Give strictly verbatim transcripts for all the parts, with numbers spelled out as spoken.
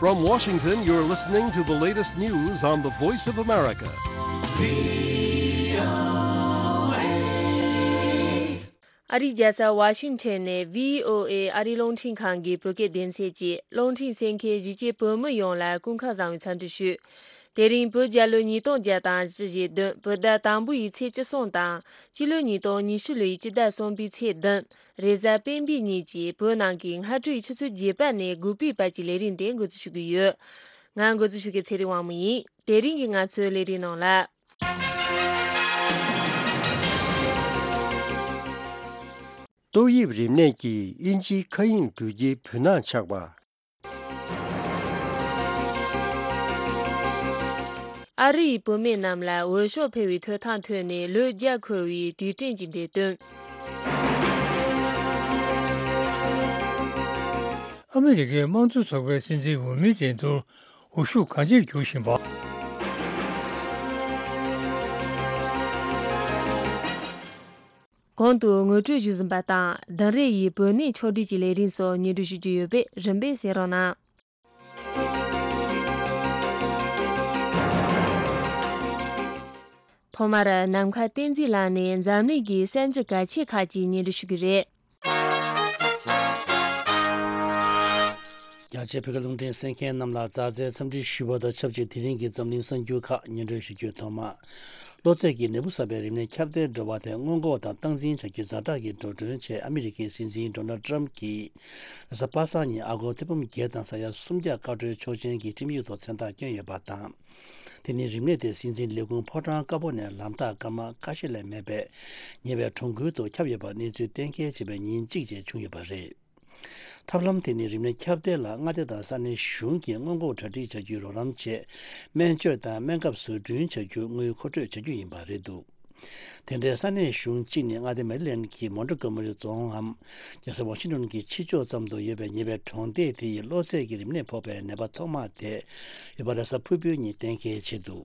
From Washington, you're listening to the latest news on the Voice of America. ཨ་རིའི་རྒྱལ་ས་ཝ་ཤིང་ཊོན་ནས་བྷི་ཨོ་ཨེ་ཨ་རིའི་རླུང་འཕྲིན་ཁང་གི་བོད་སྐད་སྡེ་ཚན་གྱིས་རླུང་འཕྲིན་གསན་མཁན་གཞིས་བྱེས་བོད་མི་ཡོངས་ལ་སྐུ་ཁམས་བཟང་བའི་འཚམས་འདྲི་ཞུ། དེ་རིང་བོད་རྒྱལ་ལོ་ཉིས་སྟོང་བརྒྱ་དང་བཞི་བཞི་བདུན་བོད་ཟླ་དང་པོ་ཡི་ཚེས་བཅུ་གསུམ་དང་སྤྱི་ལོ་ཉིས་སྟོང་ཉི་ཤུ་ལོའི་སྤྱི་ཟླ་གསུམ་པའི་ཚེས་བདུན། རེས་གཟའ་སྤེན་པའི་ཉིན་གྱི་བོད་ནང་གི་སྔ་དྲོའི་ཆུ་ཚོད་བརྒྱད་པ་ནས་དགོས་པའི་བར་གྱི་ལས་རིམ་དེ་འགོ་འཛུགས་ཞུ་གི་ཡོད། ང་འགོ་འཛུགས་ཞུ་མཁན་ཚེ་རིང་དབང་མོ་ཡིན། དེ་རིང་གི་ང་ཚོའི་ལས་རིམ་ནང་ལ། ཏོག་དབྱིབས་རིམས་ནད་ཀྱིས་དབྱིན་ཇིའི་མཁའ་དབྱིངས་འགྲུལ་སྐྱེལ་བོད་ནང་ཆགས་པ། ཨ་རི་ཡི་བུད་མེད་རྣམས་ལ་འོས་ཤོག་འཕེན་པའི་ཐོབ་ཐང་ཐོབ་ནས་ལོ་བརྒྱ་འཁོར་བའི་དུས་དྲན་གྱི་འགྲེམས་སྟོན། ཨ་མི་རི་ཀའི་དམངས་གཙོ་ཚོགས་པའི་སྲིད་འཛིན་འོས་མིའི་འགྲན་བསྡུར་འོས་ཤུགས་གང་ཆེར་གྱུར་བཞིན་པ། གོང་དུ་ངོ་སྤྲོད་ཞུས་ཟིན་པ་དང་། བདུན་རེ་ཡི་བོད་གནས་ཕྱོགས་བསྒྲིགས་ཀྱི་ལས་རིམ་སོགས་སྙན་སྒྲོན་ཞུ་རྒྱུ་ཡོད་པས་རིམ་པས་གསན་རོགས་གནང་། ཐོག་མར་ནམ་མཁའ་བསྟན་འཛིན་ལགས་ནས་འཛམ་གླིང་གི་གསར་འགྱུར་གལ་ཆེ་ཁག་ཅིག་སྙན་སྒྲོན་ཞུ་གི་རེད། རྒྱ་ཆེའི་བོད་སྐད་རླུང་འཕྲིན་གསན་མཁན་རྣམས་ལ་མཛའ་བརྩེའི་འཚམས་འདྲི་ཞུ་བ་དང་ཆབས་ཅིག་དེ་རིང་གི་འཛམ་གླིང་གསར་འགྱུར་ཁག་སྙན་སྒྲོན་ཞུ་རྒྱུའི་ཐོག་མ། གློ་ཚད་ཀྱི་ནད་འབུ་གསར་པའི་རིམས་ནད་ཁྱབ་གདལ་འགྲོ་བ་དེ་སྔོན་འགོག་དང་སྟངས་འཛིན་བྱ་རྒྱུའི་ཛ་དྲག་གི་འགྲོ་གྲོན་ཆེད་ཨ་མི་རི་ཀའི་སྲིད་འཛིན་ཌོ་ནལ་ཊམ་གྱིས་རེས་གཟའ་པ་སངས་ཉིན་ཨ་སྒོར་ཐེར་འབུམ་བརྒྱད་དང་ས་ཡ་སུམ་བརྒྱ་བཀའ་འཁྲོལ་ཆོག་མཆན་གྱི་ཁྲིམས་ཡིག་ཐོག་མཚན་རྟགས་བསྐྱོན་ཡོད་པ་དང་། དེ་ནི་རིམས་ནད་དེ་སྲིད་འཛིན་ལས་ཁུངས་ཕོ་བྲང་དཀར་པོ་ནས་ལམ་ཐག་སྐར་མ་ཁ་ཤས་ལས་མེད་པའི་ཉེ་བའི་གྲོང་ཁུལ་དུ་ཁྱབ་ཡོད་པ་གནས་ཚུལ་གཏན་འཁེལ་བྱས་པའི་ཉིན་གཅིག་རྗེས་བྱུང་ཡོད་པ་རེད། ཐབས་ལམ་དེ་ནི་རིམས་ནད་ཁྱབ་གདལ་ལ་མངའ་སྡེ་དང་ས་གནས་གཞུང་གིས་སྔོན་འགོག་གྲ་སྒྲིག་བྱ་རྒྱུའི་རོགས་རམ་ཆེད་སྨན་བཅོས་དང་སྨན་ཁབ་བཟོ་སྐྲུན་བྱ་རྒྱུ་དངུལ་མཁོ་སྤྲོད་བྱ་རྒྱུ་ཡིན་པ་རེད་འདུག་དེ་འདྲའི་ས་གནས་གཞུང་གཅིག་ནི་མངའ་སྡེ་མེ་རི་ལེན་གྱི་མོན་ཊི་གོ་མེ་རི་རྫོང་ངམ། རྒྱལ་ས་ཝ་ཤིང་ཊོན་གྱི་ཕྱི་ཕྱོགས་ཙམ་དུ་ཡོད་པའི་ཉེ་བའི་གྲོང་སྡེ་དེ་ཡི་གློ་ཚད་ཀྱི་རིམས་ནད་ཕོག་པའི་ནད་པ་ཐོག་མ་དེ་ཡོད་པ་རེས་གཟའ་ཕུར་བུའི་ཉིན་གཏན་འཁེལ་བྱས་འདུག་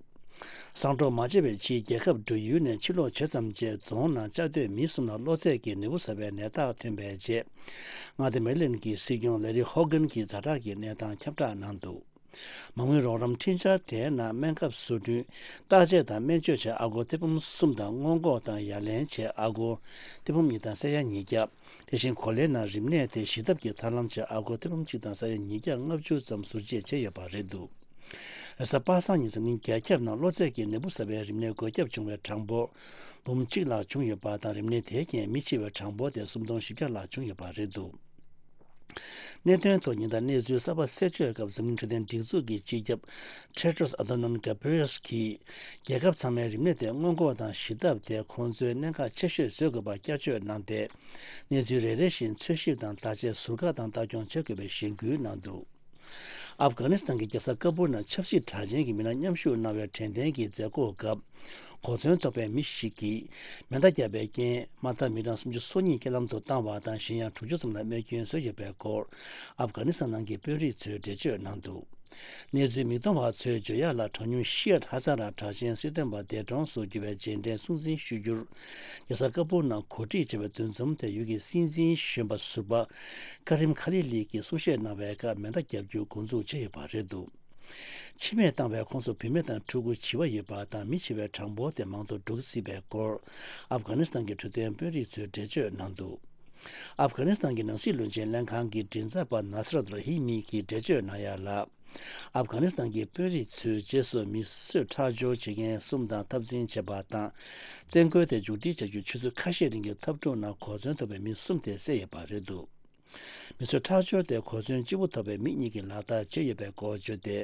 གསང་སྒྲོག་མ་བྱས་པའི་ཕྱིའི་རྒྱལ་ཁབ་འགྲོ་ཡུལ་ནས་ཕྱིར་ལོག་བྱས་ཙམ་རྗེས་རྫོང་ནང་བཅའ་སྡོད་མི་གསུམ་ལ་གློ་ཚད་ཀྱི་ནད་འབུ་གསར་པའི་ནད་རྟགས་ཐོན་པའི་རྗེས། མངའ་སྡེ་མེ་རི་ལེན་གྱི་སྲིད་སྐྱོང་ལེ་རི་ཧོ་གན་གྱིས་ཛ་དྲག་གི་གནས་སྟངས་ཁྱབ་བསྒྲགས་གནང་འདུག་མ་དངུལ་རོགས་རམ་འཕྲིན་འཆར་དེའི་ནང་སྨན་ཁབ་བཟོ་སྐྲུན། བརྟག་དཔྱད་དང་སྨན་བཅོས་ཆེད་ཨ་སྒོར་ཐེར་འབུམ་གསུམ་དང་སྔོན་འགོག་དང་ཡ་ལན་ཆེད་ཨ་སྒོར་ཐེར་འབུམ་གཉིས་དང་ས་ཡ་ཉིས་བརྒྱ། དེ་བཞིན་གོ་ལའི་ནང་རིམས་ནད་དེ་ཞི་ཐབས་ཀྱི་ཐབས་ལམ་ཆེད་ཨ་སྒོར་ཐེར་འབུམ་གཅིག་དང་ས་ཡ་ཉིས་བརྒྱ་ལྔ་བཅུ་ཙམ་ཟུར་བཅད་བྱས་ཡོད་པ་རེད་འདུག་རེས་གཟའ་པ་སངས་ཉིན་འཛམ་གླིང་རྒྱ་ཁྱབ་ནང་གློ་ཚད་ཀྱི་ནད་འབུ་གསར་པའི་རིམས་ནད་འགོས་ཁྱབ་བྱུང་བའི་གྲངས་འབོར་འབུམ་གཅིག་ལྷག་བྱུང་ཡོད་པ་དང་། རིམས་ནད་དེའི་རྐྱེན་མི་འཆི་བའི་གྲངས་འབོར་དེ་སུམ་སྟོང་བཞི་བརྒྱ་ལྷག་བྱུང་ཡོད་པ་རེད་འདུག་གནད་དོན་ཐོག་ཉེན་བརྡ་གནས་ཚུལ་གསར་པ་གསལ་བརྗོད་སྐབས་འཛམ་གླིང་འཕྲོད་བསྟེན་སྒྲིག་འཛུགས་ཀྱི་སྤྱི་ཁྱབ་Tedros Adhanom Ghebreyesus་གྱིས། རྒྱལ་ཁབ་ཚང་མས་རིམས་ནད་དེ་སྔོན་འགོག་དང་ཞི་ཐབས་དེ་ཁོང་ཚོས་གནད་འགག་ཆེ་ཤོས་བཟོ་དགོས་པ་བསྐྱར་བརྗོད་གནང་སྟེ། གནས་ཚུལ་རེ་རེ་བཞིན་འཚོལ་ཞིབ་དང་བརྟག་དཔྱད་ཟུར་བཀག་དང་ལྟ་སྐྱོང་བྱེད་དགོས་པའི་གཞེན་སྐུལ་གནང་འདུག་ཨབ་གྷ་ནི་སི་ཐན་གྱི་རྒྱལ་ས་ཀ་བུལ་ནང་ཆབ་སྲིད་གྲགས་ཅན་གྱི་མི་སྣ་མཉམ་ཞུགས་གནང་བའི་དྲན་རྟེན་གྱི་མཛད་སྒོ་སྐབས། གོ་མཚོན་ཐོབ་པའི་མི་ཞིག་གིས་མེ་མདའ་བརྒྱབ་པའི་རྐྱེན་མ་མཐའ་མི་གྲངས་སུམ་ཅུ་སོ་གཉིས་རྐྱེན་ལམ་དུ་བཏང་བ་དང་། གཞན་ཡང་དྲུག་ཅུ་ཙམ་ལ་རྨས་སྐྱོན་བཟོས་ཡོད་པའི་སྐོར། ཨབ་གྷ་ནི་སི་ཐན་ནང་གི་དཔོན་རིགས་ཚོས་འགྲེལ་བརྗོད་གནང་འདུག་གནས་ཚུལ་མིག་མཐོང་བ་ཚོས་བརྗོད་ཡག་ལ། གྲངས་ཉུང་ཤི་ཡད་ཧ་ཛ་ར་གྲགས་ཅན་སྲིད་དོན་པ་འདས་གྲོངས་སུ་གྱུར་བའི་རྗེས་དྲན་སྲུང་བརྩི་ཞུ་རྒྱུར། རྒྱལ་ས་ཀ་བུལ་ནང་གོ་སྒྲིག་བྱས་པའི་འདུ་འཛོམས་དེ་ཡུལ་གྱི་སྲིད་འཛིན་གཞོན་པ་ཟུར་པ་ཀ་རིམ་ཁ་ལི་ལི་གིས་གསུང་བཤད་གནང་བའི་སྐབས་མེ་མདའ་བརྒྱབ་རྒྱུ་འགོ་འཛུགས་བྱས་ཡོད་པ་རེད་འདུག་འཆི་རྨས་བཏང་བའི་ཁོངས་སུ་བུད་མེད་དང་ཕྲུ་གུ་བྱིས་པ་ཡོད་པ་དང་། མི་འཆི་བའི་གྲངས་འབོར་དེ་མང་དུ་འགྲོ་སྲིད་པའི་སྐོར། ཨབ་གྷ་ནི་སི་ཐན་གྱི་འཕྲོད་བསྟེན་དཔོན་རིགས་ཚོས་འགྲེལ་བརྗོད་གནང་འདུག་ཨབ་གྷ་ནི་སི་ཐན་གྱི་ནང་སྲིད་བློན་ཆེན་ལྷན་ཁང་གི་མགྲིན་ཚབ་པ་ནཱ་སི་རད་ར་ཧི་མི་གིས་འགྲེལ་བརྗོད་གནང་ཡ་ལ། ཨབ་གྷ་ནི་སི་ཐན་གྱི་དཔོན་རིགས་ཚོས་རྗེས་སུ་མི་གསོད་ཁྲག་སྦྱོར་བྱེད་མཁན་གསུམ་དང་འཐབ་འཛིང་བྱས་པ་དང་། བཙན་རྒོལ་དེ་མཇུག་སྒྲིལ་བྱ་རྒྱུ་ཆུ་ཚོད་ཁ་ཤས་རིང་གི་འཐབ་འཁྲུག་ནང་གོ་མཚོན་ཐོབ་པའི་མི་གསུམ་དེ་བསད་ཡོད་པ་རེད་འདུག་མི་གསོད་ཁྲག་སྦྱོར་དེ་གོ་མཚོན་གཅིག་པུ་ཐོབ་པའི་མི་གཉིས་ཀྱིས་ལག་བསྟར་བྱས་ཡོད་པའི་སྐོར་བརྗོད་དེ།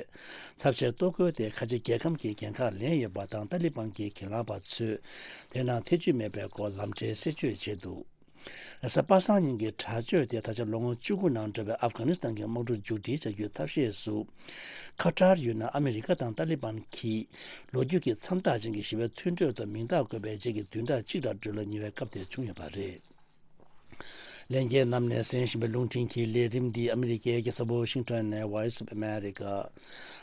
ཚབས་ཆེའི་གཏོར་རྒོལ་དེ་ཁ་ཆེ་རྒྱལ་ཁམས་ཀྱིས་འགན་ཁག་ལེན་ཡོད་པ་དང་། ཏཱ་ལི་བན་གྱི་གྱེན་ལངས་པ་ཚོས་དེ་ནང་ཐེ་ཇུས་མེད་པའི་སྐོར་ལམ་འཕྲལ་གསལ་བརྗོད་བྱས་འདུག་རེས་གཟའ་པ་སངས་ཉིན་གྱི་དྲག་སྤྱོད་དེ་ད་ཆ་ལོ་ངོ་བཅུ་དགུ་ནང་འགྲོ་བའི་ཨབ་གྷ་ནི་སི་ཐན་གྱི་དམག་འཁྲུག་མཇུག་སྒྲིལ་བྱ་རྒྱུའི་ཐབས་ཤེས་སུ། ཁ་ཏར་ཡུལ་ནང་ཨ་མི་རི་ཀ་དང་ཏཱ་ལི་བན་གྱིས་ལོ་རྒྱུས་ཀྱི་མཚམས་རྟགས་ཅན་གྱི་ཞི་བའི་མཐུན་གྲོས་དུ་མིང་རྟགས་བཀོད་པའི་རྗེས་ཀྱི་བདུན་ཕྲག་གཅིག་ར་སྦྲུལ་ལོ་ཉེ་བའི་སྐབས་དེར་བྱུང་ཡོད་པ་རེད། ལྷན་རྒྱས་རྣམས་ནས་གསན་བཞིན་པའི་རླུང་འཕྲིན་གྱི་ལས་རིམ་འདི་ཨ་མི་རི་ཀའི་རྒྱལ་ས་ཝ་ཤིང་ཊོན་ནས་Voice of America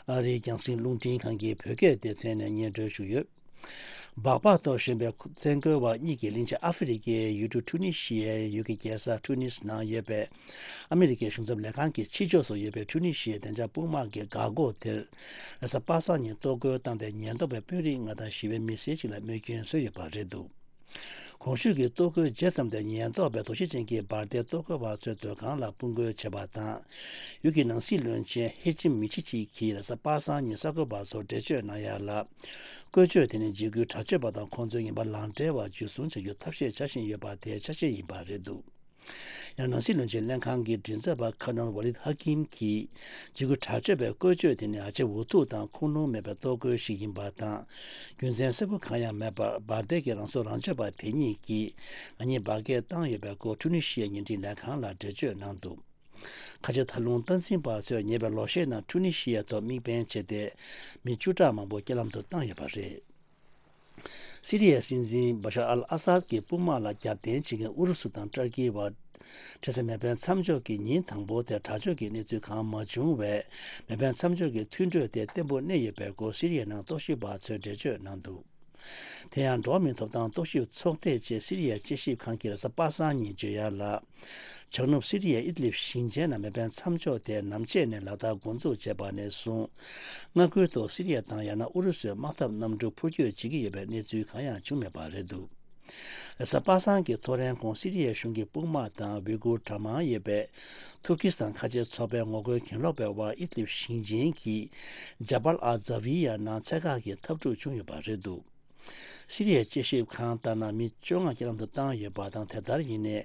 ཨ་རིའི་རྒྱང་སྲིང་རླུང་འཕྲིན་ཁང་གི་བོད་སྐད་སྡེ་ཚན་ནས་སྙན་སྒྲོན་ཞུས་ཡོད། སྦག་སྦག་ཏུ་བཞོན་པའི་བཙན་རྒོལ་བ་གཉིས་ཀྱིས་གླིང་ཆེན་ཨ་ཧྥེ་རི་ཁའི་ཡུལ་གྲུ་ཀྲུ་ནི་ཤི་ཡའི་ཡུལ་གྱི་རྒྱལ་ས་ཀྲུ་ནིས་ནང་ཡོད་པའི་ཨ་མི་རི་ཀའི་གཞུང་ཚབ་ལས་ཁང་གི་ཕྱི་ཕྱོགས་སུ་ཡོད་པའི་ཀྲུ་ནི་ཤི་ཡའི་བདེ་འཇགས་དཔུང་དམག་གི་འགག་སྒོ་དེར། རེས་གཟའ་པ་སངས་ཉིན་གཏོར་རྒོལ་བཏང་སྟེ་ཉེན་རྟོག་པའི་དཔོན་རིགས་ལྔ་དང་ཞི་བའི་མི་སེར་གཅིག་ལ་རྨས་སྐྱོན་བཟོས་ཡོད་པ་རེད་འདུག་གོང་ཞུས་ཀྱི་གཏོར་རྒོལ་བྱས་ཙམ་དུ་ཉེན་རྟོག་པས་དོགས་གཞི་ཅན་གྱི་འབར་མདེལ་གཏོར་རྒོལ་བ་ཚོའི་སྡོད་ཁང་ལ་དཔུང་རྒོལ་བྱས་པ་དང་། ཡུལ་གྱི་ནང་སྲིད་བློན་ཆེན་ཧེ་ཅིམ་མི་ཆི་ཆི་གིས་རེས་གཟའ་པ་སངས་ཉིན་གསར་འགོད་པ་ཚོར་འགྲེལ་བརྗོད་གནང་ཡ་ལ། བཀོལ་སྤྱོད་དེ་ནི་འཇིགས་སྐུལ་དྲག་སྤྱོད་པ་དང་ཁོང་ཚོའི་ངན་པ་ལག་འབྲེལ་བ་འཇུ་བཟུང་བྱ་རྒྱུ་ཐབས་ཤེས་བྱ་བཞིན་ཡོད་པ་དེའི་ཆ་ཤས་ཡིན་པ་རེད་འདུག་ཡང་ནང་སྲིད་བློན་ཆེན་ལྷན་ཁང་གི་མགྲིན་ཚབ་པ་ཁ་ནོར་ཝ་ལིད་ཧ་ཀིམ་གྱིས། འཇིགས་སྐུལ་དྲག་སྤྱོད་པའི་བཀོལ་སྤྱོད་དེ་ནི་ཨ་ཅེ་འུ་ཐུག་དང་ཁུངས་ལུང་མེད་པའི་གཏོར་རྒོལ་ཞིག་ཡིན་པ་དང་། རྒྱུ་མཚན་གསལ་པོ་གང་ཡང་མེད་པར་འབར་མདེལ་གྱི་རང་སྲོག་རང་གཅོད་པ་དེ་གཉིས་ཀྱིས་ང་གཉིས་འབར་གས་བཏང་ཡོད་པའི་སྐོར་ཀྲུ་ནི་ཤི་ཡའི་བརྙན་འཕྲིན་ལས་ཁང་ལ་འགྲེལ་བརྗོད་གནང་འདུག་ཁ་ཆེ་མཐའ་ལྷུང་སྟངས་འཛིན་པ་ཚོས་ཉེ་བའི་ལོ་ཤས་ནང་ཀྲུ་ནི་ཤི་ཡ་ཐོག་དམིགས་འབེན་བྱས་ཏེ། མི་བཅུ་ཕྲག་མང་པོ་རྐྱེན་ལམ་དུ་བཏང་ཡོད་པ་རེད། སི་རི་ཡའི་སྲིད་འཛིན་བ་ཤར་ཨལ་ཨ་སཱད་ཀྱི་དཔུང་དམག་ལ་རྒྱབ་རྟེན་བྱེད་མཁན་ཨུ་རུ་སུ་དང་ཏུར་ཀི་བར། འཕྲལ་སེལ་མེ་འཕེན་མཚམས་འཇོག་གི་ཉིན་དང་པོ་དེར་དྲག་སྤྱོད་ཀྱི་གནས་ཚུལ་གང་མ་བྱུང་བས། མེ་འཕེན་མཚམས་འཇོག་གི་མཐུན་གྲོས་དེ་བརྟན་པོ་གནས་ཡོད་པའི་སྐོར་སི་རི་ཡའི་ནང་རྟོག་ཞིབ་པ་ཚོས་འགྲེལ་བརྗོད་གནང་འདུག་དེ་ཡང་འགྲོ་བ་མིའི་ཐོབ་ཐང་རྟོག་ཞིབ་ཚོགས་སྡེ་བཅས་སི་རི་ཡའི་དཔྱད་ཞིབ་ཁང་གིས་རེས་གཟའ་པ་སངས་ཉིན་བརྗོད་ཡ་ལ། བྱང་ནུབ་སི་རི་ཡའི་ཨིད་ལིབ་ཞིང་ཆེན་ནང་མེ་འཕེན་མཚམས་འཇོག་དེ་ནམ་ཕྱེད་ནས་ལག་བསྟར་འགོ་འཛུགས་བྱས་པ་ནས་བཟུང་། མངའ་ཁུལ་དུ་སི་རི་ཡ་དང་ཡང་ན་ཨུ་རུ་སུའི་དམག་འཐབ་གནམ་གྲུ་འཕུར་སྐྱོད་བྱེད་ཀྱི་ཡོད་པའི་གནས་ཚུལ་གང་ཡང་བྱུང་མེད་པ་རེད་འདུག་རེས་གཟའ་པ་སངས་ཀྱི་ཐོ་རེངས་གོང་སི་རི་ཡའི་གཞུང་གི་དཔུང་དམག་དང་ཝི་གུར་གྲངས་མང་ཡོད་པའི་ཐུར་ཀི་སི་ཐན་ཁ་ཆེ་ཚོགས་པའི་ངོ་རྒོལ་གྱེན་ལོག་པའི་དབར་ཨིད་ལིབ་ཞིང་ཆེན་གྱི་ཇ་བལ་ཨ་ཛ་ཝི་ཡ་ནང་ཚད་བཀག་གི་འཐབ་འཁྲུག་བྱུང་ཡོད་པ་རེད་འདུག་སི་རི་ཡའི་དཔྱད་ཞིབ་ཁང་ལྟར་ན་མི་བཅོ་ལྔ་རྐྱེན་ལམ་དུ་བཏང་ཡོད་པ་དང་། དེ་ལྟར་ཡིན་ནའི་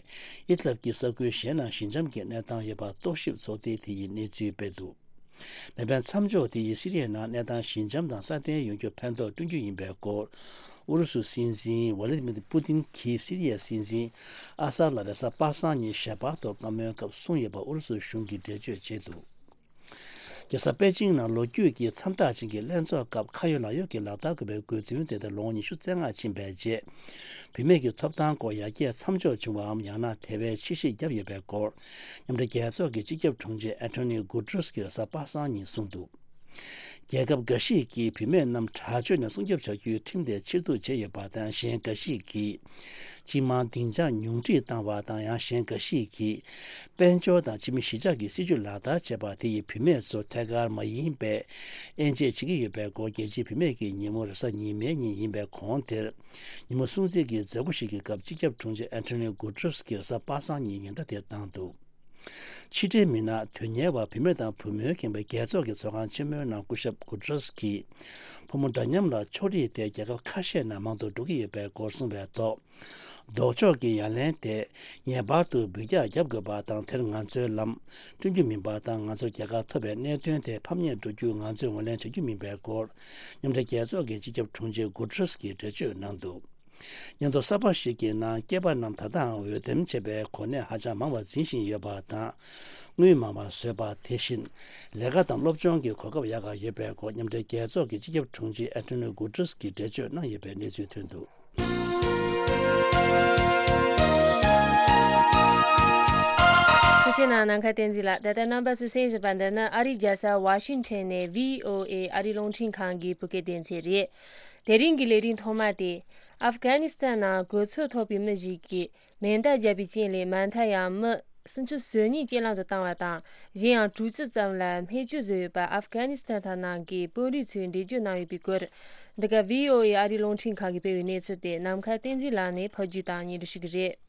ཨིད་ལབ་ཀྱི་ས་ཁུལ་གཞན་ནང་ཞི་འཇམ་གྱི་གནས་སྟངས་ཡོད་པ་རྟོག་ཞིབ་ཚོགས་སྡེ་དེ་ཡིས་གནས་ཚུལ་སྤེལ་འདུག་མེ་འཕེན་མཚམས་འཇོག་དེ་ཡིས་སི་རི་ཡའི་ནང་གནས་སྟངས་ཞི་འཇམ་དང་སྲ་བརྟན་ཡོང་རྒྱུར་ཕན་ཐོགས་བསྐྲུན་རྒྱུ་ཡིན་པའི་སྐོར་ཨུ་རུ་སུའི་སྲིད་འཛིན་ཝ་ལི་མིར་པུ་ཏིན་གྱིས་སི་རི་ཡའི་སྲིད་འཛིན་ཨ་སཱད་ལ་རེས་གཟའ་པ་སངས་ཉིན་ཞལ་པར་ཐོག་བཀའ་མོལ་སྐབས་གསུངས་ཡོད་པ་ཨུ་རུ་སུའི་གཞུང་གིས་འགྲེལ་བརྗོད་བྱས་འདུག་རྒྱལ་ས་པེ་ཅིང་ནང་ལོ་རྒྱུས་ཀྱི་མཚམས་རྟགས་ཅན་གྱི་ལྷན་ཚོགས་སྐབས་ཁ་ཡོད་ལག་ཡོད་ཀྱི་ལག་བསྟར་དགོས་པའི་དགོས་འདུན་དེ་ལྟར་ལོ་ངོ་ཉི་ཤུ་རྩ་ལྔ་ཕྱིན་པའི་རྗེས། བུད་མེད་ཀྱི་ཐོབ་ཐང་སྐོར་ཡར་རྒྱས་མཚམས་འཇོག་བྱུང་བའམ། ཡང་ན་དེ་བས་ཕྱིར་བཤིག་བརྒྱབ་ཡོད་པའི་སྐོར། མཉམ་འབྲེལ་རྒྱལ་ཚོགས་ཀྱི་སྤྱི་ཁྱབ་དྲུང་ཆེ་ཨན་ཐོ་ནི་གུ་ཏྲུས་ཀྱིས་རེས་གཟའ་པ་སངས་ཉིན་གསུངས་འདུག་རྒྱལ་ཁབ་འགའ་ཞིག་གིས་བུད་མེད་རྣམས་དྲག་སྤྱོད་ནས་སྲུང་སྐྱོབ་བྱ་རྒྱུའི་ཁྲིམས་དེ་ཕྱིར་བསྡུ་བྱས་ཡོད་པ་དང་། གཞན་འགའ་ཞིག་གིས་སྤྱི་དམངས་སྡིངས་ཆ་ཉུང་འཕྲི་བཏང་བ་དང་། ཡང་གཞན་འགའ་ཞིག་གིས་དཔལ་འབྱོར་དང་ཕྱི་མི་གཞིས་ཆགས་ཀྱི་སྲིད་ཇུས་ལག་བསྟར་བྱས་པ་དེ་ཡིས་བུད་མེད་ཚོར་ཐད་ཀར་མ་ཡིན་པའི་དབྱེ་འབྱེད་བྱེད་ཀྱི་ཡོད་པའི་སྐོར། རྒྱལ་སྤྱིའི་བུད་མེད་ཀྱི་ཉིན་མོ་རེས་གཟའ་ཉི་མའི་ཉིན་ཡིན་པའི་གོང་དེར། ཉིན་མོ་སྲུང་བརྩི་གི་མཛད་སྒོ་ཞིག་གི་སྐབས། སྤྱི་ཁྱབ་དྲུང་ཆེ་ཨན་ཐོ་ནི་གུ་ཏྲུས་ཀྱིས་རེས་གཟའ་པ་སངས་ཉིན་ཉེན་བརྡ་དེ་བཏང་འདུག་ཕྱི་འབྲེལ་མི་སྣ་དོན་གཉེར་བ་བུད་མེད་དང་བུ་མོའི་ཁེ་ཕན་རྒྱལ་ཚོགས་ཀྱི་ཚོགས་ཁང་ཆེན་མོའི་ནང་སྐུ་ཞབས་གུ་ཏྲུས་ཀྱིས། ཕོ་མོ་འདྲ་མཉམ་ལ་ཕྱོགས་རིས་དེ་རྒྱལ་ཁབ་ཁ་ཤས་ནང་མང་དུ་འགྲོ་གི་ཡོད་པའི་སྐོར་གསུངས་པའི་ཐོག་ལྡོག་ཕྱོགས་ཀྱི་ཡ་ལན་དེ་ངེས་པར་དུ་འབུད་རྒྱག་བརྒྱབ་དགོས་པ་དང་། དེར་ང་ཚོས་ལམ་སྟོན་རྒྱུ་མིན་པ་དང་། ང་ཚོར་རྒྱལ་ཁ་ཐོབ་པའི་གནད་དོན་དེ་ཕམ་ཉེས་འགྲོ་རྒྱུ་ང་ཚོས་ངོས་ལེན་བྱ་རྒྱུ་མིན་པའི་སྐོར། མཉམ་འབྲེལ་རྒྱལ་ཚོགས་ཀྱི་སྤྱི་ཁྱབ་དྲུང་ཆེ་གུ་ཏྲུས་ཀྱིས་འགྲེལ་བརྗོད་གནང་འདུག་སྙན་ཐོ་གསར་པ་ཞིག་གི་ནང་། སྐྱེས་པ་རྣམས་ད་ལྟའང་འོས་འདེམས་བྱེད་པའི་གོ་གནས་ཧ་ཅང་མང་བ་འཛིན་བཞིན་ཡོད་པ་དང་། དངུལ་མང་བ་བཟོས་པ། དེ་བཞིན་ལས་ཀ་དང་སློབ་སྦྱོང་གི་གོ་སྐབས་ཡག་ག་ཡོད་པའི་སྐོར། མཉམ་འབྲེལ་རྒྱལ་ཚོགས་ཀྱི་སྤྱི་ཁྱབ་དྲུང་ཆེ་ཨན་ཐོ་ནི་གུ་ཏྲུས་ཀྱིས་འགྲེལ་བརྗོད་གནང་ཡོད་པའི་གནས་ཚུལ་ཐོན་འདུག་ཐུགས་རྗེ་གནང་། ནམ་མཁའ་བསྟན་འཛིན་ལགས། ད་ལྟ་རྣམ་པ་ཚོས་གསན་བཞིན་པ་འདི་ནི་ཨ་རིའི་རྒྱལ་ས་ཝ་ཤིང་ཊོན་ནས་བྷི་ཨོ་ཨེ་ཨ་རིའི་རླུང་འཕྲིན་ཁང་གི་བོད་སྐད་སྡེ་ཚན་རེད། དེ་རིང་གི་ལས་རིམ་ཐོག་མ་དེ། ཨབ་གྷ་ནི་སི་ཐན་ནང་གོ་ཚོད་ཐོབ་པའི་མི་ཞིག་གིས་མེ་མདའ་བརྒྱབ་པའི་རྐྱེན་ལས་མ་མཐའ་ཡང་མི་སུམ་ཅུ་སོ་གཉིས་རྐྱེན་ལམ་དུ་བཏང་བ་དང་། གཞན་ཡང་དྲུག་ཅུ་ཙམ་ལ་རྨས་སྐྱོན་བཟོས་ཡོད་པ་ཨབ་གྷ་ནི་སི་ཐན་ཐང་ནང་གི་དཔོན་རིགས་ཚོས་འགྲེལ་བརྗོད་གནང་ཡོད་པའི་སྐོར། འདི་ག་བྷི་ཨོ་ཨེ་ཨ་རིའི་རླུང་འཕྲིན་ཁང་གིས་སྤེལ་བའི་གནས་ཚུལ་དེ་ནམ་མཁའ་བསྟན་འཛིན་ལགས་ནས་ཕབ་སྒྱུར་དང་སྙན་སྒྲོན་ཞུ་གི་རེད།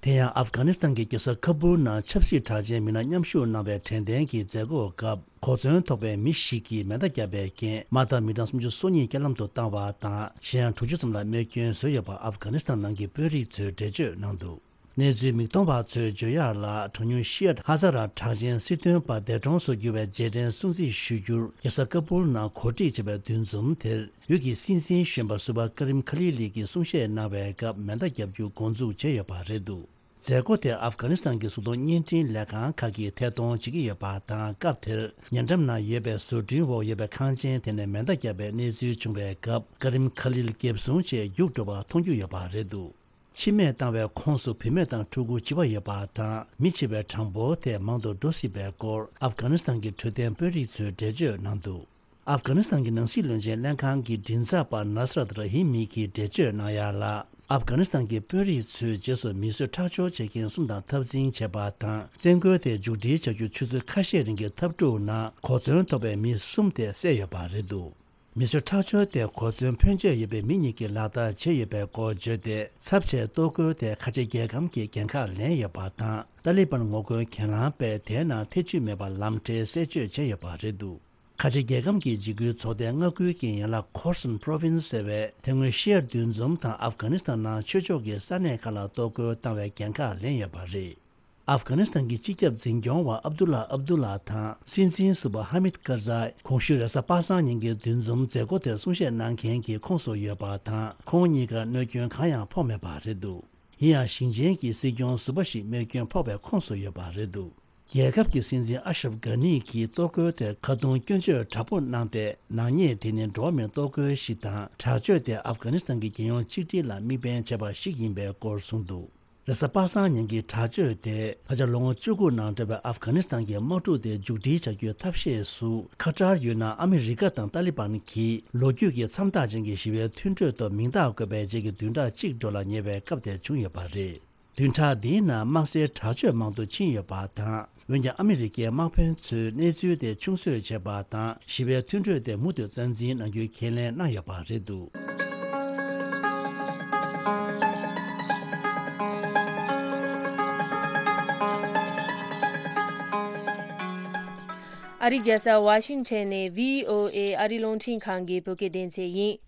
དེ་ཡང་ཨབ་གྷ་ནི་སི་ཐན་གྱི་རྒྱལ་ས་ཁ་བུར་ནང་ཆབ་སྲིད་གྲགས་ཅན་མི་སྣ་མཉམ་ཞུགས་གནང་བའི་དྲན་རྟེན་གྱི་མཛད་སྒོའི་སྐབས། གོ་མཚོན་ཐོགས་པའི་མི་ཞིག་གིས་མེ་མདའ་བརྒྱབ་པའི་རྐྱེན་མ་མཐའ་མི་གྲངས་སུམ་ཅུ་སོ་གཉིས་རྐྱེན་ལམ་དུ་བཏང་བ་དང་། གཞན་ཡང་དྲུག་ཅུ་ཙམ་ལ་རྨས་སྐྱོན་བཟོས་ཡོད་པ་ཨབ་གྷ་ནི་སི་ཐན་ནང་གི་དཔོན་རིགས་ཚོས་འགྲེལ་བརྗོད་གནང་འདུག་གནས་ཚུལ་མིག་མཐོང་བ་ཚོས་བརྗོད་ཡག་ལ། གྲངས་ཉུང་ཤི་ཡཊ་ཧ་ཛ་ར་གྲགས་ཅན་སྲིད་དོན་པ་འདས་གྲོངས་སུ་གྱུར་བའི་རྗེས་དྲན་སྲུང་བརྩི་ཞུ་རྒྱུར་རྒྱལ་ས་ཀ་པུལ་ནང་གོ་སྒྲིག་བྱས་པའི་འདུ་འཛོམས་དེར། ཡུལ་གྱི་སྲིད་འཛིན་གཞོན་པ་སུ་བ་ཀ་རིམ་ཁ་ལི་ལི་གིས་གསུང་བཤད་གནང་བའི་སྐབས་མེ་མདའ་བརྒྱབ་རྒྱུ་འགོ་འཛུགས་བྱས་ཡོད་པ་རེད་འདུག་མཛད་སྒོ་དེར་ཨབ་གྷ་ནི་སི་ཐན་གྱི་གཟུགས་མཐོང་བརྙན་འཕྲིན་ལས་ཁང་ཁག་གིས་ཐད་གཏོང་བྱེད་ཀྱི་ཡོད་པ་དང་། སྐབས་དེར་ཉེ་འགྲམ་ན་ཡོད་པའི་བཟོ་སྐྲུན་འོག་ཡོད་པའི་ཁང་ཆེན་དེ་ནས་མེ་མདའ་བརྒྱབ་པའི་གནས་ཚུལ་བྱུང་བའི་སྐབས། ཀ་རིམ་ཁ་ལིལ་འགེབས་སྲུང་ཆེད་རྒྱུགས་འགྲོ་བ་མཐོང་རྒྱུ་ཡོད་པ་རེད་འདུག་འཆི་རྨས་བཏང་བའི་ཁོངས་སུ་བུད་མེད་དང་ཕྲུ་གུ་བྱིས་པ་ཡོད་པ་དང་། མི་འཆི་བའི་གྲངས་འབོར་དེ་མང་དུ་འགྲོ་སྲིད་པའི་སྐོར་ཨབ་གྷ་ནི་སི་ཐན་གྱི་འཕྲོད་བསྟེན་དཔོན་རིགས་ཚོས་འགྲེལ་བརྗོད་གནང་འདུག་ཨབ་གྷ་ནི་སི་ཐན་གྱི་ནང་སྲིད་བློན་ཆེན་ལྷན་ཁང་གི་མགྲིན་ཚབ་པ་ནཱ་སི་རད་ར་ཧི་མི་གིས་འགྲེལ་བརྗོད་གནང་ཡ་ལ། ཨབ་གྷ་ནི་སི་ཐན་གྱི་དཔོན་རིགས་ཚོས་རྗེས་སུ་མི་གསོད་ཁྲག་སྦྱོར་བྱེད་མཁན་གསུམ་དང་འཐབ་འཛིང་བྱས་པ་དང་། བཙན་རྒོལ་དེ་མཇུག་སྒྲིལ་བྱ་རྒྱུ་ཆུ་ཚོད་ཁ་ཤས་རིང་གི་འཐབ་འཁྲུག་ནང་གོ་མཚོན་ཐོབ་པའི་མི་གསུམ་དེ་བསད་ཡོད་པ་རེད་འདུག་མི་གསོད་ཁྲག་སྦྱོར་དེ་གོ་མཚོན་ཕོན་ཆེ་ཡོད་པའི་མི་གཉིས་ཀྱིས་ལག་བསྟར་བྱས་ཡོད་པའི་སྐོར་བརྗོད་དེ། ཚབས་ཆེའི་གཏོར་རྒོལ་དེ་ཁ་ཆེ་རྒྱལ་ཁམས་ཀྱི་འགན་ཁག་ལེན་ཡོད་པ་དང་། ཏཱ་ལི་བན་ངོ་རྒོལ་གྱེན་ལངས་པས་དེའི་ནང་ཐེ་བྱུས་མེད་པར་ལམ་འབྲས་གསལ་བརྗོད་བྱས་ཡོད་པ་རེད་འདུག་ཁ་ཆེ་རྒྱལ་ཁམས་ཀྱི་འཇིགས་སྐུལ་ཚོགས་སྡེ་ལྔ་ཁུལ་གྱི་ཡན་ལག་Khorasan Province ཟེར་བས་དེ་སྔོན་ཤི་ཡར་འདུ་འཛོམས་དང་ཨབ་གྷ་ནི་སི་ཐན་ནང་ཆོས་ཕྱོགས་ཀྱི་ས་གནས་ཁག་ལ་གཏོར་རྒོལ་བཏང་བའི་འགན་ཁག་ལེན་ཡོད་པ་རེད། ཨབ་གྷ་ནི་སི་ཐན་གྱི་སྤྱི་ཁྱབ་འཛིན་སྐྱོང་བ་ཨབ་དུ་ལ་ཨབ་དུ་ལ་དང་སྲིད་འཛིན་ཟུར་པ་ཧ་མིད་ཀར་ཛའི་གོང་ཞུས་རེས་གཟའ་པ་སངས་ཉིན་གྱི་འདུ་འཛོམས་མཛད་སྒོ་དེར་གསུང་བཤད་གནང་མཁན་གྱི་ཁོངས་སུ་ཡོད་པ་དང་། ཁོང་གཉིས་ཀར་གནོད་སྐྱོན་གང་ཡང་ཕོག་མེད་པ་རེད་འདུག་ཡིན་ཡང་ཞིང་ཆེན་གྱི་སྲིད་སྐྱོང་ཟུར་པ་ཞིག་རྨས་སྐྱོན་ཕོག་པའི་ཁོངས་སུ་ཡོད་པ་རེད་འདུག་རྒྱལ་ཁབ་ཀྱི་སྲིད་འཛིན་ཨ་ཤྲབ་གྷ་ནི་གིས་གཏོར་རྒོལ་དེར་ཁ་རྡུང་སྐྱོན་བརྗོད་དྲག་པོ་གནང་སྟེ། ནག་ཉེས་དེ་ནི་འགྲོ་བ་མིར་གཏོར་རྒོལ་ཞིག་དང་། དྲག་སྤྱོད་དེ་ཨབ་གྷ་ནི་སི་ཐན་གྱི་རྒྱལ་ཡོངས་གཅིག་སྒྲིལ་ལ་དམིགས་འབེན་བྱས་པ་ཞིག་ཡིན་པའི་སྐོར་གསུངས་འདུག་རེས་གཟའ་པ་སངས་ཉིན་གྱི་དྲག་སྤྱོད་དེ་ད་ཆ་ལོ་ངོ་བཅུ་དགུ་ནང་འབྲེལ་བའི་ཨབ་གྷ་ནི་སི་ཐན་གྱི་དམག་འཁྲུག་དེ་མཇུག་སྒྲིལ་བྱ་རྒྱུའི་ཐབས་ཤེས་སུ། ཁ་ཏར་ཡུལ་ནང་ཨ་མི་རི་ཀ་དང་ཏཱ་ལི་བན་གྱིས་ལོ་རྒྱུས་ཀྱི་མཚམས་རྟགས་ཅན་གྱི་ཞི་བའི་མཐུན་གྲོས་ཐོག་མིང་རྟགས་བཀོད་པའི་རྗེས་ཀྱི་བདུན་ཕྲག་གཅིག་འགྲོ་ལ་ཉེ་བའི་སྐབས་དེར་བྱུང་ཡོད་པ་རེད། བདུན་ཕྲག་འདིའི་ནང་དམག་སའི་དྲག་སྤྱོད་མང་དུ་ཕྱིན་ཡོད་པ་དང་། འོན་ཀྱང་ཨ་མི་རི་ཀའི་དམག་དཔོན་ཚོས་གནས་ཚུལ་དེ་ཆུང་བཟོས་བྱས་པ་དང་། ཞི་བའི་མཐུན་གྲོས་དེ་མུ་མཐུད་རྩ་འཛིན་གནང་རྒྱུའི་ཁས་ལེན་གནང་ཡོད་པ་རེད་འདུག་ཨ་རིའི་རྒྱལ་ས་ཝ་ཤིང་ཊོན་ནས་བྷི་ཨོ་ཨེ་ཨ་རིའི་རླུང་འཕྲིན་ཁང་གི་བོད་སྐད་སྡེ་ཚན་ཡིན།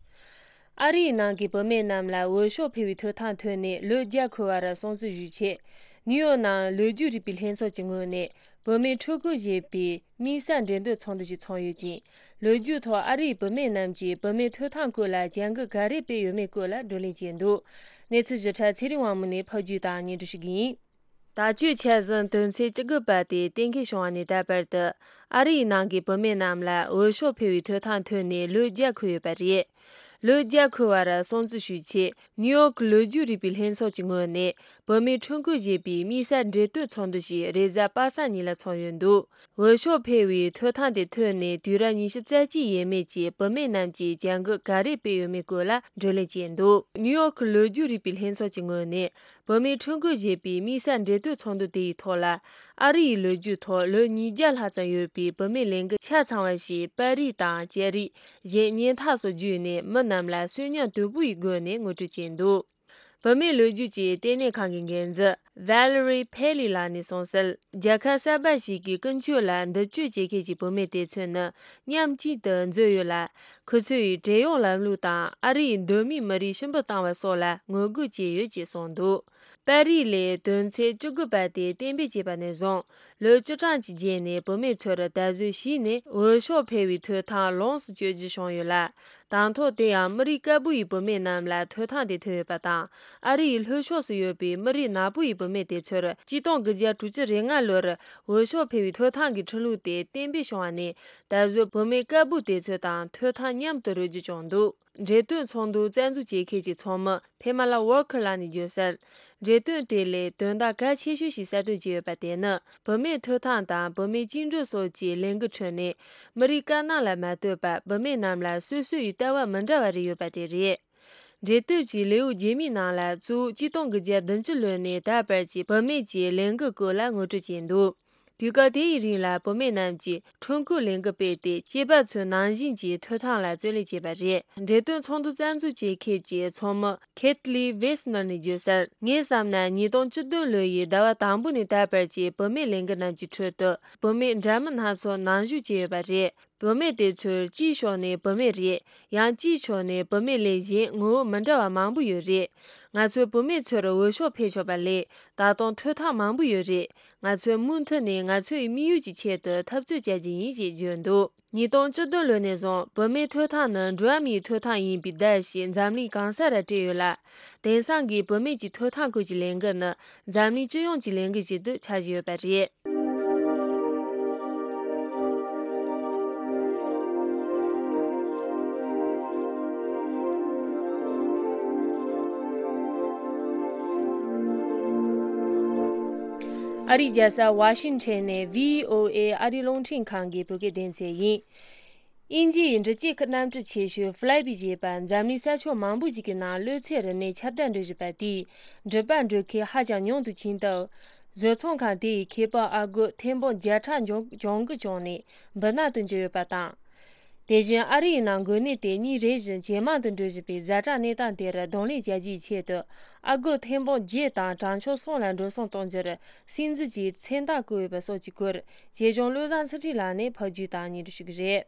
ཨ་རིའི་ནང་གི་བུད་མེད་རྣམས་ལ་འོས་ཤོག་འཕེན་པའི་ཐོབ་ཐང་ཐོན་ནས་ལོ་བརྒྱ་འཁོར་བར་སྲུང་བརྩི་ཞུས་ཆེད། ནིའུ་ཡོག་ནང་ལོ་རྒྱུས་རིག་པའི་ལྷན་ཚོགས་ཀྱི་ངོས་ནས་བུད་མེད་ཕྲུ་གུ་བཞེས་པའི་དམིགས་བསལ་འགྲན་བསྡུར་ཚོགས་འདུ་ཞིག་ཚོགས་ཡོད་ཅིང་། ལོ་རྒྱུས་ཐོག་ཨ་རིའི་བུད་མེད་རྣམས་ཀྱིས་བུད་མེད་ཐོབ་ཐང་སྐོར་ལ་བྱ་འགུལ་ག་རེ་སྤེལ་ཡོད་མེད་སྐོར་ལ་བགྲོ་གླེང་བྱས་འདུག་གནས་ཚུལ་ཞིབ་ཕྲ་ཚེ་རིང་དབང་མོ་ནས་ཕབ་སྒྱུར་དང་སྙན་སྒྲོན་ཞུ་གི་ཡིན། ད་ཆོས་འཆར་ཟིན་དོན་ཚན་བཅུ་དགུ་པ་དེ་གཏན་འཁེལ་བྱུང་བ་ནས་ད་བར་དུ། ཨ་རིའི་ནང་གི་བུད་མེད་རྣམས་ལ་འོས་ཤོག་འཕེན་པའི་ཐོབ་ཐང་ཐོན་ནས་ལོ་བརྒྱ་འཁོར་ཡོད་པ་རེད། ལོ་བརྒྱ་འཁོར་བར་སྲུང་བརྩི་ཞུས་ཆེད། ནིའུ་ཡོག་གི་ལོ་རྒྱུས་རིག་པའི་ལྷན་ཚོགས་ཀྱི་ངོས་ནས། བུད་མེད་ཕྲུ་གུ་བཞེས་པའི་དམིགས་བསལ་འགྲན་བསྡུར་ཚོགས་འདུ་ཞིག་རེས་གཟའ་པ་སངས་ཉིན་ལ་ཚོགས་ཡོད་འདུག་འོས་ཤོག་འཕེན་པའི་ཐོབ་ཐང་དེ་ཐོན་ནས་དུས་རབས་ཉི་ཤུ་རྩ་གཅིག་ཡས་མས་ཀྱི་བུད་མེད་རྣམས་ཀྱིས་བྱ་འགུལ་ག་རེ་སྤེལ་ཡོད་མེད་སྐོར་ལ་བགྲོ་གླེང་བྱས་འདུག་ནིའུ་ཡོག་གི་ལོ་རྒྱུས་རིག་པའི་ལྷན་ཚོགས་ཀྱི་ངོས་ནས། བུད་མེད་ཕྲུ་གུ་བཞེས་པའི་དམིགས་བསལ་འགྲན་བསྡུར་ཚོགས་འདུ་དེ་ཡི་ཐོག་ལ། ཨ་རི་ཡི་ལོ་རྒྱུས་ཐོག་ལོ་ཉིས་བརྒྱ་ལྷག་ཙམ་ཡོད་པའི་བུད་མེད་ལས་འགུལ་ཆ་ཚང་བ་ཞིག་པར་རིས་དང་བཅད་རིས། གཞན་སྙན་ཐག་སོགས་བརྒྱུད་ནས་མི་རྣམས་ལ་གསོན་ཉམས་དོད་པོ་ཡི་སྒོ་ནས་ངོ་སྤྲོད་བྱས་འདུག་བུད་མེད་ལོ་རྒྱུས་ཀྱི་ལྟེ་གནས་ཁང་གི་འགན་འཛིན་Valerie Paley ལགས་ནས་གསུངས་གསལ། རྒྱལ་ཁབ་གསར་པ་ཞིག་གི་ཀུན་སྤྱོད་ལ་མདུན་སྐྱོད་བྱེད་མཁན་གྱི་བུད་མེད་དེ་ཚོ་ནི་མཉམ་གཅིག་ཏུ་འཛུལ་ཡོད་ལ། ཁོ་ཚོས་བགྲེས་ཡོལ་ལམ་ལུགས་དང་ཨ་རིའི་གདོད་མའི་མི་རིགས་ཕྱིར་འབུད་བཏང་བ་སོགས་ལ་ངོ་རྒོལ་བྱས་ཡོད་ཅེས་གསུངས་འདུག་པར་རིས་ལས་དོན་ཚན་བཅུ་དགུ་པ་དེ་གཏན་འབེབས་བྱས་པ་ནས་བཟུང་། ལོ་བཅུ་གྲངས་ཀྱི་རྗེས་ནས་བུད་མེད་ཚོར་ད་གཟོད་གཞི་ནས་འོས་ཤོག་འཕེན་པའི་ཐོབ་ཐང་ལོངས་སུ་སྤྱོད་རྒྱུ་བྱུང་ཡོད་ལ། དང་ཐོག་དེ་ཡང་མི་རིགས་དཀར་པོ་ཡི་བུད་མེད་རྣམས་ལ་ཐོབ་ཐང་དེ་ཐོན་ཡོད་པ་དང་། ཨ་རི་ཡི་ལྷོ་ཕྱོགས་སུ་ཡོད་པའི་མི་རིགས་ནག་པོ་ཡི་བུད་མེད་དེ་ཚོར་གཅིག་སྟོང་དགུ་བརྒྱ་དྲུག་ཅུ་རེ་ལྔ་ལོར་འོས་ཤོག་འཕེན་པའི་ཐོབ་ཐང་གི་ཁྲིམས་ལུགས་དེ་གཏན་འབེབས་བྱུང་བ་ནས་ད་གཟོད་བུད་མེད་དཀར་པོ་དེ་ཚོ་དང་ཐོབ་ཐང་མཉམ་དུ་རོལ་རྒྱུ་བྱུང་འདུག་འགྲེམས་སྟོན་ཚོགས་འདུ་རྩ་འཛུགས་བྱེད་མཁན་གྱི་ཚོགས་མི་ཕེ་མ་ལ་ཝོར་ཁར་ལགས་ནས་བརྗོད་གསལ། འགྲེམས་སྟོན་དེ་ལས་དོན་དག་གལ་ཆེ་ཤོས་ཤིག་གསལ་སྟོན་བྱས་ཡོད་པ་དེ་ནི་བུད་མེད་ཐོབ་ཐང་དང་བུད་མེད་བཅིངས་འགྲོལ་སོགས་ཀྱི་ལས་འགུལ་ཁྲོད་ནས་མི་རིགས་དཀར་ནག་ལ་མ་ལྟོས་པར་བུད་མེད་རྣམས་ལ་སོ་སོ་ཡི་ལྟ་བ་མི་འདྲ་བ་རེ་ཡོད་པ་དེ་རེད། འགྲེམས་སྟོན་གྱི་ལེའུ་རྗེས་མའི་ནང་ལ་གཙོ་བོ་གཅིག་སྟོང་དགུ་བརྒྱ་བདུན་ཅུ་ལོ་ནས་ད་བར་གྱི་བུད་མེད་ཀྱི་ལས་འགུལ་སྐོར་ལ་ངོ་སྤྲོད་བྱས་འདུག་དུས་སྐབས་དེ་ཡི་རིང་ལ་བུད་མེད་རྣམས་ཀྱིས་ཁྲོམ་སྐོར་ལས་འགུལ་སྤེལ་ཏེ་སྐྱེས་པ་ཚོའི་ནང་བཞིན་གྱི་ཐོབ་ཐང་ལ་རྩོད་ལེན་བྱས་པ་རེད། འགྲེམས་སྟོན་ཚོགས་འདུ་རྩ་འཛུགས་བྱེད་མཁན་གྱི་ཚོགས་མི་ཁེ་ཐི་ལི་ཝེ་སི་ནར་ནས་བརྗོད་གསལ། ངས་བསམ་ན་ཉིས་སྟོང་བཅུ་བདུན་ལོ་ཡི་ཟླ་བ་དང་པོ་ནས་ད་བར་གྱི་བུད་མེད་ལས་འགུལ་རྣམས་ཀྱི་ཁྲོད་དུ་བུད་མེད་འདྲ་མིན་སྣ་ཚོགས་ནང་ཞུགས་བྱས་ཡོད་པ་རེད། བུད་མེད་དེ་ཚོར་གཅིག་ཕྱོགས་ནས་བུད་མེད་རེད། ཡང་གཅིག་ཕྱོགས་ནས་བུད་མེད་ལས་གཞན་ངོ་བོ་མི་འདྲ་བ་མང་པོ་ཡོད་རེད། ང་ཚོས་བུད་མེད་ཚོར་འོས་ཤོག་འཕེན་ཆོག་པ་ལས་ད་དུང་ཐོབ་ཐང་མང་པོ་ཡོད་རེད། ང་ཚོས་མུ་མཐུད་ནས་ང་ཚོའི་དམིགས་ཡུལ་གྱི་ཆེད་དུ་འཐབ་རྩོད་བྱ་རྒྱུ་ཡིན་ཞེས་བརྗོད་འདུག་ཉིས་སྟོང་བཅུ་བདུན་ལོ་ནས་བཟུང་བུད་མེད་ཐོབ་ཐང་ནི་འགྲོ་བ་མིའི་ཐོབ་ཐང་ཡིན་པའི་བརྡ་ཞིག་འཛམ་གླིང་གང་ས་ར་སྤྲད་ཡོད་ལ། དེང་སང་གི་བུད་མེད་ཀྱི་ཐོབ་ཐང་སྐོར་གྱི་ལས་འགུལ་ནི་འཛམ་གླིང་སྤྱི་ཡོངས་ཀྱི་ལས་འགུལ་ཞིག་ཏུ་ཆགས་བཞིན་ཡོད་པ་རེད། ཨ་རིའི་རྒྱལ་ས་ཝ་ཤིང་ཊོན་ནས་བྷི་ཨོ་ཨེ་ཨ་རིའི་རླུང་འཕྲིན་ཁང་གི་བོད་སྐད་སྡེ་ཚན་ཡིན། དབྱིན་ཇི་ཡི་འབྲི་ཆུའི་གནམ་གྲུ་ཆེ་ཤོས་Flybe ཞེས་པ་འཛམ་གླིང་ས་ཕྱོགས་མང་པོ་ཞིག་གི་ནང་གློད་ཚད་རིམས་ནད་ཁྱབ་གདལ་འགྲོ་བཞིན་པ་དེས་འགྲུལ་པ་འགྲོ་མཁན་ཧ་ཅང་ཉུང་དུ་ཕྱིན་སྟབས། བཟོ་ཚོང་ཁང་དེ་ཡི་ཁེ་སྤོགས་ཨ་སྒོར་ཐེར་འབུམ་བརྒྱ་ཕྲག་གྱོང་གུན་བྱུང་ནས་འབུད་ནག་ཏུ་གྱུར་ཡོད་པ་དང་། དེ་བཞིན་ཨ་རི་ཡི་ནང་འགོས་ནད་དེ་ཉིན་རེ་བཞིན་ཇེ་མང་དུ་འགྲོ་བཞིན་པའི་ཛ་དྲག་གནས་སྟངས་དེར་གདོང་ལེན་བྱ་རྒྱུའི་ཆེད་དུ། ཨ་སྒོར་ཐེར་འབུམ་བརྒྱད་དང་གྲངས་ཆུང་གསུམ་ལ་འགྲོ་སོང་གཏོང་རྒྱུར་སྲིད་འཛིན་གྱིས་མཚན་རྟགས་བཀོད་ཡོད་པ་སོགས་ཀྱི་སྐོར། ཆེད་སྦྱོང་བློ་བཟང་ཚུལ་ཁྲིམས་ལགས་ནས་ཕབ་སྒྱུར་དང་སྙན་སྒྲོན་ཞུ་གི་རེད།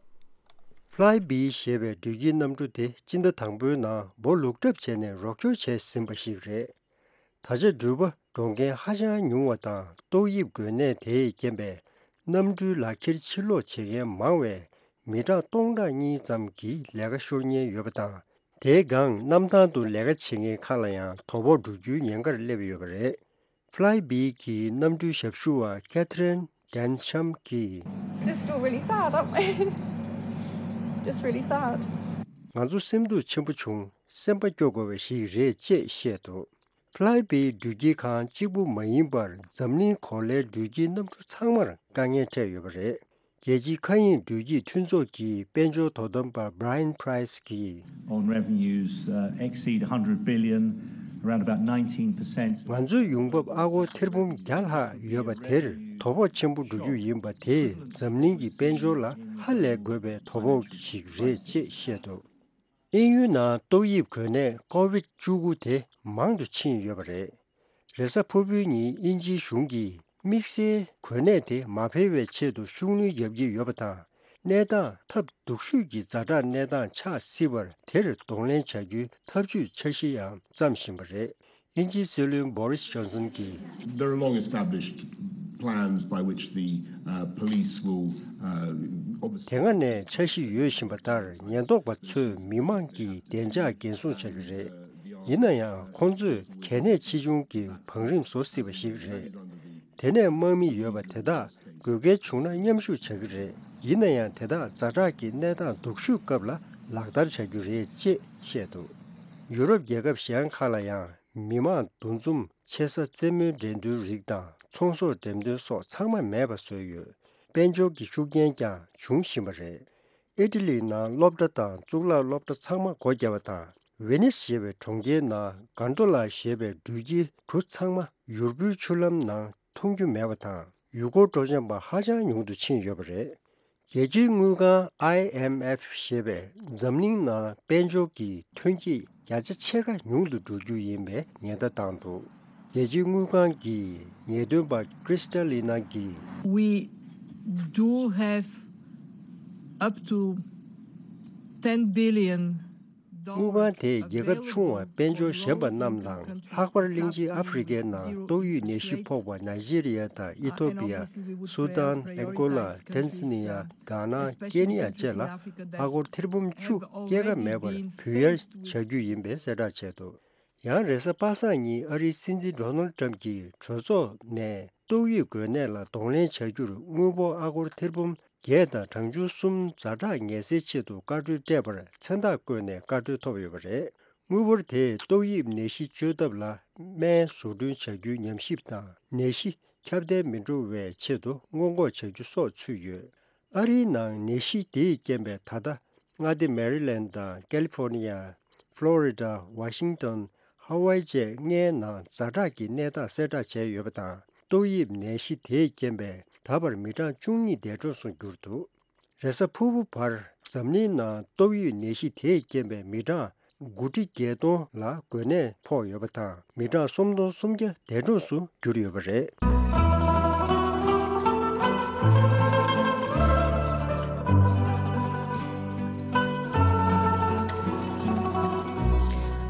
Flybe ཞེས་པའི་འགྲུལ་སྐྱེལ་གནམ་གྲུ་དེ་སྤྱི་ཟླ་དང་པོའི་ནང་འབོ་ལུག་གྲབས་བྱས་ནས་རོགས་སྐྱོར་བྱས་ཟིན་པ་ཞིག་རེད། ད་ཆ་འགྲུལ་པ་འགྲོ་མཁན་ཧ་ཅང་ཉུང་བ་དང་ཏོག་དབྱིབས་འགོས་ནད་དེས་རྐྱེན་པས་གནམ་གྲུའི་ལག་ཁྱེར་ཕྱིར་སློག་བྱེད་མཁན་མང་བས་མི་གྲངས་སྟོང་ཕྲག་གཉིས་ཙམ་གྱིས་ལས་ཀ་ཤོར་ཉེན་ཡོད་པ་དང་། དེའི་སྒང་གནམ་ཐང་དུ་ལས་ཀ་བྱེད་མཁན་ཁག་ལ་ཡང་དོ་ཕོག་འགྲོ་རྒྱུའི་ཉེན་ཁར་སླེབས་ཡོད་པ་རེད། Flybe གི་གནམ་གྲུའི་ཞབས་ཞུ་བ་Catherine Densham གིས། Just feel really sad, aren't we? Just really sad. ང་ཚོ་སེམས་སྡུག་ཆེན་པོ་བྱུང་། སེམས་པ་སྐྱོ་དགོས་པ་ཞིག་རེད་ཅེས་བཤད་འདུག Flybe འགྲུལ་སྐྱེལ་ཁང་གཅིག་པུ་མ་ཡིན་པར་འཛམ་གླིང་གོ་ལའི་འགྲུལ་སྐྱེལ་གནམ་གྲུ་ཚང་མར་དཀའ་ངལ་འཕྲད་ཡོད་པ་རེད། རྒྱལ་སྤྱིའི་མཁའ་དབྱིངས་འགྲུལ་སྐྱེལ་མཐུན་ཚོགས་ཀྱི་དཔལ་འབྱོར་དོ་དམ་པ་Brian Price གིས། On revenues, uh, exceed one hundred billion, around about nineteen percent. ང་ཚོའི་ཡོང་འབབ་ཨ་སྒོར་ཐེར་འབུམ་བརྒྱ་ལྷག་ཡོད་པ་དེར་དོ་ཕོག་ཆེན་པོ་འགྲོ་རྒྱུ་ཡིན་པ་དེས་འཛམ་གླིང་གི་དཔལ་འབྱོར་ལ་ཧ་ལས་དགོས་པའི་དོ་ཕོག་ཞིག་རེད་ཅེས་བཤད་འདུག་དབྱིན་ཡུལ་ནང་ཏོག་དབྱིབས་འགོས་ནད་ཀོ་ཝིད་བཅུ་དགུ་དེ་མང་དུ་ཕྱིན་ཡོད་པ་རེད། རེས་གཟའ་ཕུར་བུའི་ཉིན་དབྱིན་ཇིའི་གཞུང་གིས་དམིགས་བསལ་འགོས་ནད་དེ་མ་འཕེལ་བའི་ཆེད་དུ་ཤུགས་སྣོན་རྒྱག་གི་ཡོད་པ་དང་། གནས་སྟངས་ཐབས་སྡུག་ཤོས་ཀྱི་ཛ་དྲག་གནས་སྟངས་ཆགས་སྲིད་པར་དེར་གདོང་ལེན་བྱ་རྒྱུའི་ཐབས་ཇུས་འཆར་གཞི་ཡང་བརྩམས་བཞིན་པ་རེད། དབྱིན་ཇིའི་སྲིད་བློན་Boris Johnson གྱིས། There are long established plans by which the, uh, police will, uh, obviously དེ་སྔ་ནས་འཆར་གཞི་ཡོད་བཞིན་པ་ལྟར་ཉེན་རྟོག་པ་ཚོས་མི་མང་གི་བདེ་འཇགས་འགན་སྲུང་བྱ་རྒྱུ་རེད། ཡིན་ན་ཡང་ཁོང་ཚོས་གལ་གནད་ཆེ་ཆུང་གི་བང་རིམ་བཟོ་སྲིད་པ་ཞིག་རེད། དེ་ནས་དམག་མི་ཡོད་པ་དེ་དག་དགོས་གལ་བྱུང་ན་མཉམ་ཞུགས་བྱ་རྒྱུ་རེད། ཡིན་ན་ཡང་དེ་དག་ཛ་དྲག་གི་གནས་སྟངས་སྡུག་ཤོས་སྐབས་ལ་ལག་བསྟར་བྱ་རྒྱུ་རེད་ཅེས་བཤད་འདུག་ཡུ་རོབ་རྒྱལ་ཁབ་གཞན་ཁག་ལ་ཡང་མི་མང་འདུ་འཛོམས། ཆེ་ས་རྩེད་མོའི་འགྲན་བསྡུར་རིགས་དང་ཚོང་ཟོག་འགྲེམས་སྟོན་སོགས་ཚང་མ་མེད་པ་བཟོས་ཡོད། དཔལ་འབྱོར་གྱི་ཤུགས་རྐྱེན་ཀྱང་འབྱུང་བཞིན་པ་རེད། ཨི་ཊ་ལིའི་ནང་སློབ་གྲྭ་དང་གཙུག་ལག་སློབ་གྲྭ་ཚང་མ་སྒོ་བརྒྱབ་པ་དང་། ཝེ་ནིས་ཞེས་པའི་གྲོང་ཁྱེར་ནང་གྷན་ཌོ་ལ་ཞེས་པའི་འགྲུལ་སྐྱེལ་གྲུ་ཚང་མ་ཡུར་བུའི་ཆུ་ལམ་ནང་མཐོང་རྒྱུ་མེད་པ་དང་། ཡུལ་སྐོར་སྤྲོ་འཆམ་པ་ཧ་ཅང་ཉུང་དུ་ཕྱིན་ཡོད་པ་རེད། རྒྱལ་སྤྱིའི་དངུལ་ཁང་I M F ཞེས་པས་འཛམ་གླིང་ནང་དཔལ་འབྱོར་གྱི་ཐོན་སྐྱེད་བརྒྱ་ཆ་ཕྱེད་ཀ་ཉུང་དུ་འགྲོ་རྒྱུ་ཡིན་པའི་ཉེན་བརྡ་བཏང་འདུག་རྒྱལ་སྤྱིའི་དངུལ་ཁང་གི་ཉེས་དོན་པ་Kristalina གིས། We do have up to ten billion དངུལ་ཁང་དེས་རྒྱལ་ཁབ་ཆུང་བ་དཔལ་འབྱོར་ཞན་པ་རྣམས་དང་། ལྷག་པར་གླིང་ཆེན་ཨ་ཧྥེ་རི་ཁའི་ནང་ཏོག་དབྱིབས་ནད་གཞི་ཕོག་པ་ནཱི་ཇི་རི་ཡ་དང་ཨི་ཐོ་པི་ཡ། སུ་དཱན། ཨན་གོ་ལ། ཏན་ཟ་ནི་ཡ། གྷ་ན། ཀེ་ནི་ཡ་བཅས་ལ་ཨ་སྒོར་ཐེར་འབུམ་བཅུ་སྐྱེད་ཀ་མེད་པར་འབུལ་ཡར་བྱ་རྒྱུ་ཡིན་པའི་གསལ་བསྒྲགས་བྱས་འདུག་ཡང་རེས་གཟའ་པ་སངས་ཉིན་ཨ་རིའི་སྲིད་འཛིན་ཌོ་ནལ་ཊམ་གྱིས་གྲོས་ཚོགས་ནས། ཏོག་དབྱིབས་འགོས་ནད་ལ་གདོང་ལེན་བྱ་རྒྱུར་དངུལ་འབོར་ཨ་སྒོར་ཐེར་འབུམ་བརྒྱད་དང་གྲངས་ཆུང་གསུམ་ཛ་དྲག་ངལ་སེལ་ཆེད་དུ་བཀའ་འཁྲོལ་སྤྲད་པར་མཚན་རྟགས་བཀོད་ནས་བཀའ་འཁྲོལ་ཐོབ་ཡོད་པ་རེད། དངུལ་འབོར་དེས་ཏོག་དབྱིབས་ནད་གཞི་བཅོས་ཐབས་ལ་སྨན་བཟོ་སྐྲུན་བྱ་རྒྱུའི་ཉམས་ཞིབ་དང་ནད་གཞི་ཁྱབ་གདལ་མི་འགྲོ་བའི་ཆེད་དུ་སྔོན་འགོག་བྱ་རྒྱུ་སོགས་ཚུད་ཡོད། ཨ་རིའི་ནང་ནད་གཞི་དེས་རྐྱེན་པས་ད་ལྟ་མངའ་སྡེ་མེ་རི་ལེན་དང་ཀེ་ལི་ཧྥོར་ནི་ཡ། ཕློ་རི་ཌ། ཝ་ཤིང་ཏོན། ཧ་ཝའི་བཅས་ལྔའི་ནང་ཛ་དྲག་གི་གནས་སྟངས་གསལ་བསྒྲགས་བྱས་ཡོད་པ་དང་། ཏོག་དབྱིབས་ནད་གཞི་དེའི་རྐྱེན་པས་ད་བར་མི་གྲངས་བཅུ་གཉིས་འདས་གྲོངས་སུ་གྱུར་འདུག་རེས་གཟའ་ཕུར་བུ་བར་འཛམ་གླིང་ནང་ཏོག་དབྱིབས་ནད་གཞི་དེའི་རྐྱེན་པས་མི་གྲངས་དགུ་ཁྲི་བརྒྱད་སྟོང་ལ་འགོས་ནད་ཕོག་ཡོད་པ་དང་། མི་གྲངས་སུམ་སྟོང་སུམ་བརྒྱ་འདས་གྲོངས་སུ་གྱུར་ཡོད་པ་རེད།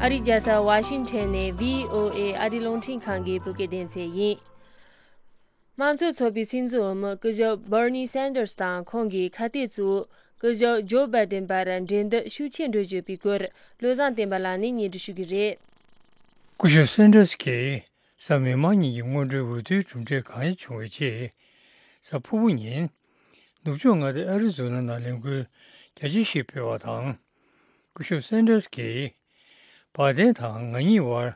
ཨ་རིའི་རྒྱལ་ས་ཝ་ཤིང་ཊོན་ནས་བྷི་ཨོ་ཨེ་ཨ་རིའི་རླུང་འཕྲིན་ཁང་གི་བོད་སྐད་སྡེ་ཚན་ཡིན། དམངས་གཙོའི་ཚོགས་པའི་སྲིད་འཛིན་འོས་མི་སྐུ་ཞབས་Bernie Sanders དང་ཁོང་གི་ཁ་གཏད་གཙོ་བོ་སྐུ་ཞབས་ཇོ་བྷའི་ཌེན་བར་འགྲན་བསྡུར་ཤུགས་ཆེ་འགྲོ་བཞིན་པའི་སྐོར་བློ་བཟང་བསྟན་པ་ལགས་ནས་སྙན་སྒྲོན་ཞུ་གི་རེད། སྐུ་ཞབས་སན་ཌར་སི་གིས་གཟའ་མིག་དམར་ཉིན་གྱི་སྔོན་འགྲོའི་འོས་བསྡུའི་གྲུབ་འབྲས་གང་ཡིན་བྱུང་བའི་རྗེས། གཟའ་ཕུར་བུ་ཉིན། ནུབ་ཕྱོགས་མངའ་སྡེ་ཨ་རི་ཛོ་ན་ནང་ལས་འགུལ་རྒྱ་ཆེ་ཞིག་སྤེལ་བ་དང་། སྐུ་ཞབས་སན་ཌར་སི་གིས། བྷའི་ཌེན་དང་ང་གཉིས་བར་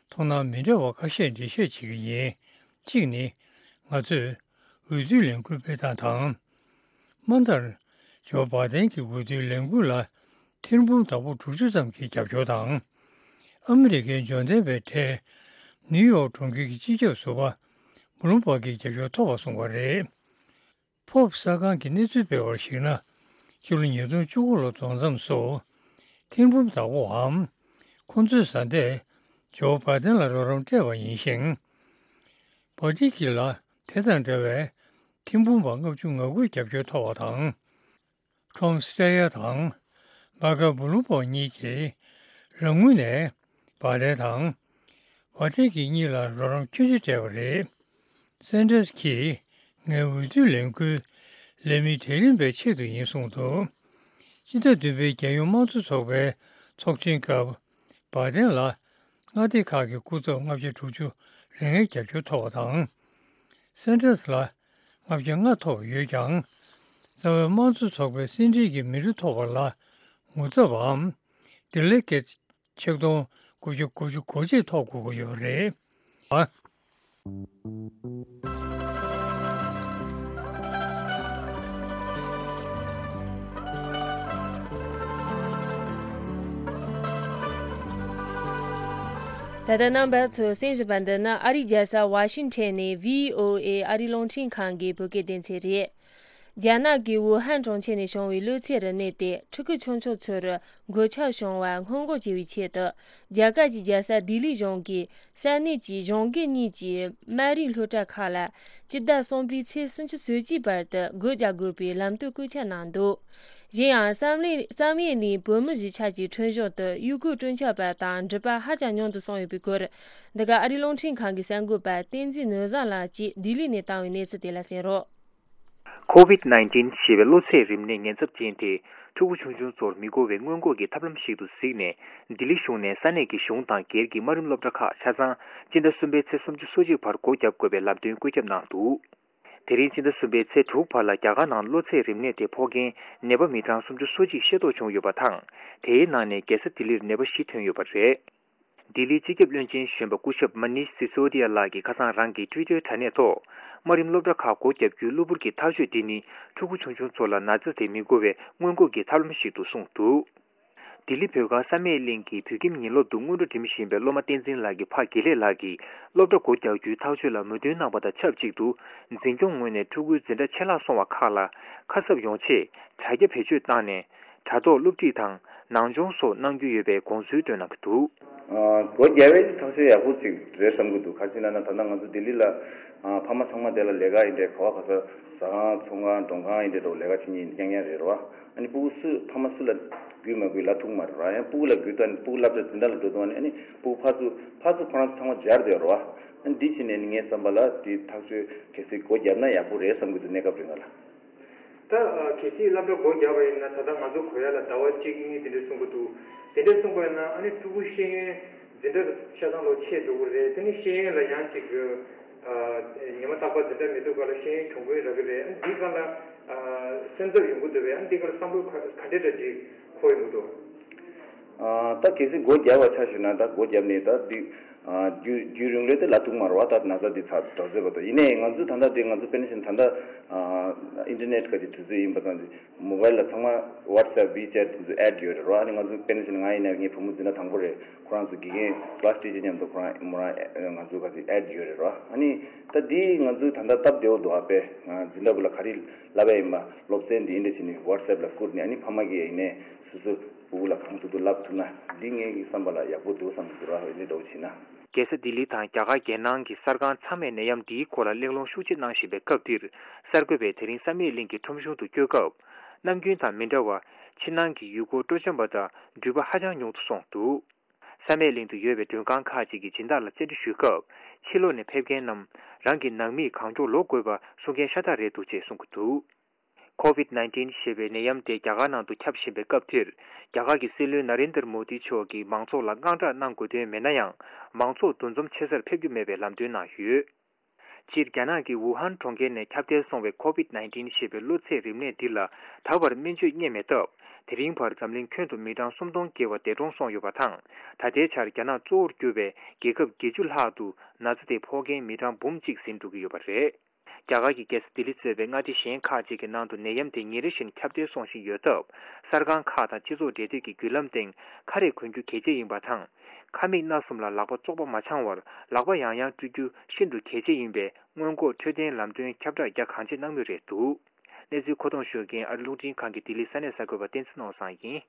མཐོང་སྣང་མི་འདྲ་བ་ཁ་ཤས་འགྲེལ་བཤད་བྱེད་ཀྱི་ཡིན། གཅིག་ནི། ང་ཚོས་འོས་བསྡུའི་ལས་འགུལ་སྤེལ་སྟངས་དང་། དམའ་མཐར། ཇོ་བྷ་དན་གྱི་འོས་བསྡུའི་ལས་འགུལ་ལ་ཐེར་འབུམ་དང་པོ་དྲུག་ཅུ་ཙམ་གྱིས་རྒྱབ་སྐྱོར་དང་། ཨ་མི་རི་ཀའི་འབྱོར་ལྡན་པའི་གྲས་ནིའུ་ཡོག་གྲོང་ཁྱེར་གྱི་སྤྱི་ཁྱབ་ཟུར་པ་བུ་ལུམ་པག་གིས་རྒྱབ་སྐྱོར་ཐོབ་པ་གསུངས་པ་རེད། ཕོབ་གསར་ཁང་གིས་གནས་ཚུལ་སྤེལ་བར་གཞིགས་ན། ཕྱི་ལོ་ཉིས་སྟོང་བཅུ་དགུ་ལོ་རྫོགས་མཚམས་སུ། ཐེར་འབུམ་དང་པོའམ། ཁོ་ཚོའི་བཟའ་ཟླས་ཇོ་བྷ་དན་ལ་རོགས་རམ་སྤྲད་པ་ཡིན་ཞིང་། བྷ་ཏི་ཀི་ལ་དེ་དང་འདྲ་བའི་ཐེར་འབུམ་པ་ལྔ་བཅུ་ང་དགུའི་རྒྱབ་སྐྱོར་ཐོབ་པ་དང་། ཁྲོམ་སི་ཏྲ་ཡ་དང་། མ་ཀ་བུ་ལུམ་པག་གཉིས་ཀྱིས་རང་ངོས་ནས་བྷ་དན་དང་། བྷ་ཏི་ཀི་གཉིས་ལ་རོགས་རམ་ཁྱོན་ཆེ་སྤྲད་པ་རེད། སན་ཏྲས་ཀྱིས་ངའི་འོས་བསྡུའི་ལས་འགུལ་ལས་མི་གྲལ་རིམ་པའི་ཆེད་དུ་ཡིན་གསུངས་འདུག་སྤྱི་ཟླ་བདུན་པའི་རྒྱལ་ཡོངས་དམངས་གཙོ་ཚོགས་པའི་ཚོགས་ཆེན་སྐབས་བྷ་དན་ལ་མངའ་སྡེ་ཁག་གི་སྐུ་ཚབ་ལྔ་བརྒྱ་དྲུག་ཅུ་རེ་ལྔའི་རྒྱབ་སྐྱོར་ཐོབ་པ་དང་། སན་ཏྲས་ལ་ལྔ་བརྒྱ་ལྔ་ཐོབ་ཡོད་ཀྱང་། རྩ་བའི་དམངས་གཙོ་ཚོགས་པའི་སེ་འབྲེལ་གྱི་མི་རེ་ཐོབ་པ་ལ་ངོ་ཚབ་བམ། ཌི་ལེ་གེ་ཊི་ཆིག་སྟོང་དགུ་བརྒྱ་དགུ་བཅུ་གོ་གཅིག་ཐོབ་དགོས་ཀྱི་ཡོད་པ་རེད། ཨ། ད་ལྟ་རྣམ་པ་ཚོས་གསན་བཞིན་པ་འདི་ནི་ཨ་རིའི་རྒྱལ་ས་ཝ་ཤིང་ཊོན་ནས་བྷི་ཨོ་ཨེ་ཨ་རིའི་རླུང་འཕྲིན་ཁང་གི་བོད་སྐད་སྡེ་ཚན་རེད། རྒྱ་ནག་གི་ཝུ་ཧན་གྲོང་ཁྱེར་ནས་བྱུང་བའི་གློ་ཚད་རིམས་ནད་དེ་ཕྲུ་གུ་ཆུང་ཆུང་ཚོར་འགོས་ཁྱབ་བྱུང་བར་སྔོན་འགོག་བྱེད་པའི་ཆེད་དུ། རྒྱ་གར་གྱི་རྒྱལ་ས་ལྡི་ལི་གཞུང་གིས་ས་གནས་ཀྱི་གཞུང་སྒེར་གཉིས་ཀྱི་སྨན་རིགས་སློབ་གྲྭ་ཁག་ལ་སྤྱི་ཟླ་གསུམ་པའི་ཚེས་སུམ་ཅུ་སོ་གཅིག་བར་དུ་སྒོ་རྒྱག་དགོས་པའི་ལམ་སྟོན་བཀོད་ཁྱབ་གནང་འདུག་གཞན་ཡང་བསམ་ལེ་བསམ་ཡས་གླིང་བོད་མི་གཞིས་ཆགས་ཀྱི་ཁྲིམས་གཞུང་དུ་ཡུལ་སྐོར་སྤྲོ་འཆམ་པ་དང་འགྲུལ་པ་ཧ་ཅང་ཉུང་དུ་སོང་ཡོད་པའི་སྐོར། འདི་ག་ཨ་རིའི་རླུང་འཕྲིན་ཁང་གི་གསར་འགོད་པ་བསྟན་འཛིན་ནོར་བཟང་ལགས་ཀྱིས་ལྡི་ལི་ནས་བཏང་བའི་གནས་ཚུལ་དེ་ལ་གསན་རོགས། ཁོ་ཝིད་ནའིན་ཊིན་ཞེས་པའི་གློ་ཚད་རིམས་ནད་ཉེན་ཚབས་ཅན་དེ་ཕྲུ་གུ་ཆུང་ཆུང་ཚོར་མི་འགོ་བའི་སྔོན་འགོག་གི་ཐབས་ལམ་ཞིག་ཏུ་གཟིགས་ནས། ལྡི་ལི་གཞུང་ནས་ས་གནས་ཀྱི་གཞུང་དང་སྒེར་གྱི་དམའ་རིམ་སློབ་གྲྭ་ཁག་ཆ་ཚང་སྤྱི་ཟླ་གསུམ་པའི་ཚེས་སུམ་ཅུ་སོ་གཅིག་བར་སྒོ་བརྒྱབ་དགོས་པའི་ལམ་སྟོན་བཀོད་ཁྱབ་གནང་འདུག་དེ་རིང་སྤྱི་ཟླ་གསུམ་པའི་ཚེས་དྲུག་བར་ལ་རྒྱ་གར་ནང་གློ་ཚད་རིམས་ནད་དེ་ཕོག་མཁན་ནད་པ་མི་གྲངས་སུམ་ཅུ་སོ་གཅིག་ཤེས་རྟོགས་བྱུང་ཡོད་པ་དང་། དེའི་ནང་ནས་རྒྱལ་ས་ལྡི་ལིར་ནད་པ་བཞི་ཐོན་ཡོད་པ་རེད། ལྡི་ལིའི་སྤྱི་ཁྱབ་བློན་ཆེན་གཞོན་པ་སྐུ་ཞབས་མ་ནིཤ་སི་སོ་དི་ཡ་ལགས་ཀྱིས་ཁ་སང་རང་གི་ཊུའི་ཊར་དྲ་གནས་ཐོག་དམའ་རིམ་སློབ་གྲྭ་ཁག་སྒོ་བརྒྱབ་རྒྱུའི་གློ་བུར་གྱི་ཐག་གཅོད་འདི་ནི་ཕྲུ་གུ་ཆུང་ཆུང་ཚོ་ལ་ན་ཚ་དེ་མི་འགོ་བའི་སྔོན་འགོག་གི་ཐབས་ལམ་ཞིག་ཏུ་གསུངས་འདུག་ལྡི་ལི་བོད་སྒར་བསམ་ཡས་གླིང་གི་བོད་ཁྱིམ་ཉིན་སློབ་ཏུ་སྔོན་འགྲོ་འགྲིམ་བཞིན་པའི་སློབ་མ་བསྟན་འཛིན་ལགས་ཀྱི་ཕ་དགེ་ལེགས་ལགས་ཀྱིས་སློབ་གྲྭ་སྒོ་རྒྱག་རྒྱུའི་ཐག་གཅོད་ལ་མོས་མཐུན་གནང་བ་དང་ཆབས་ཅིག་ཏུ། འཛིན་སྐྱོང་ངོས་ནས་ཕྲུ་གུའི་འཛིན་གྲྭ་ཆད་ལྷག་སོང་བ་ཁག་ལ་ཁ་གསབ་ཡོང་ཆེད་དྲ་རྒྱ་བེད་སྤྱོད་བཏང་ནས། དྲ་ཐོག་སློབ་ཁྲིད་དང་ནང་སྦྱོང་སོགས་གནང་རྒྱུ་ཡོད་པའི་དགོངས་ཚུལ་བཏོན་གནང་གི་འདུག་སྒོ་རྒྱག་པའི་ཐག་གཅོད་ཡག་པོ་ཅིག་རེད་བསམ་གྱི་འདུག་ག་རེ་ཟེར་ན་ད་ལྟ་ང་ཚོ་ལྡི་ལི་ལ་ཕ་མ་ཚང་མ་དེ་ལ་ལས་ཀ་ཡིན་འདྲ་ག་བ་ག་ས་ཟ་ཁང་ཚོང་ཁང་མགྲོན་ཁང་ཡིན་འདྲ་འགྲོ་ལས་ཀ་བྱེད་མཁན་རྐྱང་རྐྱང་རེད་རོ། ཨ་ནི་སྤུ་གུ་སུ་ཕ་མ་སུ་ལ་རྒུད་མ་རྒུད་ལབ་ཐུབ་མ་རེད་རོ། ཡང་སྤུ་གུ་ལ་རྒུད་དང་སྤུ་གུ་སློབ་གྲྭ་འཛིན་གྲྭ་ལ་འགྲོ་དུས་ཨ་ནི་སྤུ་གུ་ཕར་ཚུར་ཕར་ཚུར་ཁོ་རང་ཚོ་ཚང་མ་སྦྱར་བསྡད་རོ། ཨ་ནི་འདི་བྱས་ནས་ངའི་བསམ་པ་ལ་འདི་ཐག་གཅོད་གལ་སྲིད་སྒོ་བརྒྱབ་ན་ཡག་པོ་རེད་བསམ་གྱི་འདུག་གནས་སྐབས་རིང་ལ། ད་གལ་སྲིད་སློབ་གྲྭ་སྒོ་བརྒྱབ་པ་ཡིན་ན་ད་ལྟ་ང་ཚོ་གོ་ཡ་ལ་ཟླ་བ་གཅིག་གཉིས་དེ་འདྲ་གསུང་གི་འདུག་དེ་འདྲ་གསུངས་པ་ཡིན་ན་ཨ་ནི་ཕྲུ་གུ་ཤེས་ཡོན་འཛིན་གྲྭ་ཆ་ཚང་ལོ་ཆེ་འགྲོ་གི་རེད། དེ་ནི་ཤེས་ཡོན་ལ་ཡང་ཅིག་ཉི་མ་རྟག་པར་འཛིན་གྲྭ་མི་འདུག་ག་ལ་ཤེས་ཡོན་གྱོང་གུན་རག་གི་རེད། ཨ་ནི་འདི་ག་ལ་སེམས་འཚབ་ཡོང་གི་འདུག་བས། ཨ་ནི་འདི་ག་ལ་བསམ་བློ་ག་ག་འདྲ་འདྲ་ཅིག་འཁོར་ཡོང་གི་འདུག་ད་གལ་སྲིད་སྒོ་བརྒྱབ་པ་ཆ་བཞག་ན་ད་སྒོ་བརྒྱབ་ནས་ད་འདི་རྒྱུན་རྒྱུན་རིང་ལོས་དེ་ལབ་ཐུབ་མ་རེད་བ། ད་ན་ཚ་འདི་ཚ་དྲག་ཟེར་བ་དང་། ཡིན་ནའི་ང་ཚོ་ད་ལྟ་འདི་ང་ཚོ་དཔེར་ན་བཞག་ན་ད་ལྟ་ཨིན་ཊར་ནེཊ་ག་དེ་དུས་ཚོད་ཡིན་པ་ཙང་འདི་མོ་བྷེལ་ལ་ཚང་མ་ཝ་ཊི་སེབ་ཝི་ཅེཊ་དེ་ཚོ་ཨེཌ་ཡོད་རེད་བ། ཨ་ནི་ང་ཚོ་དཔེར་ན་བཞག་ན་ང་ཡིན་ན་ངའི་བུ་མོ་འཛིན་གྲྭ་དང་པོ་རེད། ཁོ་རང་ཚོ་དགེ་རྒན་ཀི་ལ་སི་ཊི་ཅར་མཉམ་དུ་ཁོ་རང་མོ་རང་ང་ཚོ་ག་དེ་ཨེཌ་ཡོད་རེད་བ། ཨ་ནི་ད་འདི་ང་ཚོ་ད་ལྟ་སྟབས་བདེ་བོ་འདུག་ཨ་དཔེ་འཛིན་གྲྭ་བུ་ལ་ག་རེ་ལབ་པ་ཡིན་པ་སློབ་ཚན་འདི་ཡིན་འདྲ་བྱས་ནས་ཝ་ཊི་སེབ་ལ་བསྐུར་ནས། ཨ་ནི་ཕ་མ་གིས་ཡིན་ནའི་སོ་སོ་སྤུ་གུ་ལ་གང་ཐུབ་ཐུབ་ལབ་ཐུབ་ན་འདི་ངའི་བསམ་པ་ལ་ཡག་པོ་འདུག་བསམ་གྱི་འདུག་ར། འོན་ཏེ་འདྲ་བོ་བྱས་ན། རྒྱལ་ས་ལྡི་ལི་དང་རྒྱ་གར་རྒྱལ་ནང་གི་གསར་ཁང་ཚང་མས་ནད་ཡམས་འདིའི་སྐོར་ལ་གླེང་སློང་ཤུགས་ཆེ་གནང་བཞིན་པའི་སྐབས་འདིར། གསར་འགོད་པས་དེ་རིང་བསམ་ཡས་གླིང་གི་ཁྲོམ་གཞུང་དུ་བསྐྱོད་སྐབས། ནམ་རྒྱུན་དང་མི་འདྲ་བར་ཕྱི་ནང་གི་ཡུལ་སྐོར་སྤྲོ་འཆམ་པ་དང་འགྲུལ་པ་ཧ་ཅང་ཉུང་དུ་སོང་འདུག་བསམ་ཡས་གླིང་དུ་ཡོད་པའི་མགྲོན་ཁང་ཁག་ཅིག་གི་སྦྱིན་བདག་ལ་བཅར་འདྲི་ཞུས་སྐབས། ཕྱི་ལོགས་ནས་ཕེབས་མཁན་རྣམས་རང་གི་ནང་མིས་གང་མགྱོགས་ལོག་དགོས་པ་གསུང་མཁན་ཤ་སྟག་རེད་འདུག་ཅེས་གསུང་གི་འདུག་ཁོ་ཝིད་ནའིན་ཊིན་ཞེས་པའི་ནད་ཡམས་དེ་རྒྱ་གར་ནང་དུ་ཁྱབ་བཞིན་པའི་སྐབས་འདིར། རྒྱ་གར་གྱི་སྲིད་བློན་ན་རེན་དར་མོ་དི་མཆོག་གིས་མང་ཚོགས་ལ་དངངས་སྐྲག་གནང་དགོས་དོན་མེད་ན་ཡང་། མང་ཚོགས་འདུ་འཛོམས་ཆེ་སར་ཕེབས་རྒྱུ་མེད་པའི་ལམ་སྟོན་གནང་ཡོད། སྤྱིར་རྒྱ་ནག་གི་ཝུ་ཧན་གྲོང་ཁྱེར་ནས་ཁྱབ་གདལ་སོང་བའི་ཁོ་ཝིད་ནའིན་ཊིན་ཞེས་པའི་གློ་ཚད་རིམས་ནད་འདི་ལ་ད་བར་སྨན་བཅོས་རྙེད་མེད་སྟབས། དེ་རིང་བར་འཛམ་གླིང་ཁྱོན་དུ་མི་གྲངས་སུམ་སྟོང་བརྒལ་བ་འདས་གྲོངས་སོང་ཡོད་པ་དང་། ད་ལྟའི་ཆར་རྒྱ་ནག་གཙོ་བོར་གྱུར་པའི་རྒྱལ་ཁབ་བརྒྱད་ཅུ་ལྷག་ཏུ་ན་ཚ་དེ་ཕོག་མཁན་མི་གྲངས་འབུམ་གཅིག་ཟིན་འགྲོ་གི་ཡོད་པ་རེད། རྒྱ་གར་གྱི་རྒྱལ་ས་ལྡི་ལི་གཙོས་པའི་མངའ་སྡེ་གཞན་ཁག་ཅིག་གི་ནང་དུ་ནད་ཡམས་དེ་ཉིན་རེ་བཞིན་ཁྱབ་གདལ་སོང་བཞིན་ཡོད་སྟབས། གསར་ཁང་ཁག་དང་སྤྱི་ཚོགས་འབྲེལ་མཐུད་ཀྱི་བརྒྱུད་ལམ་སྟེང་ཁ་རས་གོན་རྒྱུ་གལ་ཆེ་ཡིན་པ་དང་། ཁ་མིག་སྣ་གསུམ་ལ་ལག་པ་བཙོག་པ་མ་འཆང་བར་ལག་པ་ཡང་ཡང་བཀྲུ་རྒྱུ་ཤིན་ཏུ་གལ་ཆེ་ཡིན་པས། སྔོན་འགོག་འཕྲོད་བསྟེན་ལམ་སྟོན་ཁྱབ་བསྒྲགས་རྒྱ་གང་ཆེ་གནང་མུས་རེད་འདུག་གནས་ཚུལ་མཁོ་གཏོང་ཞུ་མཁན་ཨ་རི་རླུང་འཕྲིན་ཁང་གི་ལྡི་ལི་ས་གནས་གསར་འགོད་པ་བསྟན་འཛིན་ནོར་བཟང་ཡིན།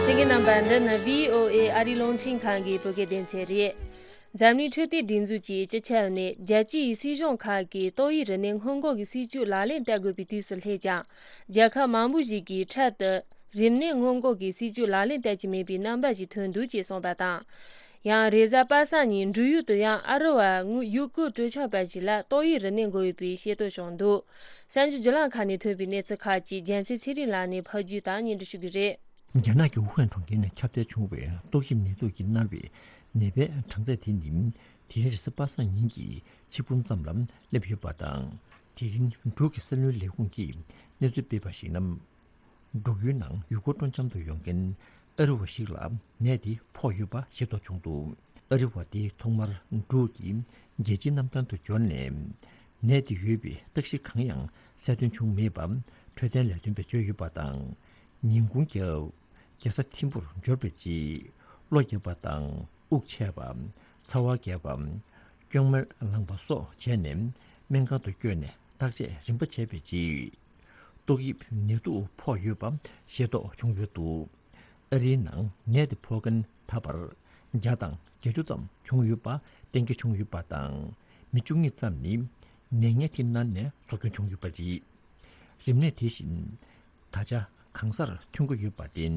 གསན་མཁན་རྣམ་པ། འདི་ནི་བྷི་ཨོ་ཨེ་ཨ་རིའི་རླུང་འཕྲིན་ཁང་གི་བོད་སྐད་སྡེ་ཚན་རེད། འཛམ་གླིང་འཕྲོད་བསྟེན་སྒྲིག་འཛུགས་ཀྱིས་སྤྱི་ཁྱབ་ནས་རྒྱལ་སྤྱིའི་སྲིད་གཞུང་ཁག་གིས་ཏོག་དབྱིབས་རིམས་ནད་སྔོན་འགོག་གི་སྲིད་ཇུས་ལག་ལེན་བསྟར་དགོས་པའི་དུས་སུ་སླེབས་ཀྱང་། རྒྱལ་ཁབ་མང་པོ་ཞིག་གིས་འཕྲལ་དུ་རིམས་ནད་སྔོན་འགོག་གི་སྲིད་ཇུས་ལག་ལེན་བསྟར་གྱི་མེད་པའི་རྣམ་པ་ཞིག་ཐོན་འདུག་ཅེས་གསུངས་པ་དང་། ཡང་རེས་གཟའ་པ་སངས་ཉིན་འབྲུག་ཡུལ་དུ་ཡང་ཨ་རི་བ་དངོས་ཡུལ་སྐོར་སྤྲོ་འཆམ་པ་ཞིག་ལ་ཏོག་དབྱིབས་རིམས་ནད་འགོས་ཡོད་པའི་ཤེས་རྟོགས་བྱུང་འདུག་གསར་འགྱུར་བརྒྱུད་ལམ་ཁག་ནས་ཐོན་པའི་གནས་ཚུལ་ཁག་ཅིག་རྒྱལ་མཚན་ཚེ་རིང་ལགས་ནས་ཕབ་སྒྱུར་དང་སྙན་སྒྲོན་ཞུ་གི་རེད། རྒྱ་ནག་གི་ཝུ་ཧན་གྲོང་ཁྱེར་ནས་ཁྱབ་གདལ་བྱུང་བའི་ཏོག་དབྱིབས་ནད་དུག་གིས་མནར་བའི་ནད་པའི་གྲངས་ཚད་དེ་ནི་དེ་རིང་རེས་གཟའ་པ་སངས་ཉིན་གྱི་ཆིག་འབུམ་ཙམ་ལ་སླེབས་ཡོད་པ་དང་། དེ་རིང་འབྲུག་གི་སྲིད་བློན་ལས་ཁུངས་ཀྱིས་གནས་ཚུལ་སྤེལ་བར་གཞིགས་ན། འབྲུག་ཡུལ་ནང་ཡུལ་སྐོར་སྤྲོ་འཆམ་དུ་ཡོང་མཁན་ཨ་རི་བ་ཞིག་ལ་ནད་དེ་ཕོག་ཡོད་པ་ཤེས་རྟོགས་བྱུང་འདུག་ཨ་རི་བ་དེ་ཐོག་མར་འབྲུག་གི་རྒྱལ་སྤྱིའི་གནམ་ཐང་དུ་འབྱོར་ནས། ནད་དེ་ཡོད་པའི་རྟགས་གཞི་གང་ཡང་གསལ་སྟོན་བྱུང་མེད་པ་འཕྲོད་བསྟེན་ལས་དོན་པས་བརྗོད་ཡོད་པ་དང་། ཉིན་གུང་རྒྱབ་རྒྱལ་ས་ཐིམ་ཕུར་འབྱོར་བའི་རྗེས་གློ་བརྒྱབ་པ་དང་། དབུགས་ཆད་པ། ཚ་བ་རྒྱག་པ། སྐྱོན་མར་ལངས་པ་སོགས་བྱས་ནས་སྨན་ཁང་དུ་བསྐྱོད་ནས་བརྟག་དཔྱད་རིམ་པ་བྱས་པའི་རྗེས། ཏོག་དབྱིབས་ནད་དུག་ཕོག་ཡོད་པ་ཤེས་རྟོགས་བྱུང་ཡོད་འདུག་ཨ་རིའི་ནང་ནད་དེ་ཕོག་མཁན་ད་བར་བརྒྱ་དང་བརྒྱད་ཅུ་ཙམ་བྱུང་ཡོད་པ་གཏན་འཁེལ་བྱུང་ཡོད་པ་དང་། མི་བཅུ་གཉིས་ཙམ་ནི་ནད་ངན་དེ་མནར་ནས་སྲོག་སྐྱོན་བྱུང་ཡོད་པ་རེད། རིམས་ནད་དེ་བཞིན་ད་ཆ་གང་སར་ཐོན་གྱི་ཡོད་པར་བརྟེན།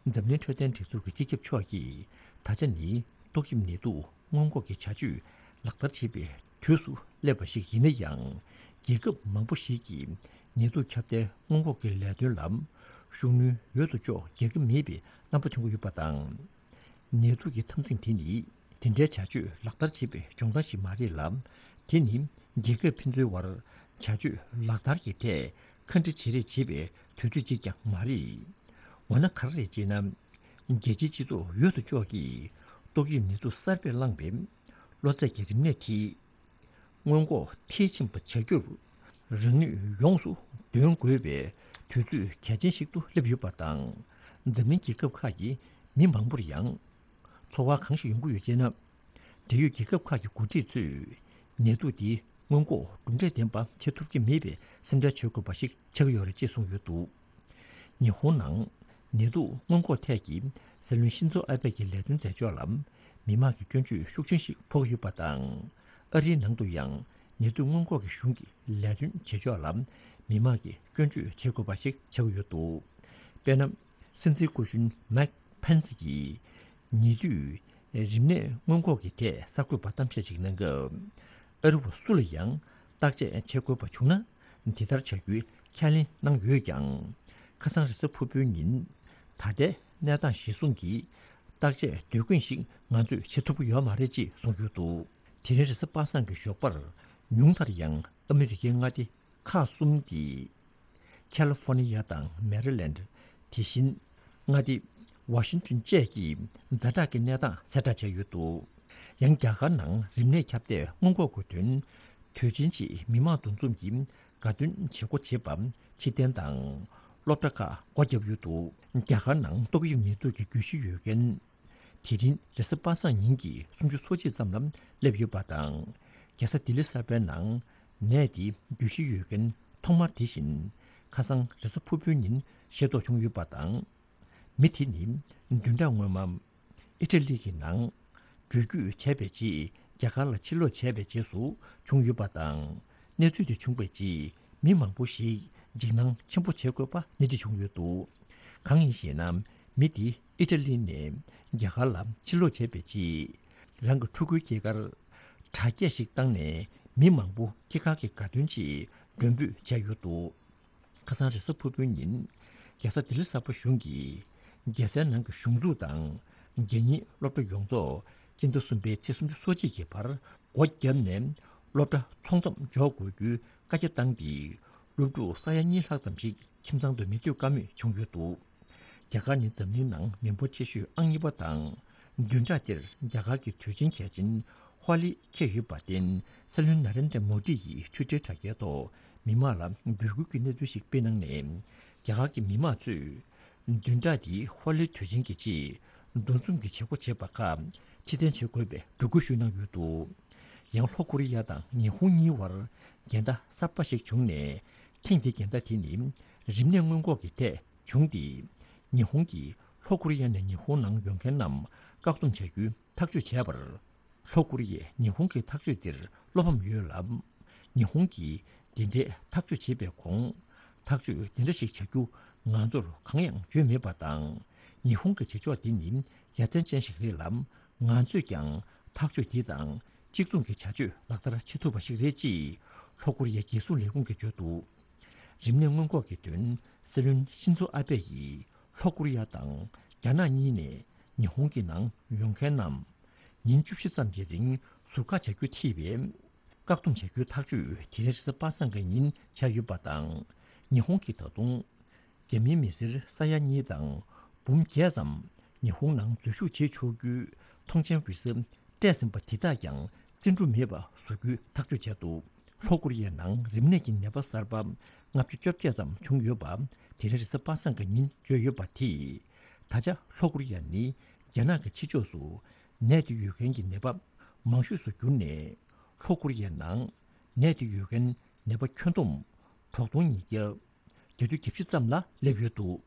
འཛམ་གླིང་འཕྲོད་བསྟེན་སྒྲིག་འཛུགས་ཀྱི་སྤྱི་ཁྱབ་མཆོག་གིས་ད་ཆ་ནི་ཏོག་དབྱིབས་ནད་དུག་སྔོན་འགོག་གི་བྱ་སྤྱོད་ལག་བསྟར་བྱེད་པའི་དུས་སུ་སླེབས་པ་ཞིག་ཡིན་ན་ཡང་། རྒྱལ་ཁབ་མང་པོ་ཞིག་གིས་ནད་དུག་ཁྱབ་གདལ་སྔོན་འགོག་གི་ལས་དོན་ལ་ཤུགས་སྣོན་འོས་སུ་འཇོག་རྒྱག་གི་མེད་པའི་རྣམ་པ་ཐོན་གྱི་ཡོད་པ་དང་། ནད་དུག་གི་འཐབ་འཛིང་དེ་ནི་དེ་འདྲའི་བྱ་སྤྱོད་ལག་བསྟར་བྱེད་པའི་སྦྱོང་བརྡར་ཞིག་མ་རེད་ལ། དེ་ནི་རྒྱལ་ཁབ་ཕན་ཚུན་དབར་བྱ་སྤྱོད་ལག་བསྟར་གྱི་ཐད་ཁ་འདྲི་བྱེད་རེས་བྱེད་པའི་དུས་ཚོད་ཅིག་ཀྱང་མ་རེད། འོ་ན་ག་རེ་རེད་ཅེ་ན། རྒྱལ་སྤྱིའི་སྤྱི་ཚོགས་འོས་སུ་ལྕོགས་ཀྱིས་ཏོག་དབྱིབས་ནད་དུག་གསར་པས་བསླངས་པའི་གློ་ཚད་ཀྱི་རིམས་ནད་དེ་སྔོན་འགོག་མཐིལ་ཕྱིན་པ་བྱ་རྒྱུར་རང་ནུས་ཡོངས་སུ་འདོན་དགོས་པའི་དུས་ཚོད་གལ་ཆེན་ཞིག་ཏུ་སླེབས་ཡོད་པ་དང་། འཛམ་གླིང་རྒྱལ་ཁབ་ཁག་གི་མི་མང་པོར་ཡང་ཚོར་བ་གང་ཞིག་ཡོང་གི་ཡོད་ཅེ་ན། འབྲེལ་ཡོད་རྒྱལ་ཁབ་ཁག་གི་འགོ་ཁྲིད་ཚོས་ནད་དུག་འདི་སྔོན་འགོག་གྲུབ་འབྲས་ལྡན་པ་བྱེད་ཐུབ་ཀྱི་མེད་པའི་སེམས་ཁྲལ་བྱེད་དགོས་པ་ཞིག་ཆགས་ཀྱི་ཡོད་རེད་ཅེས་གསུངས་ཡོད་འདུག་ཉི་ཧོང་ནང་ནད་དུག་སྔོན་འགོག་ཐད་ཀྱི་སྲིད་བློན་ཤིན་ཛོ་ཨ་བྷེ་ཡི་ལས་དོན་མཛད་ཕྱོགས་ལ་མི་མང་གི་སྐྱོན་བརྗོད་ཤུགས་ཆེན་ཞིག་ཕོག་ཡོད་པ་དང་། ཨ་རིའི་ནང་དུ་ཡང་ནད་དུག་སྔོན་འགོག་གི་གཞུང་གི་ལས་དོན་བྱེད་ཕྱོགས་ལ་མི་མང་གིས་སྐྱོན་བརྗོད་བྱེད་དགོས་པ་ཞིག་ཆགས་ཡོད་འདུག་དཔེར་ན། སྲིད་འཛིན་སྐུ་གཞོན་མེག་ཕན་སི་ཡིས་ཉེ་དུས་རིམས་ནད་སྔོན་འགོག་གི་ཐད་གསར་འགོད་པར་གཏམ་བཤད་ཅིག་གནང་སྐབས། ཨ་རི་བ་སུ་ལ་ཡང་བརྟག་དཔྱད་བྱེད་དགོས་པ་བྱུང་ན། འདི་ལྟར་བྱ་རྒྱུའི་ཁས་ལེན་གནང་ཡོད་ཀྱང་། ཁ་སང་རེས་གཟའ་ཕུར་བུའི་ཉིན་ད་ལྟའི་གནས་སྟངས་གཞིར་བཟུང་གིས་བརྟག་དཔྱད་དུས་རྒྱུན་ཞིག་ང་ཚོས་བྱེད་ཐུབ་ཀྱི་ཡོད་མ་རེད་ཅེས་གསུངས་ཡོད་འདུག་དེ་རིང་རེས་གཟའ་པ་སངས་ཀྱི་ཞོགས་པར་ཉུང་མཐར་ཡང་ཨ་མི་རི་ཀའི་མངའ་སྡེ་ཁག་གསུམ་སྟེ། ཁ་ལི་ཧྥོ་ནི་ཡ་དང་མེ་རི་ལེནཌ། དེ་བཞིན་མངའ་སྡེ་ཝ་ཤིང་ཏོན་བཅས་ཀྱི་ཛ་དྲག་གི་གནས་སྟངས་གསལ་བསྒྲགས་བྱས་ཡོད་འདུག་ཡང་རྒྱ་གར་ནང་རིམས་ནད་ཁྱབ་གདལ་སྔོན་འགོག་དགོས་དོན་དུས་ཆེན་ཆེད་མི་མང་འདུ་འཛོམས་ཀྱི་དགའ་སྟོན་བྱེད་སྒོ་བྱེད་པ་ཕྱིར་འཐེན་དང་སློབ་གྲྭ་ཁག་སྒོ་བརྒྱབ་ཡོད་འདུག་རྒྱ་གར་ནང་ཏོག་དབྱིབས་ནད་དུག་གི་རྒྱུད་བཞི་ཡོད་མཁན། དེ་རིང་རེས་གཟའ་པ་སངས་ཉིན་གྱི་སུམ་ཅུ་སོ་གཅིག་ཙམ་ལ་སླེབས་ཡོད་པ་དང་། རྒྱལ་ས་ལྡི་ལི་གསར་པའི་ནང་ནད་དེ་རྒྱུད་བཞི་ཡོད་མཁན་ཐོག་མར་དེ་བཞིན་ཁ་སང་རེས་གཟའ་ཕུར་བུའི་ཉིན་ཤེས་རྟོགས་བྱུང་ཡོད་པ་དང་། མི་དེ་ནི་བདུན་ཕྲག་སྔོན་མ་ཨི་ཊ་ལི་གི་ནང་འགྲུལ་སྐྱོད་བྱས་པའི་རྗེས་རྒྱ་གར་ལ་ཕྱིར་ལོག་བྱས་པའི་རྗེས་སུ་བྱུང་ཡོད་པ་དང་། གནས་ཚུལ་དེ་བྱུང་བའི་རྗེས་མི་མང་པོ་ཞིག་འཇིགས་སྣང་ཆེན་པོ་བྱེད་དགོས་པ་ནན་གྱིས་བྱུང་ཡོད་འདུག་གང་ཡིན་ཞེ་ན། མི་དེ་ཨི་ཊ་ལི་ནས་རྒྱ་གར་ལ་ཕྱིར་ལོག་བྱས་པའི་རྗེས། རང་གི་ཕྲུ་གུའི་སྐྱེས་སྐར་དྲ་རྒྱ་ཞིག་བཏང་ནས་མི་མང་པོ་སྐྱེས་སྐར་གྱི་དགའ་སྟོན་ཆེད་མགྲོན་འབོད་བྱས་ཡོད་འདུག་ཁ་སང་རེས་གཟའ་ཕུར་བུའི་ཉིན། རྒྱལ་ས་ལྡི་ལི་གསར་པ་གཞུང་གིས་རྒྱལ་སའི་ནང་གི་གཞུང་འཛུགས་དང་། རྒྱལ་གཉེར་སློབ་གྲྭ་ཡོངས་རྫོགས་སྤྱི་ཟླ་གསུམ་པའི་ཚེས་སུམ་ཅུ་སོ་གཅིག་གི་བར་སྒོ་བརྒྱབ་ནས་སློབ་གྲྭ་ཚང་འཛོམས་འཇོག་དགོས་རྒྱུའི་བཀའ་རྒྱ་བཏང་སྟེ། སློབ་ཕྲུག་ས་ཡ་གཉིས་ལྷག་ཙམ་ཞིག་ཁྱིམ་ཚང་དུ་མི་སྡོད་ཀ་མེད་བྱུང་ཡོད་འདུག་རྒྱ་གར་ནི་འཛམ་གླིང་ནང་མི་འབོར་ཆེ་ཤོས་ཨང་གཉིས་པ་དང་། བདུན་ཕྲག་འདིར་རྒྱ་གར་གྱི་དུས་ཆེན་གལ་ཆེན་ཧོ་ལི་འཁེལ་ཡོད་པར་བརྟེན། སྲིད་བློན་ན་རེན་དྲ་མོ་དི་ཡིས་ཊུའི་ཊར་དྲ་རྒྱའི་ཐོག་མི་མང་ལ་འབོད་སྐུལ་གྱི་གནས་ཚུལ་ཞིག་སྤེལ་གནང་ནས། རྒྱ་གར་གྱི་མི་མང་ཚོས་བདུན་ཕྲག་འདིའི་ཧོ་ལི་དུས་ཆེན་གྱི་ཆེད་འདུ་འཛོམས་ཀྱི་བྱེད་སྒོ་བྱེད་པ་ཁག་ཕྱིར་འཐེན་བྱེད་དགོས་པའི་འབོད་སྐུལ་ཞུས་གནང་ཡོད་འདུག་ཡང་ལྷོ་ཀོ་རི་ཡ་དང་ཉི་ཧོང་གཉིས་བར་འགལ་ཟླ་གསར་པ་ཞིག་བྱུང་ནས། ཐེངས་འདིའི་འགལ་ཟླ་དེ་ནི་རིམས་ནད་སྔོན་འགོག་གི་ཐད་བྱུང་སྟེ། ཉི་ཧོང་གིས་ལྷོ་ཀོ་རི་ཡ་ནས་ཉི་ཧོང་ནང་ཡོང་མཁན་རྣམས་བཀག་སྡོམ་བྱ་རྒྱུའི་ཐག་གཅོད་བྱས་པར། ལྷོ་ཀོ་རི་ཡས་ཉི་ཧོང་གི་ཐག་གཅོད་འདིར་བློ་ཕམ་ཡོད་ལ། ཉི་ཧོང་གིས་འདི་འདྲའི་ཐག་གཅོད་བྱེད་པའི་གོང་། ཐག་གཅོད་འདི་འདྲ་ཞིག་བྱ་རྒྱུ་ང་ཚོར་གང་ཡང་བརྗོད་མེད་པ་དང་། ཉི་ཧོང་གི་བྱེད་ཕྱོགས་འདི་ནི་ཡ་མཚན་ཅན་ཞིག་རེད་ལ། ང་ཚོས་ཀྱང་ཐག་གཅོད་འདི་དང་གཅིག་མཚུངས་ཀྱི་བྱ་སྤྱོད་ལག་བསྟར་བྱེད་ཐུབ་པ་ཞིག་རེད་ཅེས་ལྷོ་ཀོ་རི་ཡའི་རྒྱལ་སྲུང་ལས་ཁུངས་ཀྱིས་བརྗོད་འདུག་རིམས་ནད་སྔོན་འགོག་གི་དོན། སྲིད་བློན་ཤིན་ཛོ་ཨ་བྷེ་ཡིས་ལྷོ་ཀོ་རི་ཡ་དང་རྒྱ་ནག་གཉིས་ནས་ཉི་ཧོང་གི་ནང་ཡོང་མཁན་རྣམས། ཉིན་བཅུ་བཞི་ཙམ་གྱི་རིང་ཟུར་བཀག་བྱ་རྒྱུ་ཐེ་བའི་བཀག་སྡོམ་བྱ་རྒྱུའི་ཐག་གཅོད་དེ་རིང་རེས་གཟའ་པ་སངས་ཀྱི་ཉིན་བྱས་ཡོད་པ་དང་། ཉི་ཧོང་གིས་ད་དུང་རྒྱ་མིའི་མི་སེར་ས་ཡ་གཉིས་དང་འབུམ་བརྒྱད་ཙམ་ཉི་ཧོང་ནང་འཛུལ་ཞུགས་བྱེད་ཆོག་རྒྱུའི་མཐོང་མཆན་འབུལ་ས་སྤྲད་ཟིན་པ་དེ་དག་ཀྱང་བརྩི་འགྲུབ་མེད་པ་བཟོ་རྒྱུའི་ཐག་གཅོད་བྱས་འདུག་ལྷོ་ཀོ་རི་ཡའི་ནང་རིམས་ནད་ཀྱི་ནད་པ་གསར་པ་ལྔ་བཅུ་བཅོ་བརྒྱད་ཙམ་བྱུང་ཡོད་པ་དེ་རིང་རེས་གཟའ་པ་སངས་ཀྱི་ཉིན་བརྗོད་ཡོད་པ་དེས། ད་ཆ་ལྷོ་ཀོ་རི་ཡ་ནི་རྒྱ་ནག་གི་ཕྱི་ཕྱོགས་སུ་ནད་དེ་ཡོད་མཁན་གྱི་ནད་པ་མང་ཤོས་སུ་གྱུར་ནས། ལྷོ་ཀོ་རི་ཡའི་ནང་ནད་དེ་ཡོད་མཁན་ནད་པ་ཁྱོན་བསྡོམས་དྲུག་སྟོང་ཉིས་བརྒྱ་བརྒྱད་ཅུ་གྱ་བཞི་ཙམ་ལ་སླེབས་ཡོད་འདུག་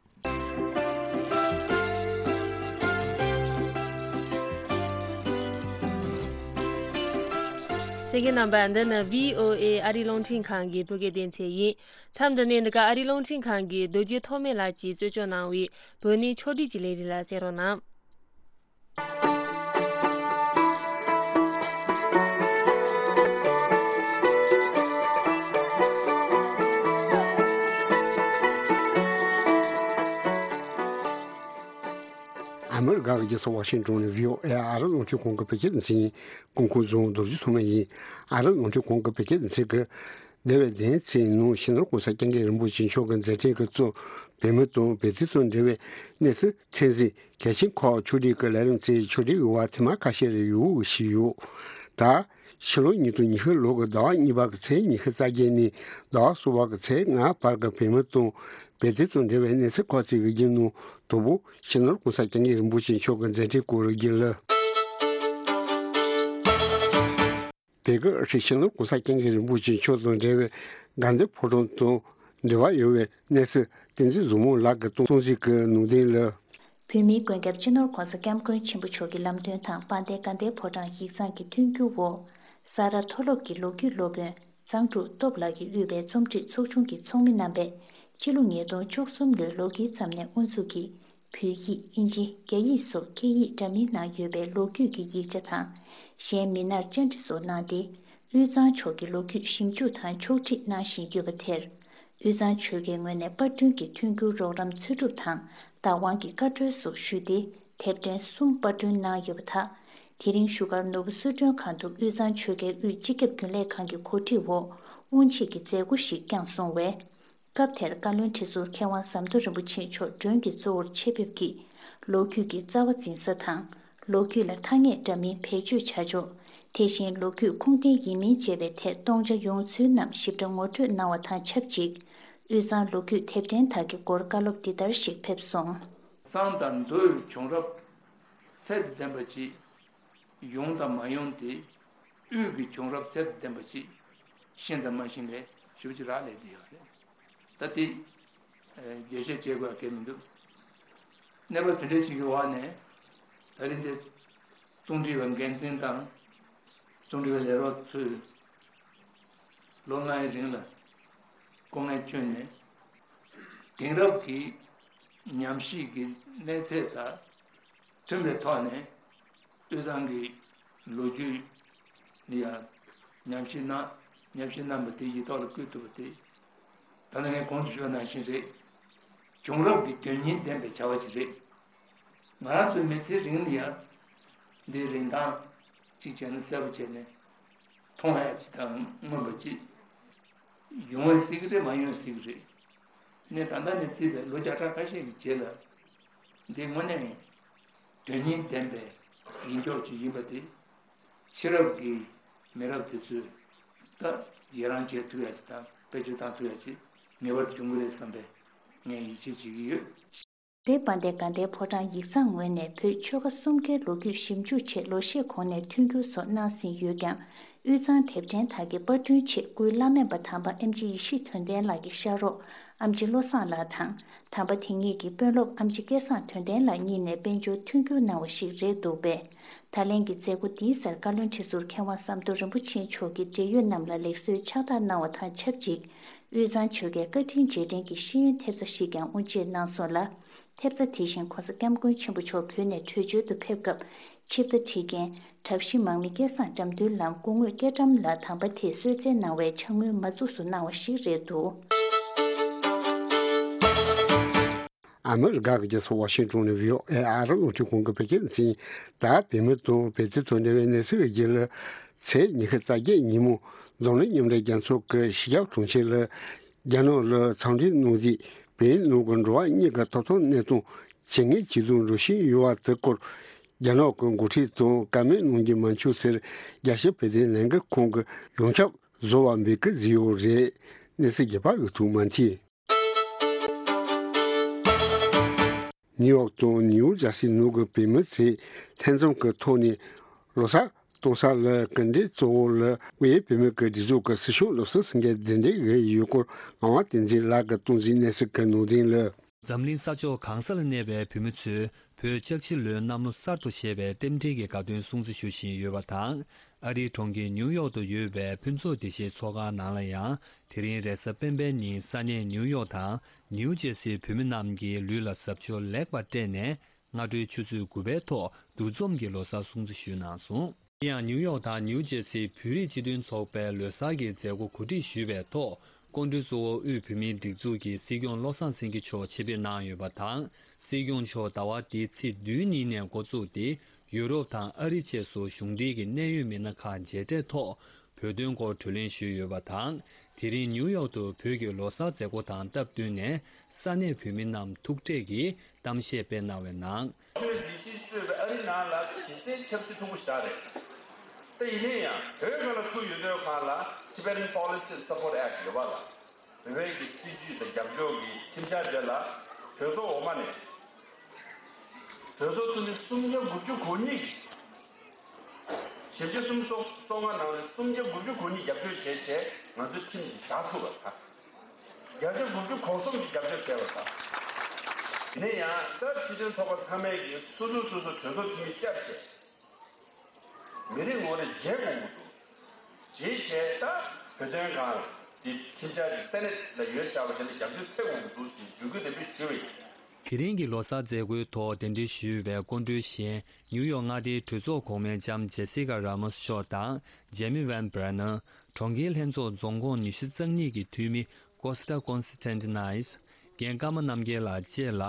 གསན་མཁན་རྣམ་པ། འདི་ནི་བྷི་ཨོ་ཨེ་ཨ་རིའི་རླུང་འཕྲིན་ཁང་གི་བོད་སྐད་སྡེ་ཚན་ཡིན། མཚམས་འདི་ནས་འདི་ག་ཨ་རིའི་རླུང་འཕྲིན་ཁང་གི་རྡོ་རྗེ་ཐོགས་མེད་ལགས་ཀྱིས་གཙོ་སྐྱོང་གནང་བའི་བོད་གནས་ཕྱོགས་སྒྲིག་གི་ལས་རིམ་ལ་གསན་རོགས་གནང་། ཨ་མི་རི་ཀ་གི་རྒྱལ་ས་ཝ་ཤིང་ཏོན་ནས་བྷི་ཨོ་ཨེ་ཨ་རིའི་རླུང་འཕྲིན་ཁང་གི་བོད་སྐད་སྡེ་ཚན་ཡིན། སྐུ་ངོ་རྫོང་རྡོ་རྗེ་ཐོགས་མེད་ཡིན། ཨ་རིའི་རླུང་འཕྲིན་ཁང་གི་བོད་སྐད་སྡེ་ཚན་གྱིས། འདས་པའི་ལོ་ངོ་ཚོའི་ནང་སྤྱི་ནོར་༸གོང་ས་༸སྐྱབས་མགོན་རིན་པོ་ཆེ་མཆོག་གི་མཛད་འཕྲིན་གྱིས་གཙོས་བོད་མི་དང་བོད་དོན་དང་འབྲེལ་བའི་གནས་ཚུལ་ཚད་གཞི་གལ་ཆེན་ཁག་ཕྱོགས་སྒྲིག་གི་ལས་རིམ་གཙོས་ཕྱོགས་སྒྲིག་གི་བར་ཐེངས་མ་ཁ་ཤས་རེ་ཡོད་ཞུས་ཡོད། ད་ཕྱི་ལོ་ཉིས་སྟོང་ཉི་ཤུ་ལོ་གི་ཟླ་བ་གཉིས་པ་གི་ཚེས་ཉི་ཤུ་རྩ་བརྒྱད་ནས་ཟླ་བ་གསུམ་པ་གི་ཚེས་ལྔ་བར་གྱི་བོད་མི་དང་བོད་དོན་དང་འབྲེལ་བའི་གནས་ཚུལ་ཁག་ཅིག་གི་རྒྱུན་ནང་དང་པོ་སྤྱི་ནོར་༸གོང་ས་༸སྐྱབས་མགོན་རིན་པོ་ཆེ་མཆོག་གི་མཛད་འཕྲིན་སྐོར་རྒྱུན་ལ། དེ་གའི་ཨ་ཧྲི་སྤྱི་ནོར་༸གོང་ས་༸སྐྱབས་མགོན་རིན་པོ་ཆེ་མཆོག་དང་འབྲེལ་བའི་དགའ་ལྡན་ཕོ་བྲང་དང་འབྲེལ་བ་ཡོད་པའི་གནས་ཚུལ་བསྟན་འཛིན་བཟང་མོ་ལགས་ཀྱིས་གཏོང་གཟིགས་ཀྱི་ནང་དོན་ལ། བོད་མིའི་མགོན་སྐྱབས་སྤྱི་ནོར་༸གོང་ས་༸སྐྱབས་མགོན་ཆེན་པོ་མཆོག་གི་ལམ་སྟོན་དང་དཔལ་ལྡན་དགའ་ལྡན་ཕོ་བྲང་ཡིག་ཚང་གི་མཐུན་འགྱུར་འོག་ས་རཱ་མཐོ་སློབ་ཀྱི་ལོ་རྒྱུས་སློབ་དཔོན་གཙང་ཕྲུག་སྟོབས་ལགས་ཀྱིས་དབུས་པའི་རྩོམ་སྒྲིག་ཚོགས་ཆུང་གི་ཚོགས་མི་རྣམ་པས་ཕྱི་ལོ་ཉིས་སྟོང་བཅུ་གསུམ་ལོའི་ལོ་དཀྱིལ་ཙམ་ནས་དབུ་འཛུགས་ཀྱིས། བོད་ཡིག་དབྱིན་ཇི་རྒྱ་ཡིག་སོགས་སྐད་ཡིག་འདྲ་མིན་ནང་ཡོད་པའི་ལོ་རྒྱུས་ཀྱི་ཡིག་ཆ་དང་གཞན་མི་སྣར་བཅར་འདྲི་སོགས་གནང་སྟེ། དབུས་གཙང་ཕྱོགས་ཀྱི་ལོ་རྒྱུས་ཞིབ་འཇུག་དང་ཕྱོགས་སྒྲིག་གནང་བཞིན་ཡོད་པ་དེར། དབུས་གཙང་ཆོལ་ཁའི་ངོས་ནས་པར་སྐྲུན་གྱི་མཐུན་འགྱུར་རོགས་རམ་འཚོལ་སྒྲུབ་དང་བདག་དབང་གི་བཀའ་འཁྲོལ་སོགས་ཞུས་ཏེ། དེབ་ཕྲེང་གསུམ་པར་སྐྲུན་གནང་ཡོད་པ་དག་དེ་རིང་བཞུགས་སྒར་ནོར་བུ་གསོལ་མགྲོན་ཁང་དུ་དབུས་གཙང་ཆོལ་ཁའི་དབུས་སྤྱི་ཁྱབ་རྒྱུན་ལས་ཁང་གི་གོ་སྒྲིག་འོག་དབུ་འབྱེད་ཀྱི་མཛད་སྒོ་ཞིག་བསྐྱངས་སོང་བས། སྐབས་དེར་བཀའ་བློན་ཁྲི་ཟུར་མཁས་དབང་ཟམ་གདོང་རིན་པོ་ཆེ་མཆོག་མགྲོན་གྱི་གཙོ་བོར་ཆེད་ཕེབས་ཀྱིས་ལོ་རྒྱུས་ཀྱི་རྩ་བ་འཛིན་ས་དང་། ལོ་རྒྱུས་ལ་ཐ་སྙད་འདྲ་མིན་བེད་སྤྱོད་བྱ་ཕྱོགས། དེ་བཞིན་ལོ་རྒྱུས་ཁུངས་ལྡན་ཡིན་མིན་བཅས་པའི་ཐད་སྟོང་ཆ་ཡོང་ཚུལ་རྣམས་ཞིབ་ཕྲ་ངོ་སྤྲོད་གནང་བ་དང་ཆབས་ཅིག་དབུས་གཙང་ལོ་རྒྱུས་དེབ་ཕྲེང་དག་གི་སྐོར་བཀའ་སློབ་འདི་ལྟར་ཞིག་ཕེབས་སོང་། གཙང་དང་མདོའི་བྱུང་རབས་ཚད་དང་ལྡན་པ་ཅིག་ཡོང་དང་མ་ཡོང་དེ། དབུས་ཀྱི་བྱུང་རབས་ཚད་དང་ལྡན་པ་ཅིག་ཤེས་དང་མ་ཤེས་ལས་ཞེ་པོ་ཅིག་རག་ལས་བསྡད་ཡོད་རེད། ད་དེ་རྒྱས་བཤད་བྱེད་དགོས་ཡ་གལ་མི་འདུག་གནས་བབ་དེ་འདྲའི་ཞིག་གི་འོག་ནས་ད་རིང་འདི་རྩོམ་སྒྲིག་པ་འགན་འཛིན་དང་རྩོམ་སྒྲིག་པའི་ལས་རོགས་ཚོས་ལོ་ལྔའི་རིང་ལ་སྐུ་ངལ་བསྐྱོན་ནས་དེང་རབས་ཀྱི་ཉམས་ཞིབ་ཀྱི་གནས་ཚད་དང་མཐུན་པའི་ཐོག་ནས་དབུས་གཙང་གི་ལོ་རྒྱུས་ལ་ཡང་ཉམས་ཞིབ་གནང་། ཉམས་ཞིབ་གནང་བ་དེ་ཡིག་ཐོག་ལ་བཀོད་ཐུབ་པ་དེ་ད་ལྟ་ངས་གོང་དུ་ཞུས་པ་ནང་བཞིན་རེད། བྱུང་རབས་ཀྱི་དོན་སྙིང་ལྡན་པའི་བྱ་བ་ཞིག་རེད། ང་རང་ཚོའི་མི་ཚེའི་རིང་ལ་ཡང་འདིའི་རིན་ཐང་གཅིག་བྱས་ན་གསལ་པོ་བྱས་ནས་མཐོང་ཡ་ཅིག་དང་མངོན་པ་ཅིག་ཡོང་བའི་སྲིད་ཀྱི་རེད། མ་ཡོང་བའི་སྲིད་ཀྱི་རེད། ནས་ད་ལྟ་ནས་བརྩིས་པའི་ལོ་བརྒྱ་ཕྲག་ཁ་ཤས་ཀྱི་རྗེས་ལ། འདི་དངོས་གནས་དོན་སྙིང་ལྡན་པའི་ཡིན་ཕྱོགས་ཅིག་ཡིན་པ་དེ། ཕྱི་རབས་ཀྱི་མི་རབས་དེ་ཚོས་ད་ཡི་རང་བྱེད་ཐུབ་ཡ་ཅིག་དང་བེད་སྤྱོད་བཏང་ཐུབ་ཡ་ཅིག་ངེས་པར་དུ་འབྱུང་གི་རེད་བསམ་པའི་ངས་ཡིད་ཆེས་བྱེད་ཀྱི་ཡོད། རེད། དཔལ་ལྡན་དགའ་ལྡན་ཕོ་བྲང་ཡིག་ཚང་ངོས་ནས་བོད་ཆོལ་ཁ་གསུམ་ཀའི་ལོ་རྒྱུས་ཞིབ་འཇུག་ཆེད་ལོ་ཤས་གོང་ནས་མཐུན་འགྱུར་སོགས་གནང་ཟིན་ཡོད་ཀྱང་། དབུས་གཙང་དེབ་ཕྲེང་དག་གི་པར་སྐྲུན་ཆེད་སྐུའི་བླ་སྨན་པ་དམ་པ་ཨེམ་ཆི་ཡེ་ཤེས་དོན་ལྡན་ལགས་ཀྱི་ཤག་རོགས་ཨེམ་ཆི་བློ་བཟང་ལགས་དང་། དམ་པ་དེ་ཉིད་ཀྱི་དཔོན་སློབ་ཨེམ་ཆི་སྐལ་བཟང་དོན་ལྡན་ལགས་གཉིས་ནས་དཔལ་འབྱོར་མཐུན་འགྱུར་གནང་བ་ཞིག་རེད་འདུག་པས། ད་ལན་གྱི་མཛད་སྒོ་འདིའི་སར་བཀའ་བློན་ཁྲི་ཟུར་མཁས་དབང་ཟམ་གདོང་རིན་པོ་ཆེ་མཆོག་གིས་འབྲེལ་ཡོད་རྣམས་ལ་ལེགས་གསོལ་ཕྱག་རྟགས་གནང་བ་དང་ཆབས་ཅིག་དབུས་གཙང་ཆོལ་ཁའི་བཀའ་དྲིན་རྗེས་དྲན་གྱི་ཤེས་ཡོན་ཐེབས་རྩ་ཞིག་ཀྱང་དབུ་འབྱེད་གནང་སོང་ལ། ཐེབས་རྩ་དེ་བཞིན་༸གོང་ས་༸སྐྱབས་མགོན་ཆེན་པོ་མཆོག་བོད་ནས་བྲོས་བྱོལ་དུ་ཕེབས་སྐབས་ཆིབས་རྟ་ཁྲིད་མཁན་གྲྭ་བཞི་མང་མི་སྐལ་བཟང་འགྲམ་འདུལ་ལམ་སྐུ་ངོ་སྐྱེ་ཀྲམ་ལགས་དམ་པ་དེས་གསོལ་སྩལ་གནང་བའི་ཕྱག་དངུལ་མ་བཙུགས་སུ་གནང་བ་ཞིག་རེད་འདུག་ཨ་མི་རི་ཀ་གི་རྒྱལ་ས་ཝ་ཤིང་ཏོན་ནས་བྷི་ཨོ་ཨེ་ཨ་རི་རླུང་འཕྲིན་ཁང་གི་བོད་སྐད་སྡེ་ཚན། ད་བོད་མི་དང་བོད་དོན་དང་འབྲེལ་བའི་གནས་ཚུལ་གྱི་རྒྱུད་ལ། ཚེས་ཉི་ཤུ་རྩ་བརྒྱད་ཉིན་མོ་འཛམ་གླིང་མཉམ་འབྲེལ་རྒྱལ་ཚོགས་ཀྱི་སྤྱི་ཁྱབ་དྲུང་ཆེ་ལ་རྒྱ་ནག་ལ་འཚམས་འདྲི་གནང་རྗེས། བོད་ནང་གི་འགྲོ་བ་མིའི་ཐོབ་ཐང་གནས་སྟངས་ཇེ་ངན་ཇེ་སྡུག་འགྲོ་བཞིན་ཡོད་པ་དེ་སྐོར། རྒྱ་ནག་གི་འགོ་ཁྲིད་དང་བཀའ་མོལ་གནང་རྒྱུ་མ་འཁྱོལ་ཟེར། རྒྱལ་སྤྱིའི་བོད་དོན་ལས་འགུལ་ཁང་གི་ཡོངས་ཁྱབ་བཟོ་བ་འབོད་སྐུལ་བཟོས་ཡོད་རེད། གནས་ཚུལ་རྒྱས་པ་འོད་ཐུག་མ་མཐིལ། ནིའུ་ཡོག་དང་ནིའུ་ཇར་སི་ནང་གི་བོད་མི་ཚོས་ལྷན་འཛོམས་ཀྱི་ཐོག་ནས་ལོ་གསར་གཏོང་ས་ལ་གྲུབ་འབྲས་གཙོ་བོ་ལ་དབུས་བོད་མི་གི་སྒྲིག་འཛུགས་ཀྱི་སྲིད་སྐྱོང་བློ་བཟང་སེང་གེ་གདན་འདྲེན་ཡོད་སྐོར་ངག་དབང་བསྟན་འཛིན་ལགས་ཀྱིས་གཏོང་ཟིན་གནས་ཚུལ་གྱི་ནང་དོན་ལ། འཛམ་གླིང་ས་ཕྱོགས་གང་ས་ལ་གནས་པའི་བོད་མི་ཚོས་བོད་ལྕགས་བྱི་ལོའི་གནམ་ལོ་གསར་དུ་བཞད་པའི་རྟེན་འབྲེལ་གྱི་དགའ་སྟོན་སྲུང་བརྩི་ཞུ་བཞིན་ཡོད་པ་དང་། ཨ་རིའི་གྲོང་ཁྱེར་ནིའུ་ཡོག་ཏུ་ཡོད་པའི་ཕུན་ཚོགས་བདེ་གཤེགས་ཚོགས་ཁང་ནང་ལ་ཡང་། དེ་རིང་རེས་གཟའ་སྤེན་པའི་ཉིན་ས་གནས་ནིའུ་ཡོག་དང་ནིའུ་ཇེ་སིའི་བོད་མི་རྣམས་ཀྱིས་ལུས་ལ་གཟབ་མཆོར་ལེགས་པར་སྤྲས་ནས། སྔ་དྲོའི་ཆུ་ཚོད་དགུ་པའི་ཐོག་འདུ་འཛོམས་ཀྱིས་ལོ་གསར་སྲུང་བརྩི་ཞུས་གནང་སོང་། དེ་ཡང་ནིའུ་ཡོག་དང་ནིའུ་ཇེ་སིའི་བོད་རིགས་སྤྱི་མཐུན་ཚོགས་པས་ལོ་གསར་གྱི་མཛད་སྒོ་གོ་སྒྲིག་ཞུས་པའི་ཐོག་སྐུ་མགྲོན་གཙོ་བོ་དབུས་བོད་མིའི་སྒྲིག་འཛུགས་ཀྱི་སྲིད་སྐྱོང་བློ་བཟང་སེང་གེ་མཆོག་ཆེད་ཕེབས་གནང་ཡོད་པ་དང་། སྲིད་སྐྱོང་མཆོག་ཟླ་བ་འདིའི་ཚེས་བདུན་ཉིན་ནས་འགོ་བཙུགས་ཏེ། ཡུ་རོབ་དང་ཨ་རི་བཅས་སུ་གཞུང་འབྲེལ་གྱི་གནད་ཡོད་མི་སྣ་ཁག་མཇལ་འཕྲད་ཐོག་བོད་དོན་སྐོར་གྲོས་གླེང་ཞུས་ཡོད་པ་དང་། དེ་རིང་ནིའུ་ཡོག་ཏུ་བོད་ཀྱི་ལོ་གསར་མཛད་སྒོ་དང་སྟབས་བསྟུན་ནས་ས་གནས་བོད་མི་རྣམས་ཐུག་འཕྲད་ཀྱིས་གཏམ་བཤད་སྤེལ་གནང་བའི་ནང་། ཝ་ཤིང་ཊོན་ཌི་སི་གཙོས་པའི་ཨ་རི་ནང་ལ་གཞི་རྩའི་ཆབ་སྲིད་ཕྲུ་གུ་ཞིག་རེད། ད་ཡིན་ན་ཡང་བོད་སྒང་ལ་ཐུག་ཡོད་དུས་སྒང་ལ་Tibetan Policy Support Act ཡོད་པ་ལ། བོད་པའི་གི་སྲིད་ཇུས་དང་རྒྱབ་སྐྱོར་གྱི་ཁྲིམས་འཆར་དེ་ལ་གྲོས་ཚོགས་འོག་མ་ནས་གྲོས་ཚོགས་འཐུས་མི་སུམ་བརྒྱ་དགུ་བཅུ་གོ་གཉིས་ཀྱིས། ཞེ་བརྒྱ་སུམ་ཅུ་སོ་ལྔ་ནང་ནས་སུམ་བརྒྱ་དགུ་བཅུ་གོ་གཉིས་རྒྱབ་སྐྱོར་བྱས་བྱས་ང་ཚོའི་ཁྲིམས་འདི་བཞག་ཐུབ་པ་དང་། བརྒྱ་ཆ་དགུ་བཅུ་གོ་གསུམ་གྱིས་རྒྱབ་སྐྱོར་བྱས་པ་དང་། ཡིན་ན་ཡང་ད་སྤྱི་མཐུན་ཚོགས་པ་ཚང་མས་ཀྱིས་སོ་སོ་སོ་སོ་གྲོས་ཚོགས་འཐུས་མི་བཅར་བྱས། མི་རེ་ངོ་རེ་མཇལ་དགོས་ཀྱི་འདུག། མཇལ་བྱས་ད་བོད་དོན་སྒང་དེ་ཁྲིམས་འཆར་གྱི་སེ་ནེ་ཊི་ལ་ཡོད་བཞག་པ་དེ་ལ་རྒྱབ་སྐྱོར་འཚོལ་དགོས་ཀྱི་འདུག་ཞེས་འབོད་སྐུལ་དེ་འདྲ་ཞུས་པ་ཡིན། དེ་རིང་གི་ལོ་གསར་མཛད་སྒོའི་ཐོག་གདན་འདྲེན་ཞུས་པའི་སྐུ་མགྲོན་གཞན་ནིའུ་ཡོག་མངའ་སྡེའི་གྲོས་ཚོགས་གོང་མའི་ལྕམ་ཇེ་སི་ཀ་ར་མོ་སི་མཆོག་དང་ཇེ་མི་ཝན་བྷ་ར་ནར། གྲོང་ཁྱེར་ལྷན་ཚོགས་རྫོང་ཁོངས་ཉི་ཤུ་རྩ་གཉིས་ཀྱི་འཐུས་མི་ཀོ་སི་ཏ་ཀོན་སི་ཊན་ཏི་ནའི་སི། རྒན་ཀརྨ་རྣམ་རྒྱལ་ལགས་བཅས་ལ་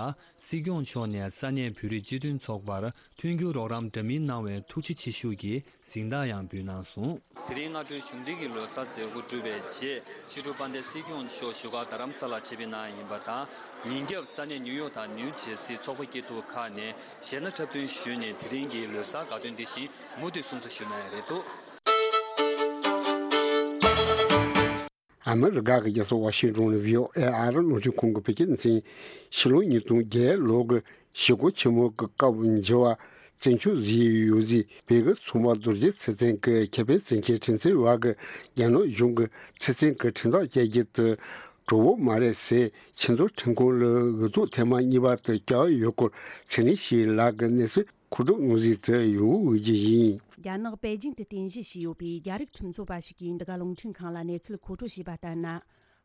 སྲིད་སྐྱོང་མཆོག་ནས་ས་གནས་བོད་རིགས་སྤྱི་མཐུན་ཚོགས་པར་མཐུན་འགྱུར་རོགས་རམ་འདྲ་མིན་གནང་བའི་ཐུགས་རྗེ་ཆེ་ཞུ་གི་གཟེངས་རྟགས་ཡང་འབུལ་གནང་སོང་། དེ་རིང་སྔ་དྲོའི་གཞུང་འབྲེལ་གྱི་ལོ་གསར་མཛད་སྒོ་གྲུབ་པའི་རྗེས་ཕྱི་དྲོ་དཔལ་ལྡན་སྲིད་སྐྱོང་མཆོག་བཞུགས་སྒར་རྡ་རམ་ས་ལར་ཆེད་ཕེབས་གནང་ཡིན་པ་དང་། ཉིན་རྒྱབ་ས་གནས་ནིའུ་ཡོག་དང་ནིའུ་ཇེ་སི་ཚོགས་པ་སྐྱིད་སྡུག་ཁག་ནས་གཞས་སྣ་འཁྲབ་སྟོན་ཞུས་ནས་དེ་རིང་གི་ལོ་གསར་དགའ་སྟོན་འདི་བཞིན་མུ་མཐུད་སྲུང་བརྩི་ཞུ་གནང་ཡ་རེད་འདུག། ཨ་མི་རི་ཀ་གི་རྒྱལ་ས་ཝ་ཤིང་ཊོན་ནས་བྷི་ཨོ་ཨེ་ཨ་རི་རླུང་འཕྲིན་ཁང་གི་བོད་སྐད་སྡེ་ཚན། ཕྱི་ལོ་ཉིས་སྟོང་བརྒྱད་ལོ་གི་ཞི་རྒོལ་ཆེན་མོ་གི་སྐབས་འགྱུར་བ་བཙན་བྱོལ་བཟོས་ཡོད་ཟེར། བོད་ཀྱི་ཚོང་པ་རྡོ་རྗེ་ཚེ་བརྟན་གྱི་ཁེ་ཕན་བཙན་ཁྱེར་ཁྲིམས་འཛིན་བར་གྱི་རྒྱ་ནག་གཞུང་གི་ཚེ་བརྟན་གྱི་ཁྲིམས་ཐག་བཅད་རྒྱུ་དེ་གྲོགས་པོ་མ་རེད་ཟེར། ཆེས་མཐོའི་ཁྲིམས་ཁང་ལ་འོས་ཐོབ་ཐེངས་མ་གཉིས་པ་དེ་བསྐྱལ་ཡོད་སྐོར་ཚེ་རིང་སྐྱིད་ལགས་ཀྱིས་གནས་ཚུལ་མཁོ་སྒྲུབ་གནང་ཟིན་དུ་ཡོང་འོས་ཀྱི་ཡིན། རྒྱ་ནག་པེ་ཅིང་དུ་རྟེན་གཞི་བྱས་ཡོད་པའི་རྒྱ་རིགས་ཁྲིམས་རྩོད་པ་ཞིག་གིས་འདི་ག་རླུང་འཕྲིན་ཁང་ལ་གནས་ཚུལ་མཁོ་སྤྲོད་བྱས་པ་ལྟར་ན།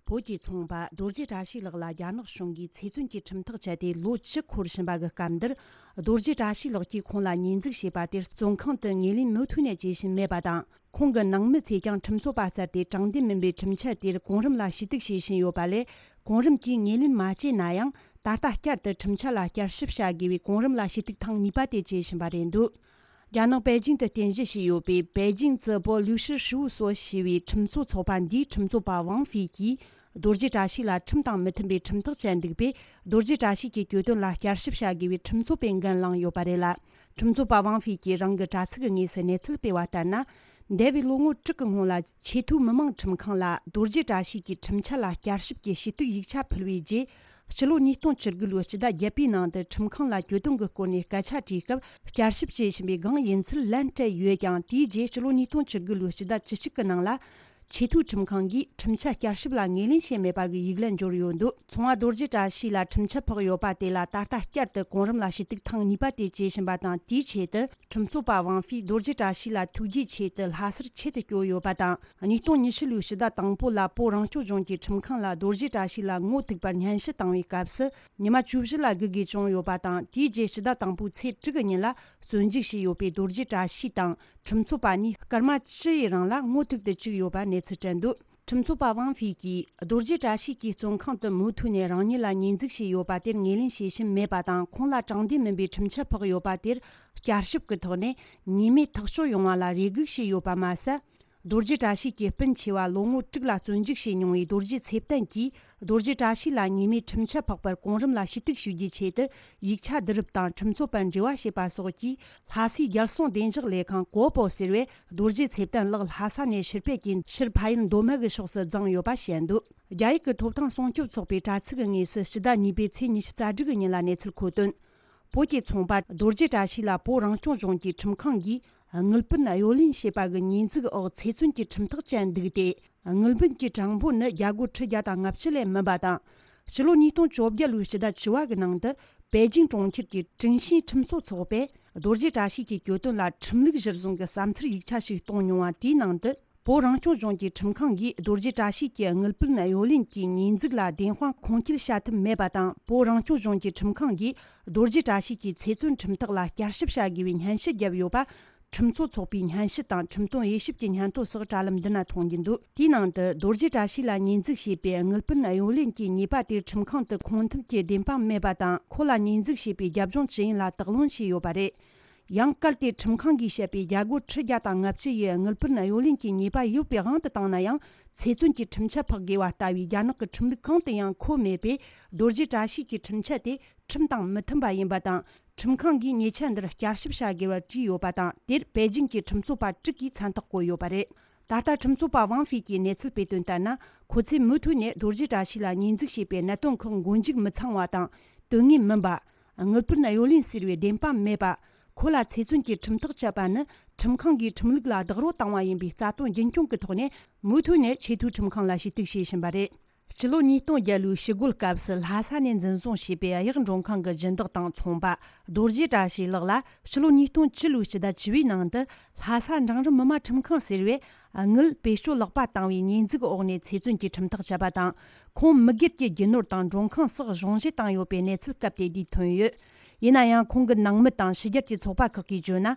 བོད་ཀྱི་ཚོང་པ་རྡོ་རྗེ་བཀྲ་ཤིས་ལགས་ལ་རྒྱ་ནག་གཞུང་གིས་ཚེ་བཙོན་གྱི་ཁྲིམས་ཐག་བཅད་དེ་ལོ་བཅུ་འཁོར་བཞིན་པ་གི་སྐབས་འདིར། རྡོ་རྗེ་བཀྲ་ཤིས་ལགས་ཀྱིས་ཁོང་ལ་ཉེས་འཛུགས་བྱས་པ་དེར་བཙོན་ཁང་དུ་ངོས་ལེན་མུ་མཐུད་ནས་བྱེད་བཞིན་མེད་པ་དང་། ཁོང་གི་ནང་མི་ཚོས་ཀྱང་ཁྲིམས་རྩོད་པ་བཙལ་ཏེ་དྲང་བདེན་མིན་པའི་ཁྲིམས་ཆད་དེར་གོང་རིམ་ལ་ཞུ་གཏུག་བྱེད་བཞིན་ཡོད་པ་ལས། གོང་རིམ་གྱིས་ངོས་ལེན་མ་བྱས་ན་ཡང་། ད་ལྟ་བསྐྱར་དུ་ཁྲིམས་ཆད་ལ་བསྐྱར་ཞིབ་བྱ་དགོས་པའི་གོང་རིམ་ལ་ཞུ་གཏུག་ཐེངས་གཉིས་པ་དེ་བྱེད་བཞིན་པ་རེད་འདུག། རྒྱ་ནག་པེ་ཅིང་དུ་རྟེན་གཞི་བྱས་ཡོད་པའི་པེ་ཅིང་ཙི་པོ་ལུའུ་ཤི་ཧྲིའུ་སོ་ཞེས་པའི་ཁྲིམས་རྩོད་ཚོགས་པ་འདིའི་ཁྲིམས་རྩོད་པ་ཝང་ཧྥེ་གྱིས། རྡོ་རྗེ་བཀྲ་ཤིས་ལ་ཁྲིམས་དང་མི་མཐུན་པའི་ཁྲིམས་ཐག་བཅད་འདུག་པས། རྡོ་རྗེ་བཀྲ་ཤིས་ཀྱི་གྱོད་དོན་ལ་བསྐྱར་ཞིབ་བྱ་དགོས་པའི་ཁྲིམས་རྩོད་པའི་འགན་བླངས་ཡོད་པ་རེད་ལ། ཁྲིམས་རྩོད་པ་ཝང་ཧྥེ་གྱིས་རང་གི་དྲ་ཚིགས་ཀྱི་ངོས་སུ་གནས་ཚུལ་སྤེལ་བ་ལྟར་ན། འདས་པའི་ལོ་ངོ་དྲུག་གི་སྔོན་ལ། ཆེས་མཐོའི་མི་དམངས་ཁྲིམས་ཁང་ལ་རྡོ་རྗེ་བཀྲ་ཤིས་ཀྱི་ཁྲིམས་ཆད་ལ་བསྐྱར་ཞིབ་ཀྱི་ཞུ་གཏུག་ཡིག་ཆ་ཕུལ་བའི་རྗེས། ཕྱི་ལོ་ཉིས་སྟོང་བཅུ་དགུ་ལོའི་སྤྱི་ཟླ་བརྒྱད་པའི་ནང་དུ་ཁྲིམས་ཁང་ལ་གྱོད་དོན་གྱི་སྐོར་ནས་སྐད་ཆ་དྲིས་སྐབས། བསྐྱར་ཞིབ་བྱེད་བཞིན་པའི་སྒང་ཡིན་ཚུལ་ལན་སྤྲད་ཡོད་ཀྱང་། དེའི་རྗེས་ཕྱི་ལོ་ཉིས་སྟོང་བཅུ་དགུ་ལོའི་སྤྱི་ཟླ་བཅུ་གཅིག་གི་ནང་ལ། ཆེས་མཐོའི་ཁྲིམས་ཁང་གིས་ཁྲིམས་ཆད་བསྐྱར་ཞིབ་ལ་ངོས་ལེན་བྱས་མེད་པ་གི་ཡིག་ལན་འབྱོར་ཡོད་འདུག་ཚོང་བ་རྡོ་རྗེ་བཀྲ་ཤིས་ལ་ཁྲིམས་ཆད་ཕོག་ཡོད་པ་དེ་ལ། ད་ལྟ་བསྐྱར་དུ་གོང་རིམ་ལ་ཞུ་གཏུག་ཐེངས་གཉིས་པ་དེ་བྱེད་བཞིན་པ་དང་། དེའི་ཆེད་དུ། ཁྲིམས་རྩོད་པ་ཝང་ཧྥེས་རྡོ་རྗེ་བཀྲ་ཤིས་ལ་ཐུགས་རྗེའི་ཆེད་དུ་ལྷ་སར་ཆེད་དུ་བསྐྱོད་ཡོད་པ་དང་། ཉིས་སྟོང་ཉི་ཤུ་ལོའི་སྤྱི་ཟླ་དང་པོ་ལ། བོད་རང་སྐྱོང་ལྗོངས་ཀྱི་ཁྲིམས་ཁང་ལ་རྡོ་རྗེ་བཀྲ་ཤིས་ལ་ངོ་ཐུག་པར་སྙན་ཞུ་བཏང་བའི་སྐབས་སུ། ཉི་མ་བཅུ་བཞི་ལ་སྒུག་དགོས་བྱུང་ཡོད་པ་དང་། དེའི་རྗེས་སྤྱི་ཟླ་དང་པོའི་ཚེས་དྲུག་གི་ཉིན་ལ། བཙོན་འཇུག་བྱས་ཡོད་པའི་རྡོ་རྗེ་བཀྲ་ཤིས་དང་ཁྲིམས་རྩོད་པ་གཉིས། སྐར་མ་བཅུ་ཡི་རིང་ལ་ངོ་ཐུག་ཏུ་བཅུག་ཡོད་པ་གནས་ཚུལ་སྤྲད་འདུག་ཁྲིམས་རྩོད་པ་ཝང་ཧྥེ་གྱིས། རྡོ་རྗེ་བཀྲ་ཤིས་ཀྱིས་བཙོན་ཁང་དུ་མུ་མཐུད་ནས་རང་ཉིད་ལ་ཉེས་འཛུགས་བྱས་ཡོད་པ་དེར་ངོས་ལེན་བྱེད་བཞིན་མེད་པ་དང་། ཁོང་ལ་དྲང་བདེན་མིན་པའི་ཁྲིམས་ཆད་ཕོག་ཡོད་པ་དེར་བསྐྱར་ཞིབ་ཀྱི་ཐོག་ནས་ཉེས་མེད་ཐག་གཅོད་ཡོང་བ་ལ་རེ་སྒུག་བྱས་ཡོད་པ་མ་ཟད། རྡོ་རྗེ་བཀྲ་ཤིས་ཀྱི་སྤུན་ཆེ་བ་ལོ་ངོ་དྲུག་ལ་བཙོན་འཇུག་བྱས་མྱོང་བའི་རྡོ་རྗེ་ཚེ་བརྟན་གྱིས། རྡོ་རྗེ་བཀྲ་ཤིས་ལ་ཉེས་མེད་ཁྲིམས་ཆད་ཕོག་པར་གོང་རིམ་ལ་ཞུ་གཏུག་ཞུ་རྒྱུའི་ཆེད་དུ། ཡིག་ཆ་བསྡུ་རུབ་དང་ཁྲིམས་རྩོད་པར་འབྲེལ་བ་བྱས་པ་སོགས་ཀྱིས། ལྷ་སའི་རྒྱལ་སྲུང་བདེ་འཇགས་ལས་ཁང་གོ་པོ་ཟེར་བས། རྡོ་རྗེ་ཚེ་བརྟན་ལགས་ལྷ་ས་ནས་ཕྱིར་ཕེབས་ཀྱིས། ཕྱིར་ཕ་ཡུལ་མདོ་སྨད་ཀྱི་ཕྱོགས་སུ་བརྫངས་ཡོད་པ་བཤད་འདུག་རྒྱ་ཡིག་གི་ཐོབ་ཐང་སྲུང་སྐྱོབ་ཚོགས་པའི་དྲ་ཚིགས་ཀྱི་ངོས་སུ་སྤྱི་ཟླ་གཉིས་པའི་ཚེས་ཉི་ཤུ་རྩ་དྲུག་གི་ཉིན་ལ་གནས་ཚུལ་མཁོ་དོན། བོད་ཀྱི་ཚོང་པ་རྡོ་རྗེ་བཀྲ་ཤིས་ལ་བོད་རང་སྐྱོང་ལྗོངས་ཀྱི་ཁྲིམས་ཁང་གིས་དངུལ་བུན་གཡོ་ལེན་བྱས་པ་གི་ཉེས་འཛུགས་འོག་ཚེ་བཙོན་གྱི་ཁྲིམས་ཐག་བཅད་འདུག་སྟེ། དངུལ་བུན་གྱི་གྲངས་འབོར་ནི་རྒྱ་སྒོར་ཁྲི་བརྒྱ་དང་ལྔ་བཅུ་ལས་མིན་པ་དང་། ཕྱི་ལོ་ཉིས་སྟོང་བཅོ་བརྒྱད་ལོའི་སྤྱི་ཟླ་བཅུ་བ་གི་ནང་དུ། པེ་ཅིང་གྲོང་ཁྱེར་གྱི་ཀྲིང་ཤིན་ཁྲིམས་རྩོད་ཚོགས་པས། རྡོ་རྗེ་བཀྲ་ཤིས་ཀྱི་གྱོད་དོན་ལ་ཁྲིམས་ལུགས་གཞིར་བཟུང་གི་བསམ་ཚུལ་ཡིག་ཆ་ཞིག་གཏོང་མྱོང་བ་དེའི་ནང་དུ། བོད་རང་སྐྱོང་ལྗོངས་ཀྱི་ཁྲིམས་ཁང་གིས་རྡོ་རྗེ་བཀྲ་ཤིས་ཀྱི་དངུལ་བུན་གཡོ་ལེན་གྱི་ཉེས་འཛུགས་ལ་བདེན་དཔང་ཁུངས་སྐྱེལ་བྱ་ཐུབ་མེད་པ་དང་། བོད་རང་སྐྱོང་ལྗོངས་ཀྱི་ཁྲིམས་ཁང་གིས་རྡོ་རྗེ་བཀྲ་ཤིས་ཀྱི་ཚེ་བཙོན་ཁྲིམས་ཐག་ལ་བསྐྱར་ཞིབ་བྱ་དགོས་པའི་སྙན་ཞུ་བརྒྱབ་ཡོད་པ། ཁྲིམས་རྩོད་ཚོགས་པའི་སྙན་ཞུ་དང་ཁྲིམས་དོན་དབྱེ་ཞིབ་ཀྱི་སྙན་ཐོ་སོགས་དྲ་ལམ་འདི་ན་མཐོང་རྒྱུ་འདུག་དེའི་ནང་དུ། རྡོ་རྗེ་བཀྲ་ཤིས་ལ་ཉེས་འཛུགས་བྱས་པའི་དངུལ་བུན་གཡོ་ལེན་གྱི་ཉེས་པ་དེར་ཁྲིམས་ཁང་དུ་ཁུངས་ཐུབ་ཀྱི་བདེན་དཔང་མེད་པ་དང་། ཁོ་ལ་ཉེས་འཛུགས་བྱས་པའི་རྒྱབ་ལྗོངས་ཇི་ཡིན་ལ་དག་ལན་བྱས་ཡོད་པ་རེད། ཡང་གལ་ཏེ་ཁྲིམས་ཁང་གིས་བཤད་པའི་རྒྱ་སྒོར་ཁྲི་བརྒྱ་དང་ལྔ་བཅུ་ཡི་དངུལ་བུན་གཡོ་ལེན་གྱི་ཉེས་པ་ཡོད་པའི་དབང་དུ་བཏང་ན་ཡང་། ཚེ་བཙོན་གྱི་ཁྲིམས་ཆད་ཕོག་དགོས་པ་ལྟ་བུའི་རྒྱ་ནག་གི་ཁྲིམས་ལུགས་གང་དུ་ཡང་འཁོད་མེད་པས། རྡོ་རྗེ་བཀྲ་ཤིས་ཀྱི་ཁྲིམས་ཆད་དེ་ཁྲིམས་དང་མི་མཐུན་པ་ཡིན་པ་དང་། ཁྲིམས་ཁང་གིས་ཉེས་ཆད་འདིར་བསྐྱར་ཞིབ་བྱ་དགོས་པར་བྲིས་ཡོད་པ་དང་། དེར་པེ་ཅིང་གི་ཁྲིམས་རྩོད་པ་དྲུག་གིས་མཚན་རྟགས་བཀོད་ཡོད་པ་རེད། ད་ལྟ་ཁྲིམས་རྩོད་པ་ཝང་ཧྥེ་གིས་གནས་ཚུལ་སྤེལ་དོན་ལྟར་ན། ཁོ་ཚོས་མུ་མཐུད་ནས་རྡོ་རྗེ་བཀྲ་ཤིས་ལ་ཉེས་འཛུགས་བྱས་པའི་གནད་དོན་ཁག་མགོ་མཇུག་མི་ཚང་བ་དང་། དོན་དངོས་མིན་པ། དངུལ་བུན་གཡོ་ལེན་ཟེར་བའི་བདེན་དཔང་མེད་པ། ཁོ་ལ་ཚེ་བཙོན་གྱི་ཁྲིམས་ཐག་བཅད་པ་ནི། ཁྲིམས་ཁང་གིས་ཁྲིམས་ལུགས་ལ་རྡོག་རོལ་བཏང་བ་ཡིན་པའི་རྩ་དོན་རྒྱུན་སྐྱོང་གི་ཐོག་ནས། མུ་མཐུད་ནས་ཆེས་མཐོའི་ཁྲིམས་ཁང་ལ་ཞུ་གཏུག་བྱེད་བཞིན་པ་རེད། སྤྱི་ལོ་ཉིས་སྟོང་བརྒྱད་ལོའི་ཞི་རྒོལ་སྐབས་སུ་ལྷ་ས་ནས་འཛིན་བཟུང་བྱས་པའི་གཡག་མགྲོན་ཁང་གི་སྦྱིན་བདག་དང་ཚོང་པ་རྡོ་རྗེ་བཀྲ་ཤིས་ལགས་ལ། ཕྱི་ལོ་ཉིས་སྟོང་བཅུ་ལོའི་སྤྱི་ཟླ་བཅུ་བའི་ནང་དུ། ལྷ་ས་འབྲིང་རིམ་མི་དམངས་ཁྲིམས་ཁང་ཟེར་བས། དངུལ་བེད་སྤྱོད་ལོག་པ་བཏང་བའི་ཉེས་འཛུགས་འོག་ནས་ཚེ་བཙོན་གྱི་ཁྲིམས་ཐག་བཅད་པ་དང་། ཁོང་མི་སྒེར་གྱི་རྒྱུ་ནོར་དང་མགྲོན་ཁང་སོགས་གཞུང་བཞེས་བཏང་ཡོད་པའི་གནས་ཚུལ་སྐབས་དེ་དུས་ཐོན་ཡོད། ཡིན་ན་ཡང་། ཁོང་གི་ནང་མི་དང་ཕྱི་རྒྱལ་གྱི་ཚོགས་པ་ཁག་གིས་བརྗོད་ན།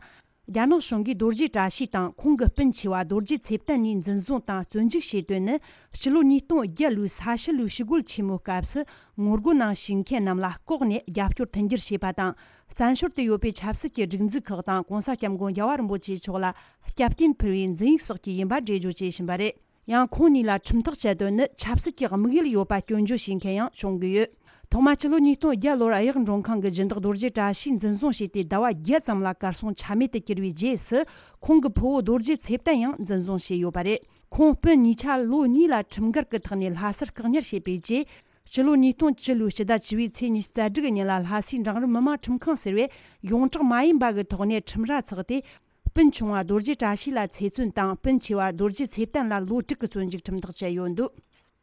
རྒྱ་ནག་གཞུང་གིས་རྡོ་རྗེ་བཀྲ་ཤིས་དང་ཁོང་གི་སྤུན་ཆེ་བ་རྡོ་རྗེ་ཚེ་བརྟན་གཉིས་འཛིན་བཟུང་དང་བཙོན་འཇུག་བྱས་དོན་ནི། ཕྱི་ལོ་ཉིས་སྟོང་བརྒྱད་ལོའི་ས་ཕྱི་ལོའི་ཞི་རྒོལ་ཆེན་མོའི་སྐབས་སུ། ངོ་རྒོལ་ནང་ཞུགས་མཁན་རྣམས་ལ་ལྐོག་ནས་རྒྱབ་སྐྱོར་མཐུན་འགྱུར་བྱས་པ་དང་། བཙན་བྱོལ་དུ་ཡོད་པའི་ཆབ་སྲིད་ཀྱི་སྒྲིག་འཛུགས་ཁག་དང་། གོང་ས་སྐྱབས་མགོན་རྒྱལ་བ་རིན་པོ་ཆེ་མཆོག་ལ་སྐྱབས་རྟེན་ཕུལ་བའི་འཛིན་ཡིག་སོགས་ཀྱི་ཡིན་པ་འགྲེལ་བརྗོད་བྱེད་བཞིན་པ་རེད། ཡང་། ཁོང་གཉིས་ལ་ཁྲིམས་ཐག་བཅད་དོན་ནི། ཆབ་སྲིད་ཀྱི་དམིགས་ཡུལ་ཡོད་པ་སྐྱོན་བརྗོད་བྱེད་མཁན་ཡང་བྱུང་གི་ཡོད། ཐོག་མ་ཕྱི་ལོ་ཉིས་སྟོང་བརྒྱད་ལོར་གཡག་མགྲོན་ཁང་གི་སྦྱིན་བདག་རྡོ་རྗེ་བཀྲ་ཤིས་འཛིན་བཟུང་བྱས་ཏེ། ཟླ་བ་བརྒྱད་ཙམ་ལ་གར་སོང་ཆ་མེད་དུ་གྱུར་བའི་རྗེས་སུ། ཁོང་གི་ཕུ་བོ་རྡོ་རྗེ་ཚེ་བརྟན་ཡང་འཛིན་བཟུང་བྱས་ཡོད་པ་རེད། ཁོང་སྤུན་གཉིས་ཆ་ལོ་གཉིས་ལ་ཁྲིམས་འགལ་གྱི་ཐོག་ནས་ལྷ་སར་བཀག་ཉར་བྱས་པའི་རྗེས། ཕྱི་ལོ་ཉིས་སྟོང་བཅུ་ལོའི་སྤྱི་ཟླ་བཅུ་བའི་ཚེས་ཉི་ཤུ་རྩ་དྲུག་གི་ཉིན་ལ། ལྷ་སའི་འབྲིང་རིམ་མི་དམངས་ཁྲིམས་ཁང་ཟེར་བས་ཡོངས་གྲགས་མ་ཡིན་པ་གི་ཐོག་ནས་ཁྲིམས་ར་ཚོགས་ཏེ། སྤུན་ཆུང་བ་རྡོ་རྗེ་བཀྲ་ཤིས་ལ་ཚེ་བཙོན་དང་། སྤུན་ཆེ་བ་རྡོ་རྗེ་ཚེ་བརྟན་ལ་ལོ་དྲུག་གི་བཙོན་འཇུག་ཁྲིམས་ཐག་བཅད་ཡོད་འདུག་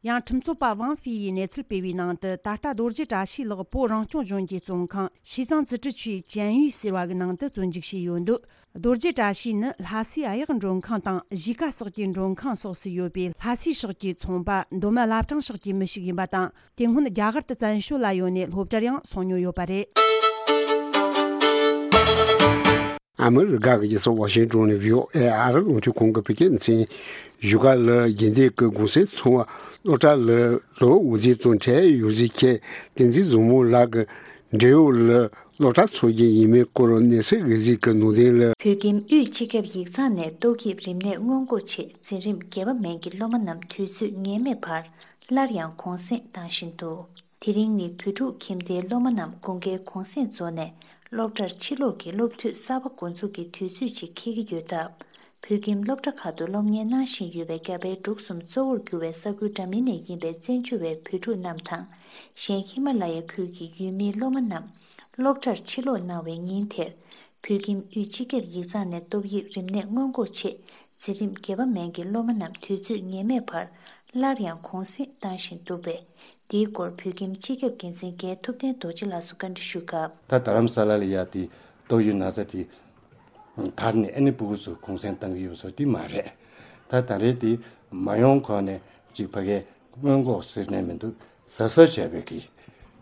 ཡང་། ཁྲིམས་རྩོད་པ་ཝང་ཧྥེ་ཡིས་གནས་ཚུལ་སྤེལ་བའི་ནང་དུ། ད་ལྟ་རྡོ་རྗེ་བཀྲ་ཤིས་ལགས་བོད་རང་སྐྱོང་ལྗོངས་ཀྱི་བཙོན་ཁང་། ཞི་ཙང་自治区监狱ཟེར་བ་གི་ནང་དུ་བཙོན་འཇུག་བྱས་ཡོད་འདུག་རྡོ་རྗེ་བཀྲ་ཤིས་ནི་ལྷ་སའི་གཡག་མགྲོན་ཁང་དང་གཞིས་ཀ་སོགས་ཀྱི་མགྲོན་ཁང་སོགས་སུ་ཡོད་པའི་ལྷ་སའི་ཕྱོགས་ཀྱི་ཚོང་པ། མདོ་སྨད་བླ་བྲང་ཕྱོགས་ཀྱི་མི་ཞིག་ཡིན་པ་དང་། དེ་སྔོན་རྒྱ་གར་དུ་བཙན་བྱོལ་ལ་ཡོད་ནས་སློབ་གྲྭར་ཡང་སོང་མྱོང་ཡོད་པ་རེད། ཨ་མི་རི་ཀ་གི་རྒྱལ་ས་ཝ་ཤིང་ཏོན་ནས་བྷི་ཨོ་ཨེ་ཨ་རི་རླུང་འཕྲིན་ཁང་གི་བོད་སྐད་སྡེ་ཚན། བཞུགས་སྒར་ལ་རྒྱུན་ལྡན་གྱི་གུང་སེང་ཚོགས་པ་སློབ་གྲྭ་ལ་ལོ་འོད་ཟེར་དང་འཕྲད་ཡོད་ཟེར་མཁན་བསྟན་འཛིན་བཟང་མོ་ལགས་ཀྱི་འབྲེལ་ཡོད་ལ་ སློབ་གྲྭ་འཚོགས་རྒྱུ་ཡིན་མིན་སྐོར་གནས་ཚུལ་འགའ་ཞིག་གི་ནང་དོན་ལ། བོད་ཁྱིམ་དབུས་སྤྱི་ཁྱབ་ཡིག་ཚང་ནས་ཏོག་དབྱིབས་རིམས་ནད་སྔོན་འགོག་ཆེད་འཛིན་རིམ་བརྒྱད་པ་མན་གྱི་སློབ་མ་རྣམས་དུས་ཚོད་ངེས་མེད་བར་སླར་ཡང་གུང་སེང་བཏང་བཞིན་འདུག་དེ་རིང་ནི་བོད་ཕྲུག་ཁྱིམ་སྡེའི་སློབ་མ་རྣམས་དགུན་ཁའི་གུང་སེང་རྫོགས་ནས་སློབ་གྲྭར་ཕྱིར་ལོག་གི་སློབ་དུས་གསར་པ་འགོ་འཛུགས་ཀྱི་དུས་ཚོད་ཅིག་འཁེལ་གྱི་ཡོད་སྟབས། བོད་ཁྱིམ་སློབ་གྲྭ་ཁག་ཏུ་སློབ་གཉེར་གནང་བཞིན་ཡོད་པའི་རྒྱ་བལ་འབྲུག་གསུམ་གཙོ་བོར་གྱུར་བའི་ས་ཁུལ་འདྲ་མིན་ནས་ཡིན་པའི་བཙན་བྱོལ་བའི་བོད་ཕྲུག་རྣམས་དང་། གཞན་ཧི་མ་ལ་ཡ་ཁུལ་གྱི་ཡུལ་མིའི་སློབ་མ་རྣམས་སློབ་གྲྭར་ཕྱིར་ལོག་གནང་བའི་ཉིན་དེར། བོད་ཁྱིམ་དབུས་སྤྱི་ཁྱབ་ཡིག་ཚང་ནས་ཏོག་དབྱིབས་རིམས་ནད་སྔོན་འགོག་ཆེད་འཛིན་རིམ་བརྒྱད་པ་མན་གྱི་སློབ་མ་རྣམས་དུས་ཚོད་ངེས་མེད་བར་སླར་ཡང་གུང་སེང་བཏང་བཞིན་འདུག་པས། འདིའི་སྐོར་བོད་ཁྱིམ་སྤྱི་ཁྱབ་འགན་འཛིན་རྒན་ཐུབ་བསྟན་རྡོ་རྗེ་ལགས་སུ་བཀའ་འདྲི་ཞུས་སྐབས། ད་རྡ་རམ་ས་ལ་ལ་ཡ་དེ་ཏོག་དབྱིབས་ན་ཚ་དེ་དར་ནས་ཨ་ནི་ཕྲུ་གུ་ཚོ་གུང་སེང་བཏང་གི་ཡོད་སོ་དེ་མ་རེད། ད་ད་རེས་དེ་མ་ཡོང་གོང་ནས་ཅིག་ཕ་གའི་སྔོན་འགོག་ཟེར་ནས་མི་འདུག་གཟབ་གཟབ་བྱས་པའི་གི་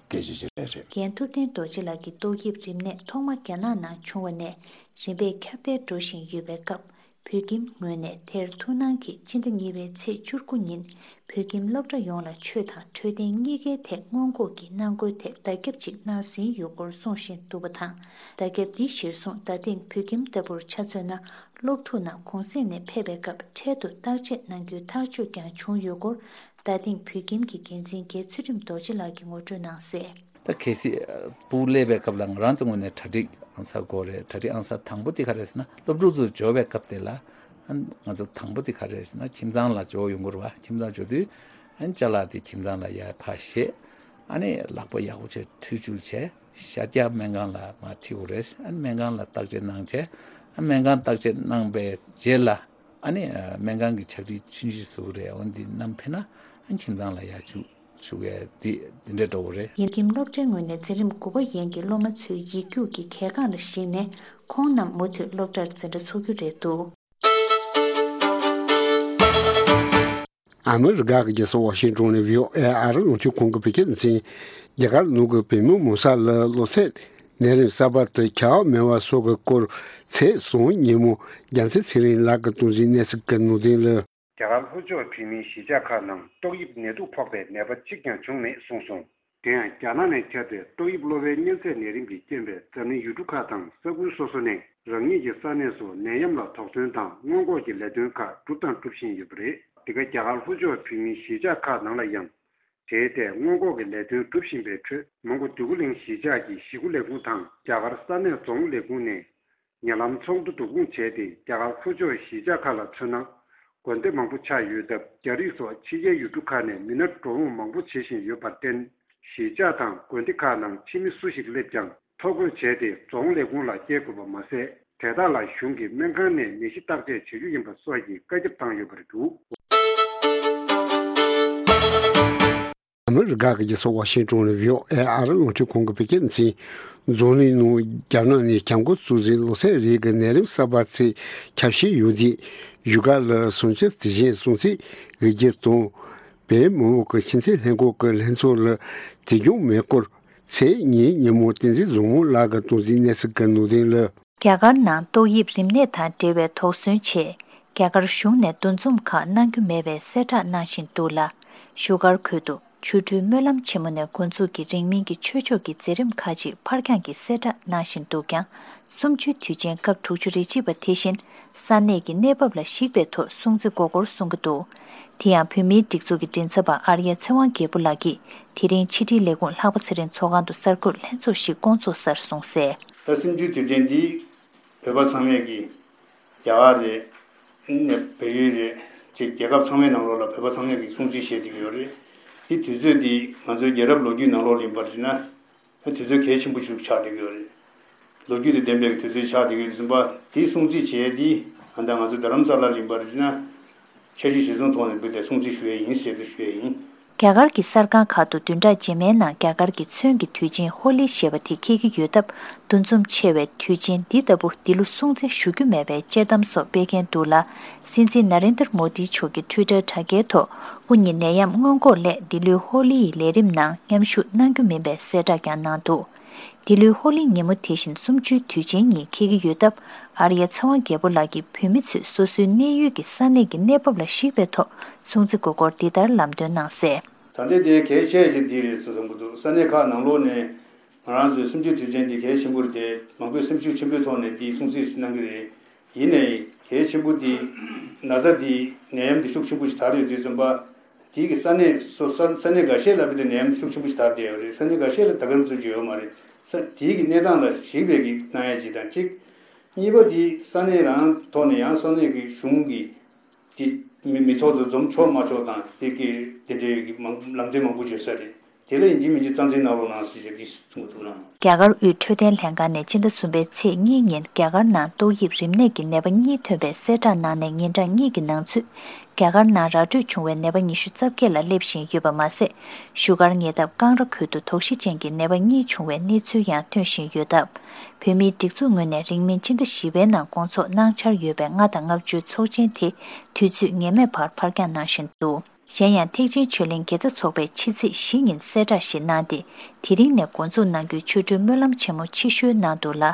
སྐད་ཆ་ཅིག་རེད་རེད། རྒན་ཐུབ་བསྟན་རྡོ་རྗེ་ལགས་ཀྱིས་ཏོག་དབྱིབས་རིམས་ནད་ཐོག་མ་རྒྱ་ནག་ནང་བྱུང་བ་ནས་རིམ་པས་ཁྱབ་གདལ་འགྲོ་བཞིན་ཡོད་པའི་སྐབས། བོད་ཁྱིམ་ངོས་ནས་དེར་ཐུགས་སྣང་གིས་སྤྱི་ཟླ་གཉིས་པའི་ཚེས་བཅུ་དགུ་ཉིན་བོད་ཁྱིམ་སློབ་གྲྭ་ཡོངས་ལ་ཆོས་དང་འཕྲོད་བསྟེན་གཉིས་ཀའི་ཐད་སྔོན་འགོག་གི་གནང་སྒོའི་ཐད་བརྡ་ཁྱབ་ཅིག་གནང་ཟིན་ཡོད་སྐོར་གསུངས་བཞིན་འདུག་པ་དང་། བརྡ་ཁྱབ་འདི་གཞིར་བཟུང་ད་ཐེངས་བོད་ཁྱིམ་ལྟ་བུར་ཆ་མཚོན་ན་སློབ་ཕྲུག་རྣམས་གུང་སེང་ནས་ཕེབས་པའི་སྐབས་འཕྲལ་དུ་བརྟག་དཔྱད་གནང་རྒྱུའི་ཐག་གཅོད་ཀྱང་བྱུང་ཡོད་སྐོར། ད་ཐེངས་བོད་ཁྱིམ་གྱི་འགན་འཛིན་རྒན་ཚུལ་ཁྲིམས་རྡོ་རྗེ་ལགས་ཀྱིས་ངོ་སྤྲོད་གནང་གསལ། ད་གལ་སྲིད་སྤུ་གུ་སླེབས་པའི་སྐབས་ལ་ང་རང་ཚོ་ངོས་ནས་གྲ་སྒྲིག་ཨང་གསར་དགོས་རེད། གྲ་སྒྲིག་ཨང་གསར་དང་པོ་དེ་ག་རེ་རེད་ཟེར་ན་སློབ་ཕྲུག་ཚོ་འབྱོར་བའི་སྐབས་དེ་ལ་ཨ་ང་ཚོ་དང་པོ་དེ་ག་རེ་རེད་ཟེར་ན་ཁྱིམ་ཚང་ལ་འབྱོར་ཡོང་དགོས་རེད་བ། ཁྱིམ་ཚང་འབྱོར་དུས་ཨ་ཅ་ལག་དེ་ཁྱིམ་ཚང་ལ་ཡར་ཕར་བཞེས། ཨ་ནི་ལག་པ་ཡག་པོ་བྱས་འཐུང་ཆུ་བྱས་ཤ་རྒྱགས་སྨན་ཁང་ལ་མར་ཁྲིད་དགོས་རེད། ཨ་ནི་སྨན་ཁང་ལ་བརྟག་དཔྱད་གནང་བྱས་ཨ་སྨན་ཁང་བརྟག་དཔྱད་གནང་པའི་རྗེས་ལ། ཨ་ནི་སྨན་ཁང་གི་ཕྱག་བྲིས་ཆུང་ཆུང་བཟོ་གི་རེད། འོ་འདི་བསྣམས་ཕེབས་ན་ཨ་ཁྱིམ་ཚང་ལ་ཡར་བཅུག་བཅུག་ཡས་འདི་འདི་འདྲ་འགྲོ་གི་རེད། ཡིན་ནའི་སློབ་གྲྭའི་ངོས་ནས་འཛིན་རིམ་དགུ་པ་ཡན་གྱི་སློབ་མ་ཚོའི་ཡིག་རྒྱུགས་ཀྱི་གལ་འགངས་ལ་གཞིགས་ནས་ཁོང་རྣམས་མུ་མཐུད་སློབ་གྲྭར་འཛིན་གྲྭ་འཚོགས་རྒྱུ་རེད་འདུག་ཨ་མི་རི་ཀ་གི་རྒྱལ་ས་ཝ་ཤིང་ཊོན་ནས་བྷི་ཨོ་ཨེ་ཨ་རི་རླུང་འཕྲིན་ཁང་གི་བོད་སྐད་སྡེ་ཚན། རྒྱ་གར་ནང་གི་བོད་མི་མང་ས་ལ་གློ་ཚད་ནད་རིམས་གསར་པ་དེ་ཁྱབ་མེད་པ་སོགས་ཀྱི་སྐོར་ཚེས་གསུམ་ཉིན་མོ་རྒྱལ་མཚན་ཚེ་རིང་ལགས་ཀྱིས་གཏོང་འཛིན་གནས་ཚུལ་གྱི་ནང་དོན་ལ། རྒྱ་གར་ལྷོ་ཕྱོགས་བོད་མིའི་གཞིས་ཆགས་ཁག་ནང་ཏོག་དབྱིབས་ནད་དུག་ཕོག་པའི་ནད་པ་གཅིག་ཀྱང་བྱུང་མེད་གསུངས་སོང་། དེ་ཡང་རྒྱ་ནག་ནས་ཁྱབ་པའི་ཏོག་དབྱིབས་གློ་བའི་གཉན་ཚད་ནད་རིམས་ཀྱི་རྐྱེན་པས་འཛམ་གླིང་ཡུལ་གྲུ་ཁག་དང་ས་ཁུལ་སོ་སོ་ནས་རང་ཉིད་ཀྱི་ས་གནས་སུ་ནད་ཡམས་ལ་དོགས་ཟོན་དང་སྔོན་འགོག་གི་ལས་དོན་ཁག་བསྒྲུབས་དང་སྒྲུབ་བཞིན་ཡོད་པ་རེད། འདི་ག་རྒྱ་གར་ལྷོ་ཕྱོགས་བོད་མིའི་གཞིས་ཆགས་ཁག་ནང་ལ་ཡང་དེའི་ཐད་སྔོན་འགོག་གི་ལས་དོན་སྒྲུབ་བཞིན་པའི་ཁྲོད་མོན་གྷོ་འདོད་རྒུ་གླིང་གཞིས་ཆགས་ཀྱི་གཞིས་ཁུལ་ལས་ཁུངས་དང་རྒྱ་གར་ས་གནས་རྫོང་ལས་ཁུངས་ནས། ཉེ་ལམ་ཚོགས་འདུ་བསྡུ་སྐོང་བྱས་ཏེ་རྒྱ་གར་ལྷོ་ཕྱོགས་གཞིས་ཆགས་ཁག་ལ་མཚོན་ན། དགོན་སྡེ་མང་པོ་ཆགས་ཡོད་སྟབས་རྒྱ་རིགས་སོགས་ཕྱི་རྒྱལ་ཡུལ་གྲུ་ཁག་ནས་མི་སྣ་འགྲོ་འོང་མང་པོ་བྱེད་བཞིན་ཡོད་པར་བརྟེན། གཞིས་ཆགས་དང་དགོན་སྡེ་ཁག་ནང་ཕྱི་མི་སུ་ཞིག་སླེབས་ཀྱང་ཐོ་འགོད་བྱས་ཏེ་རྫོང་ལས་ཁུངས་ལ་སྐྱེལ་དགོས་པ་མ་ཟད། དེ་དག་ལ་གཞུང་གིས་སྨན་ཁང་ནས་ནད་གཞི་བརྟག་དཔྱད་བྱེད་རྒྱུ་ཡིན་པ་སོགས་ཀྱི་བཀའ་ཁྱབ་བཏང་ཡོད་པ་རེད་འདུག་ཨ་མི་རི་ཀ་གི་རྒྱལ་ས་ཝ་ཤིང་ཊོན་ནས་བྷི་ཨོ་ཨེ་ཨ་རི་རླུང་འཕྲིན་ཁང་གི་བོད་སྐད་སྡེ་ཚན། འཛམ་གླིང་ནང་རྒྱ་ནག་ནས་གྱང་ཁོལ་གཙོ་འཛིན་གློ་ཚད་རིགས་ཀྱི་ནད་རིམས་གསར་པ་ཚོས་ཁྱབ་གཤིས་ཡོད་དུས་བཞུགས་སྒར་ལ་བཟང་སྤྱོད་དེ་བཞིན་སྲུང་བརྩི་དགོས་རྒྱུ་དང་། བོད་མི་མང་གི་ཕྱི་འཐེན་ལྷན་ཁང་གི་ལྷན་ཚོགས་ལ་དུས་འགྱངས་མེད་སྐོར་ཚེས་གཉིས་ཉིན་མོ་བསྟན་འཛིན་བཟང་མོ་ལགས་ཀྱིས་གཏོང་འཛིན་གནས་ཚུལ་གྱི་ནང་དོན་ལ། རྒྱ་གར་ནང་ཏོག་དབྱིབས་རིམས་ནད་དང་འབྲེལ་བའི་དོགས་ཟོན་ཆེད་རྒྱ་གར་གཞུང་ནས་འདུ་འཛོམས་ཁག་གནང་རྒྱུ་མེད་པའི་གསལ་བསྒྲགས་གནང་བཞིན་འདུག་ལ། བཞུགས་སྒར་ཁུལ་དུ་ཆོ་འཕྲུལ་སྨོན་ལམ་ཆེན་མོ་ནས་འགོ་འཛུགས་ཀྱིས་རིང་མིན་གྱི་ཆོས་ཕྱོགས་ཀྱི་མཛད་རིམ་ཁག་ཅིག་ཕར་འགྱངས་ཀྱིས་གསལ་བསྒྲགས་གནང་བཞིན་འདུག་ཀྱང་། གསུམ་བཅུའི་དུས་ཆེན་སྐབས་དྲུག་ཅུ་རེ་གཅིག་པ་དེ་བཞིན་ས་གནས་ཀྱི་གནས་བབ་ལ་གཞིགས་པའི་ཐོག་སྲུང་བརྩི་དགོས་སྐོར་གསུང་གི་འདུག་དེ་ཡང་བོད་མིའི་སྒྲིག་འཛུགས་ཀྱི་མགྲིན་ཚབ་པ་ཨར་ཡ་ཚེ་དབང་རྒྱལ་པོ་ལགས་ཀྱིས་དེ་རིང་ཕྱི་དྲིལ་ལས་ཁུངས་ལྷག་པ་ཚེ་རིང་ཚོགས་ཁང་དུ་གསར་འགོད་ལྷན་ཚོགས་ཤིག་བསྐོང་ཚོགས་སར་གསུངས་གསལ། ད་གསུམ་བཅུའི་དུས་དྲན་འདི་བོད་པ་ཚང་མས་ཀྱི་རྒྱ་གར་རེད། ཨ་ནི་བལ་ཡུལ་རེད། ཅེས་རྒྱལ་ཁབ་ཚང་མའི་ནང་ལོགས་ལ་བོད་པ་ཚང་མས་ཀྱི་སྲུང་བརྩི་བྱེད་བསྡད་ཀྱི་ཡོད་རེད། འདི་དུས་ཚོད་འདི་ང་ཚོའི་རྒྱལ་རབས་ལོ་རྒྱུས་ནང་ལོགས་ལ་ཡིན་པར་བྱས་ན། དུས་ཚོད་གལ་ཆེན་པོ་ཞིག་ཆགས་བསྡད་ཀྱི་ཡོད་རེད། ལོ་རྒྱུས་དང་ལྡན་པའི་དུས་ཚོད་ཆགས་བསྡད་ཀྱི་ཡོད་དུས་ཙམ་པ་དེའི་སྲུང་བརྩི་བྱས་ཏེ་ཨ་ད་ང་ཚོ་རྡ་རམ་ས་ལར་ཡིན་པར་བྱས་ན་འཆར་གཞི་གཞིར་བཟུང་ཐོག་ནས་འབུལ་ཏེ་སྲུང་བརྩི་ཞུ་ཡས་ཡིན་ཟེར་དུ་ཞུ་ཡས་ཡིན། རྒྱ་གར་གྱི་གསར་ཁང་ཁག་ཏུ་བདུན་ཕྲག་རྗེས་མའི་ནང་རྒྱ་གར་གྱི་ཚོན་གྱི་དུས་ཆེན་ཧོ་ལི་ཞེས་པ་དེ་འཁེལ་གྱི་ཡོད་སྟབས་འདུ་འཛོམས་ཆེ་བའི་དུས་ཆེན་འདི་ལྟ་བུ་འདི་ལོ་སྲུང་བརྩི་ཞུ་རྒྱུ་མེད་པའི་དཔྱད་གཏམ་སོགས་སྤེལ་མཁན་འདུག་ལ། སྲིད་འཛིན་ན་རེན་དར་མོ་དི་མཆོག་གི་ཊུའི་ཊར་དྲ་རྒྱའི་ཐོག་སྐུ་ཉིད་ནད་ཡམས་སྔོན་འགོག་སླད་འདི་ལོའི་ཧོ་ལི་ཡི་ལས་རིམ་ནང་མཉམ་ཞུགས་གནང་རྒྱུ་མིན་པའི་གསལ་བསྒྲགས་ཀྱང་གནང་འདུག་འདི་ལོའི་ཧོ་ལི་ཉིན་མོ་དེ་བཞིན་གསུམ་བཅུའི་དུས་ཆེན་ཉིན་འཁེལ་གྱི་ཡོད་སྟབས། ཨར་ཡ་ཚེ་དབང་རྒྱལ་པོ་ལགས་ཀྱིས་བོད་མི་ཚོས་སོ་སོའི་གནས་ཡུལ་གྱི་ས་གནས་ཀྱི་གནས་བབ་ལ་གཞིགས་པའི་ཐོག་སྲུང་བརྩི་དགོས་སྐོར་འདི་ལྟར་ལམ་སྟོན་གནང་གསལ། ད་ལྟའི་དེ་གལ་ཆེ་ཆེ་འདི་རེད་བསམ་གྱི་འདུག་ས་གནས་ཁག་ནང་ལོགས་ནས་ ང་རང་ཚོའི་གསུམ་བཅུའི་དུས་ཆེན་འདི་གལ་ཆེན་པོ་རེད་དེ། མང་པོས་སེམས་ཤུགས་ཆེན་པོའི་ཐོག་ནས་འདི་སྲུང་བརྩི་ཞིག་གནང་གི་རེད། ཡིན་ནའི་གལ་ཆེན་པོ་འདི་ན་ཚ་འདི་ནད་ཡམས་འདི་ཤུགས་ཆེན་པོ་ཞིག་དར་ཡོད་དུས་ཙམ་པ། དེའི་གི་ས་གནས་སོ་ས་ས་གནས་འགའ་ཤས་ལ་བར་དུ་ནད་ཡམས་ཤུགས་ཆེན་པོ་ཞིག་དར་བསྡད་ཡོད་རེད། ས་གནས་འགའ་ཤས་ལ་ད་ག་རང་ཚོད་ཅིག་ཡོད་མ་རེད། ས་དེའི་གི་གནས་སྟངས་ལ་གཞིགས་པའི་གི་གནང་ཡ་ཅིག་དང་གཅིག་གཉིས་པ་དེ་ས་གནས་རང་ཐོག་ནས་ཡང་ས་གནས་ཀྱི་གཞུང་གིས་དེ་མི་མི་ཚོགས་དུ་འཛོམས་ཆོག་མ་ཆོག་དང་དེ་གི་དེ་འདྲའི་གི་མང་ལམ་སྟོན་མང་པོ་བརྗོད་ས་རེད། དེ་ལ་ཡིན་གཅིག་མིན་གཅིག་རྩ་འཛིན་གནང་རོགས་གནང་ཟེར་བྱས་དེ་གསུང་གི་འདུག་ལགས། རྒྱ་གར་དབུས་འཕྲོད་བསྟེན་ལྷན་ཁང་ནས་སྤྱི་ཟླ་གསུམ་པའི་ཚེས་གཉིས་ཉིན་རྒྱ་གར་ནང་ཏོག་དབྱིབས་རིམས་ནད་ཀྱི་ནད་པ་གཉིས་ཐོན་པའི་གསལ་བསྒྲགས་གནང་ནས་ཉིན་གྲངས་གཉིས་ཀྱི་ནང་ཚུད། རྒྱ་གར་ནང་ར་སྤྲོད་བྱུང་བའི་ནད་པ་ཉི་ཤུ་རྩ་བརྒྱད་ལ་སླེབས་བཞིན་ཡོད་པ་མ་ཟད། བཞུགས་སྒར་ཉེ་འདབས་ཀང་ར་ཁུལ་དུ་དོགས་གཞི་ཅན་གྱི་ནད་པ་གཉིས་བྱུང་བའི་གནས་ཚུལ་ཡང་ཐོན་བཞིན་ཡོད་སྟབས། བོད་མིའི་སྒྲིག་འཛུགས་ངོས་ནས་རིང་མིན་ཕྱི་ཟླ་བཞི་པའི་ནང་སྐོང་ཚོགས་གནང་འཆར་ཡོད་པའི་ལྔ་དང་ལྔ་བཅུའི་ཚོགས་ཆེན་དེ་དུས་ཚོད་ངེས་མེད་བར་ཕར་འགྱངས་གནང་བཞིན་འདུག་གཞན་ཡང་ཐེག་ཆེན་ཆོས་གླིང་དགེ་རྩ་ཚོགས་པས་ཕྱི་ཚེས་བཞི་ཉིན་གསལ་བསྒྲགས་ཤིག་གནང་སྟེ། དེ་རིང་ནས་འགོ་འཛུགས་གནང་རྒྱུའི་ཆོ་འཕྲུལ་སྨོན་ལམ་ཆེན་མོ་ཆེ་ཤོས་ནང་དུ་ལ།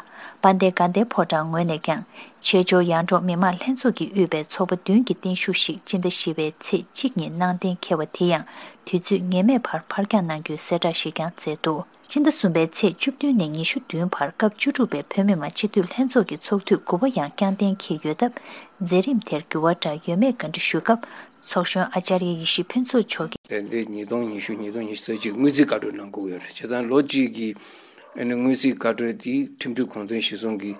དཔལ་ལྡན་དགའ་ལྡན་ཕོ་བྲང་ངོས་ནས་ཀྱང་། བྱེས་འབྱོར་ཡར་འབྲོག་མི་མང་ལྷན་ཚོགས་ཀྱིས་དབུས་པའི་ཚོགས་པ་བདུན་གྱི་བརྟན་བཞུགས་ཤིག་སྤྱི་ཟླ་བཞི་པའི་ཚེས་གཅིག་ཉིན་གནང་གཏན་འཁེལ་བ་དེ་ཡང་དུས་ཚོད་ངེས་མེད་བར་ཕར་འགྱངས་གནང་རྒྱུའི་གསལ་བསྒྲགས་ཤིག་ཀྱང་མཛད་འདུག་སྤྱི་ཟླ་གསུམ་པའི་ཚེས་བཅུ་བདུན་ནས་ཉི་ཤུ་བདུན་བར་སྐབས་བཅུ་དྲུག་པའི་བོད་མི་མང་སྤྱི་འཐུས་ལྷན་ཚོགས་ཀྱི་ཚོགས་དུས་དགུ་པ་ཡང་བསྐྱངས་གཏན་འཁེལ་ཡོད་སྟབས། མཛད་རིམ་དེར་འགྱུར་བ་འདྲ་ཡོད་མེད་བཀའ་འདྲི་ཞུ་སྐབས། ཚོགས་གཞོན་ཨ་ཅར་ཡ་ཡེ་ཤེས་ཕུན་ཚོགས་མཆོག་གིས། དེ་འདི་ཉིས་སྟོང་ཉི་ཤུ་ཉིས་སྟོང་ཉི་ཤུ་རྩ་གཅིག་དངུལ་རྩིས་བཀའ་འཁྲོལ་གནང་དགོས་ཡོད་རེད། བྱས་ཙང་ལོ་གཅིག་གི་ཨ་ནི་དངུལ་རྩིས་བཀའ་འཁྲོལ་དེ་ཁྲིམས་སྒྲིག་གོང་དོན་གཞིར་བཟུང་གིས་